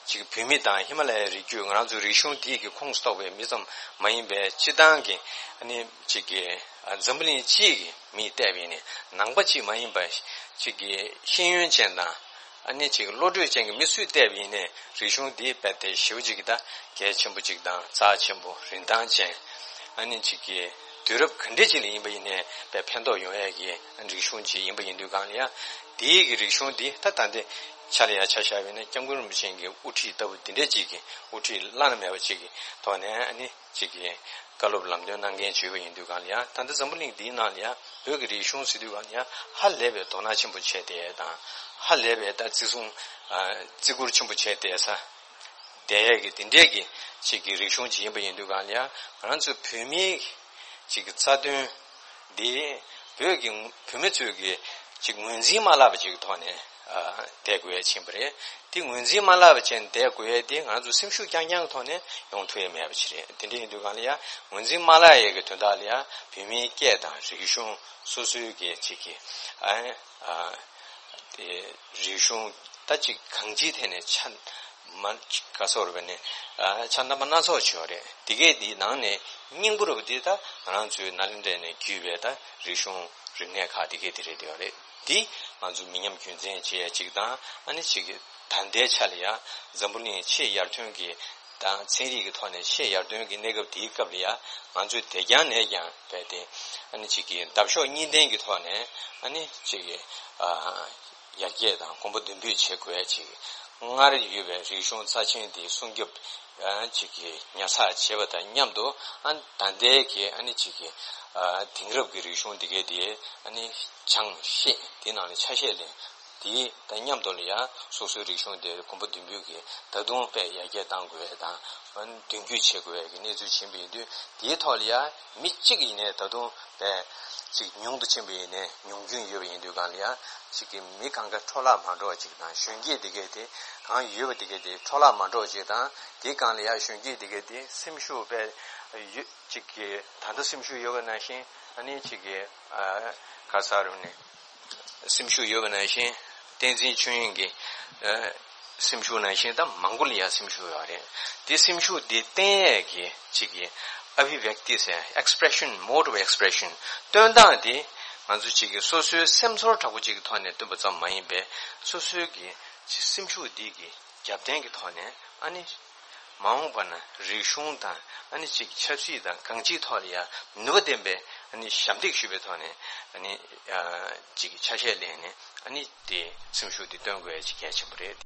ཅིག་བོད་མི་དང་ཧི་མ་ལ་ཡའི་རི་རྒྱུད་ང་རང་ཚོ་རིག་གཞུང་དེ་གི་ཁོངས་གཏོགས་པའི་མི་ཙམ་མ་ཡིན་པའི་སྤྱི་བཏང་གི་ཨ་ནི་ཅིག་གི་འཛམ་བུ་གླིང་སྤྱིའི་གི་མིས་བལྟས་པ་ཡིན་ནའི་ནང་པ་གཅིག་མ་ཡིན་པ་ཅིག་གི་ཤེས་ཡོན་ཅན་དང་། ཨ་ནི་ཅིག་བློ་གྲོས་ཅན་གྱི་མི་སུས་བལྟས་པ་ཡིན་ནའི་རིག་གཞུང་འདི་རྦད་དེ་ཞེ་པོ་ཅིག་གི་ད་གལ་ཆེན་པོ་ཅིག་དང་རྩ་ཆེན་པོ་རིན་ཐང་ཅན། ཨ་ནི་ཅིག་གི་དུས་རབས་ག་འདྲ་ཅིག་ལ་ཡིན་པ་ཡིན་ནའི་དཔེ་ཕན་ཐོགས་ཡོང་ཡས་ཀྱི་རིག་གཞུང་ཅིག་ཡིན་པ་ཡིན་དུས་སྒང་ལ་ཡ། དེའི་གི་རིག་གཞུང་འདི་ད་ད་ལྟའི་ཆ་ལ་ཡ་ཆ་བཞག་པ་ཡིན་ན་སྐྱབས་མགོན་རིན་པོ་ཆེ་གི་དབུ་ཁྲིད་ལྟ་བུ་འདི་འདྲ་ཅིག་གི་དབུ་ཁྲིད་བླ་ན་མེད་པ་ཅིག་གི་ཐོག་ནས་ཨ་ནི། ཅིག་གིས་བཀའ་སློབ་ལམ་སྟོན་གནང་མཁན་བྱུང་བ་ཡིན་དུས་སྒང་ལ་ཡ། ད་ལྟ་འཛམ་བུ་གླིང་འདིའི་ནང་ལ་ཡ་བོད་ཀྱི་རིག་གཞུང་ཟེར་དུས་སྒང་ལ་ཡ་ཧ་ལས་པའི་དོ་སྣང་ཆེན་པོ་བྱས་བསྡད་ཡས་དང་། ཧ་ལས་པའི་ད་བརྩི་སྲུང་ཨ་བརྩི་བཀུར་ཆེན་པོ་བྱས་བསྡད་ས་བསྡད་ཡས་ཀྱི་དེ་འདྲས་ཀྱི་ཅིག་གི་རིག་གཞུང་ཅིག་ཡིན་པ་ཡིན་དུས་སྒང་ལ་ཡ། ང་རང་ཚོ་བོད་མིའི་ཅིག་གི་རྩ་དོན་འདི་བོད་ཀྱི་བོད་མི་ཚོས་ཀྱི་ཅིག་ངོས་འཛིན་མ་བརླག་པ་ཅིག་གི་ཐོག་ནས། ཨ་བསྡད་དགོས་ཡ་ཕྱིན་པ་རེད། དེ་ངོས་འཛིན་མ་བརླག་པ་བྱས་ནས་བསྡད་དགོས་ཡ་དེ་ང་ཚོ་སེམས་ཤུགས་རྐྱང་རྐྱང་གི་ཐོག་ནས་ཡོང་ཐུབ་ཡ་མེད་པ་ཅིག་རེད། དེ་འདྲ་ཡིན་དུས་སྒང་ལ་ཡ་ངོས་འཛིན་མ་བརླག་ཡ་གི་དོན་དག་ལ་ཡ་བོད་མིའི་སྐད་དང་རིག་གཞུང་སོ་སོའི་གི་ཅིག་གི་ཨ་ཨ་དེ་རིག་གཞུང་ད་ཅིག་གང་ཅིའི་ཐད་ནས་ཆ་མ་ག་སོགས་རེད་པ་ནི་ཨ་ཆ་རྣམ་པ་སྣ་ཚོགས་བྱས་པ་རེད། དེ་གས་དེའི་ནང་ནས་སྙིང་པོ་རུ་དེ་ད་ང་རང་ཚོའི་ནཱ་ལེནྡྲ་ནས་བརྒྱུད་པའི་ད་རིག་གཞུང་རིག་གནས་ཁག་དེ་གས་དེ་རེད་དེ་བ་རེད། འདི་ང་ཚོ་མི་ཉམས་རྒྱུན་འཛིན་བྱེད་ཡ་གཅིག་དང་། ཨ་ནི་གཅིག་གི་ད་ལྟའི་ཆ་ལ་ཡ་འཛམ་བུ་གླིང་ཆེས་ཡར་ཐོན་གྱི་དང་ཚན་རིག་གི་ཐོག་ནས་ཆེས་ཡར་ཐོན་གྱི་གནས་སྐབས་དེའི་སྐབས་ལ་ཡ་ང་ཚོས་དེ་རྐྱང་ནས་ཀྱང་རྦད་དེ་ཨ་ནི་གཅིག་གི་འདབ་གཤོག་གཉིས་ལྡན་གྱི་ཐོག་ནས་ཨ་ནི་གཅིག་གི་ཨ་ཡར་རྒྱས་དང་གོམ་པ་མདུན་སྤོས་བྱེད་དགོས་ཡ་གཅིག་སྔར་ཡོད་པའི་རིག་གཞུང་རྩ་ཆེན་དེ་སྲུང་སྐྱོབ་ཨ་གཅིག་གི་ཉར་ཚགས་བྱེད་པ་དང་མཉམ་དུ། ཨ་ད་ལྟའི་གི་ཨ་ནི་གཅིག་གི་ཨ་དེང་རབས་ཀྱི་རིག་གཞུང་འདི་གའི་དེ་ཨ་ནི་སྦྱང་ཤེས། དེ་ནང་ལ་ཆ་ཤས་ལེན། དེ་དང་མཉམ་དུ་ལ་ཡང་སོ་སོའི་རིག་གཞུང་དེ་གོམ་པ་མདུན་སྤོས་ཀྱིས་ད་དུང་དཔེ་ཡར་རྒྱས་གཏང་དགོས་དང་མདུན་སྐྱོད་བྱེད་དགོས་ཀྱི་གནས་ཚུལ་ཕྱིན་པ་ཡིན་དུས། དེའི་ཐོག་ལ་ཡང་མི་གཅིག་ཡིན་ནའི་ད་དུང་དཔེ་གཅིག་ཉུང་དུ་ཕྱིན་པ་ཡིན་ནའི་ཉུང་སྐྱོན་ཡོད་པ་ཡིན་དུས་སྒང་ལ་ཡང་གཅིག་གི་མི་གང་ག་འཕྲོ་བརླག་མ་འགྲོ་བ་གཅིག་དང་། གཞོན་སྐྱེས་དེ་གས་དེ་གང་ཡོད་པ་དེ་གས་དེ་འཕྲོ་བརླག་མ་འགྲོ་བ་གཅིག་དང་། དེའི་སྒང་ལ་ཡང་གཞོན་སྐྱེས་དེ་གས་དེ་སེམས་ཤུགས་དཔེ་ཡོད་གཅིག་གི་ད་ལྟ་སེམས་ཤུགས་ཡོད་པ་ནང་བཞིན། ཨ་ནི་གཅིག་གི་ཨ་ག་ས་རུ་ནས་སེམས་ཤུགས་ཡོད་པ་ནང་བཞིན། བསྟན་འཛིན་ཆོས་དབྱིངས་ཀྱི་ཨ་སེམས་ཤུགས་ནང་བཞིན་ད་མང་པོ་ལ་ཡང་སེམས་ཤུགས་ཡོད་རེད། དེ་སེམས་ཤུགས་དེ་བརྟན་ཡས་ཀྱི་གཅིག་གི་ཨ་བྷི་བྷེག་ཏི་ཟེར། expression, mode of expression། སྟོན་སྟངས་དེ་ང་ཚོ་གཅིག་གི་སོ་སོའི་སེམས་ཚོར་དྲག་པོ་གཅིག་གི་ཐོག་ནས་སྟོན་པ་ཙམ་མ་ཡིན་པའི། སོ་སོའི་གི་སེམས་ཤུགས་དེ་གི་རྒྱབ་རྟེན་གྱི་ཐོག་ནས། ཨ་ནི་མ་འོངས་པ་ན་རིག་གཞུང་དང་། ཨ་ནི་གཅིག་ཆབ་སྲིད་དང་གང་ཅིའི་ཐོག་ལ་ཡང་ནུས་པ་ལྡན་པའི་ཨ་ནི་ཞབས་འདེགས་ཞུ་བའི་ཐོག་ནས། ཨ་ནི་ཨ་གཅིག་ཆ་ཤས་ལེན་ནས། ཨ་ནི་དེ་སེམས་ཤུགས་དེ་སྟོན་དགོས་ཡ་གཅིག་གལ་ཆེན་པོ་རེད།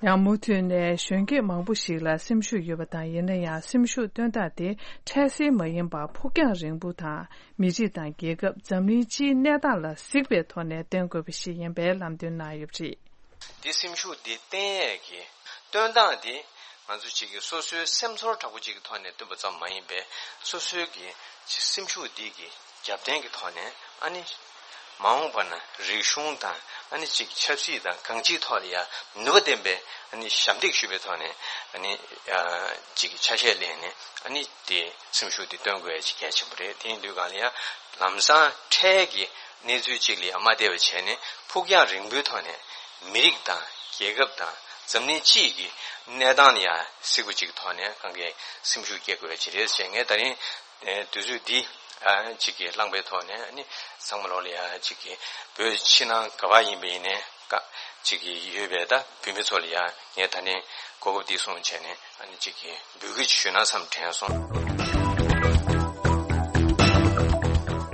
ཡང་མུ་མཐུད་ནས་གཞོན་སྐྱེས་མང་པོ་ཞིག་ལ་སེམས་ཤུགས་ཡོད་པ་དང་། ཡིན་ན་ཡང་སེམས་ཤུགས་སྟོན་སྟངས་དེ་འཕྲལ་སེལ་མ་ཡིན་པར་ཕུགས་རྒྱང་རིང་པོ་དང་། མི་རིགས་དང་རྒྱལ་ཁབ། འཛམ་གླིང་སྤྱིའི་གནས་སྟངས་ལ་གཟིགས་པའི་ཐོག་ནས་སྟོན་དགོས་པ་ཞིག་ཡིན་པའི་ལམ་སྟོན་གནང་ཡོད་པ་རེད། འདི་སེམས་ཤུགས་འདི་བརྟན་ཡས་ཀྱི་སྟོན་སྟངས་འདི་ང་ཚོ་གཅིག་གི་སོ་སོའི་སེམས་ཚོར་དྲག་པོ་གཅིག་གི་ཐོག་ནས་སྟོན་པ་ཙམ་མ་ཡིན་པའི། སོ་སོའི་གི་སེམས་ཤུགས་འདི་གི་རྒྱབ་རྟེན་གྱི་ཐོག་ནས། ཨ་ནི་མ་འོངས་པ་ན་རིག་གཞུང་དང་། ཨ་ནི་གཅིག་ཆབ་སྲིད་དང་གང་ཅིའི་ཐོག་ལ་ཡང་ནུས་པ་ལྡན་པའི་ཨ་ནི་ཞབས་འདེགས་ཞུ་བའི་ཐོག་ནས། ཨ་ནི་ཨ་གཅིག་ཆ་ཤས་ལེན་ནས། ཨ་ནི་དེ་སེམས་ཤུགས་དེ་སྟོན་དགོས་ཡ་གཅིག་གལ་ཆེན་པོ་རེད། དེ་ཡིན་དུས་སྒང་ལ་ཡང་ལམ་སང་འཕྲལ་གྱི་གནས་ཚུལ་གཅིག་ལ་ཡང་མ་བལྟས་པ་བྱས་ནས། ཕུགས་རྒྱང་རིང་པོའི་ཐོག་ནས་མི་རིགས་དང་རྒྱལ་ཁབ་དང་འཛམ་གླིང་སྤྱི་ཡི་གནས་སྟངས་ལ་ཡང་གཟིགས་པ་གཅིག་གི་ཐོག་ནས་གང་གའི་སེམས་ཤུགས་སྐྱེད་དགོས་ཡ་གཅིག་རེད་ཟེར། ངས་ད་རིང་དུས་ཚོད་འདི་ཨ་གཅིག་གི་བླངས་པའི་ཐོག་ནས། ཨ་ནི་ཚང་མ་ལོག་ལ་ཡ་གཅིག་གི་བོད་ཕྱི་ནང་ག་པར་ཡིན་པ་ཡིན་ནའི་ཀ་གཅིག་གི་ཡོད་པའི་ད་བོད་མི་ཚོ་ལ་ཡ་ངས་ད་ནི་གོ་སྐབས་འདི་བཟུང་བྱས་ནས། ཨ་ནི་གཅིག་གི་འབོད་སྐུལ་ཞུས་ན་བསམ་དྲན་སོང་།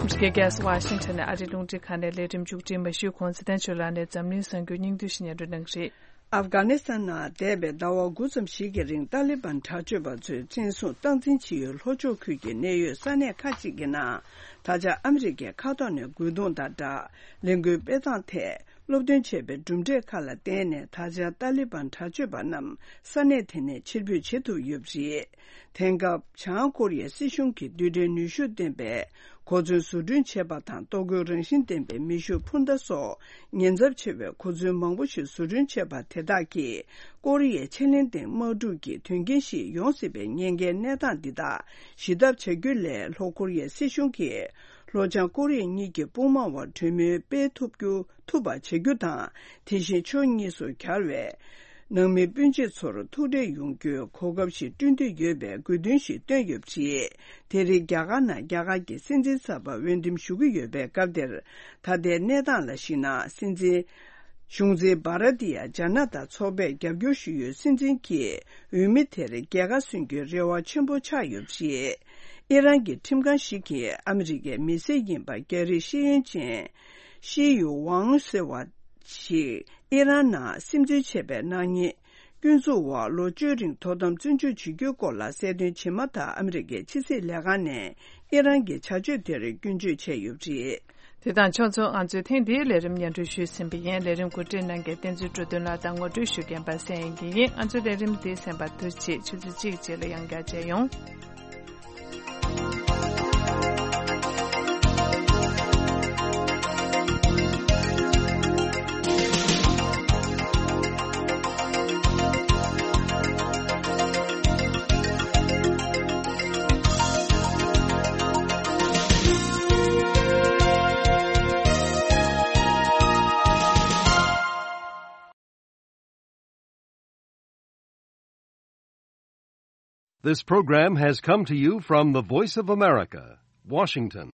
ཨ་མེ་རི་ཀའི་རྒྱལ་ས་ཝ་ཤིང་ཊོན་ནས་ཨ་རིའི་རླུང་འཕྲིན་ཁང་ནས་ལས་རིམ་མཇུག་སྒྲིལ་མ་ཞུས་གོང་། ཚེ་བརྟན་ཆོས་ལགས་ནས་འཛམ་གླིང་གསར་འགྱུར་སྙིང་བསྡུས་ཤིག་སྙན་སྒྲོན་གནང་གི་རེད། ཨབ་གྷ་ནི་སི་ཐན་ནང་འདས་པའི་ཟླ་བ་དགུ་ཙམ་ཞིག་གི་རིང་ཏཱ་ལི་བན་དྲག་སྤྱོད་པ་ཚོས་བཙན་བཟུང་སྟངས་འཛིན་བྱེད་ཡུལ་ལྷོ་ཕྱོགས་ཁུལ་གྱི་གནད་ཡོད་ས་གནས་ཁག་ཅིག་གི་ནང་། ད་ཆ་ཨ་མི་རི་ཀའི་མཁའ་ཐོག་ནས་རྒོལ་རྡུང་དང་སྦྲགས་ལས་འགུལ་སྤེལ་སྟངས་ཐད་སློབ་སྟོན་བྱས་པའི་གྲུབ་འབྲས་ཁག་ལ་བརྟེན་ནས། ད་ཆ་ཏཱ་ལི་བན་དྲག་སྤྱོད་པ་རྣམས་ས་གནས་དེ་ནས་ཕྱིར་འབུད་བྱེད་ཐུབ་ཡོད་པ་རེད། དེང་སྐབས་བྱང་ཀོ་རི་ཡའི་སྲིད་གཞུང་གིས་རྡུལ་ཕྲན་ནུས་ཤུགས་ལྡན་པའི་གོ་མཚོན་བཟོ་སྐྲུན་བྱས་པ་དང་། ལྟོ་གོས་རང་བཞིན་ལྡན་པའི་མེ་ཤུགས་འཕུར་མདའ་སོགས་ཉེན་ཚབས་ཆེ་བའི་གོ་མཚོན་མང་པོ་ཞིག་བཟོ་སྐྲུན་བྱས་པ་དེ་དག་གིས་ཀོ་རི་ཡའི་ཆེ་ལན་ལྡན་དམག་འཁྲུག་གི་དོན་རྐྱེན་ཞིག་ཡོང་སྲིད་པའི་ཉེན་ཁའི་གནས་སྟངས་འདི་དག་ཞི་ཐབས་བྱ་རྒྱུ་ལས། ལྷོ་ཀོ་རི་ཡའི་སྲིད་གཞུང་གིས་ལྷོ་བྱང་ཀོ་རི་ཡ་གཉིས་ཀྱི་དཔུང་དམག་དབར་གྲོས་མོལ་སྤེལ་ཐུབ་རྒྱུ། ཐུབ་པ་བྱ་རྒྱུ་དང་། དེ་བཞིན་ཕྱོགས་གཉིས་སུ་གྱར་བའི་ནང་མི་སྤུན་མཆེད་ཚོར་ཐུག་འཕྲད་ཡོང་རྒྱུའི་གོ་སྐབས་ཤིག་བསྐྲུན་འདོད་ཡོད་པའི་དགོས་འདུན་ཞིག་བཏོན་ཡོད་པ་རེད། དེ་རིང་རྒྱ་གར་ནང་རྒྱ་གར་གྱི་སྲིད་འཛིན་གསར་པ་འོས་འདེམས་ཞུ་གི་ཡོད་པའི་སྐབས་དེར། ད་ལྟའི་གནས་སྟངས་ལ་གཞིགས་ན། སྲིད་འཛིན་གཞུང་འཛིན་བྷ་ར་ཏི་ཡ་ཇ་ན་ཏ་ཚོགས་པས་རྒྱབ་སྐྱོར་ཞུ་ཡུལ་སྲིད་འཛིན་གྱི་འོས་མི་དེར་རྒྱལ་ཁ་སོན་རྒྱུའི་རེ་བ་ཆེན་པོ་ཆགས་ཡོད་པ་རེད། ཨི་རན་གྱི་ཁྲིམས་ཁང་ཞིག་གིས་ཨ་མི་རི་ཀའི་མི་སེར་ཡིན་པ་རྒྱ་རིགས་ཤེས་ཡོན་ཅན་ཤི་ཡུ་ཝང་ཟེར་བ་ཞིག་ཨི་རན་ནང་སིམ་འཛུལ་བྱས་པའི་ནག་ཉེས་སྐྱོན་འཛུགས་འོག་ལོ་བཅུའི་རིང་དོ་དམ་བཙོན་འཇུག་བྱེད་རྒྱུའི་སྐོར་ལ་གསལ་སྟོན་བྱས་མ་ཐག་ཨ་མི་རི་ཀའི་ཕྱི་སྲིད་ལས་ཁང་ནས་ཨི་རན་གྱི་བྱ་སྤྱོད་དེར་སྐྱོན་བརྗོད་བྱས་ཡོད་པ་རེད། དེ་དང་ཕྱོགས་མཚུངས། ང་ཚོས་ཐེངས་འདིའི་ལས་རིམ་སྙན་སྒྲོན་ཞུས་ཟིན་པ་ཡིན། ལས་རིམ་གོ་སྒྲིག་གནང་མཁན་བསྟན་འཛིན་འགྲོ་དོན་ལགས་དང་ངོ་སྤྲོད་ཞུ་མཁན་པ་སངས་དབྱངས་སྐྱིད་ཡིན། ང་ཚོའི་ལས་རིམ་འདི་གསན་པར་ཐུགས་རྗེ་ཆེ། ཆུ་ཚོད་གཅིག་རྗེས་ལ་ཡང་བསྐྱར་མཇལ་ཡོང་། This program has come to you from the Voice of America, Washington.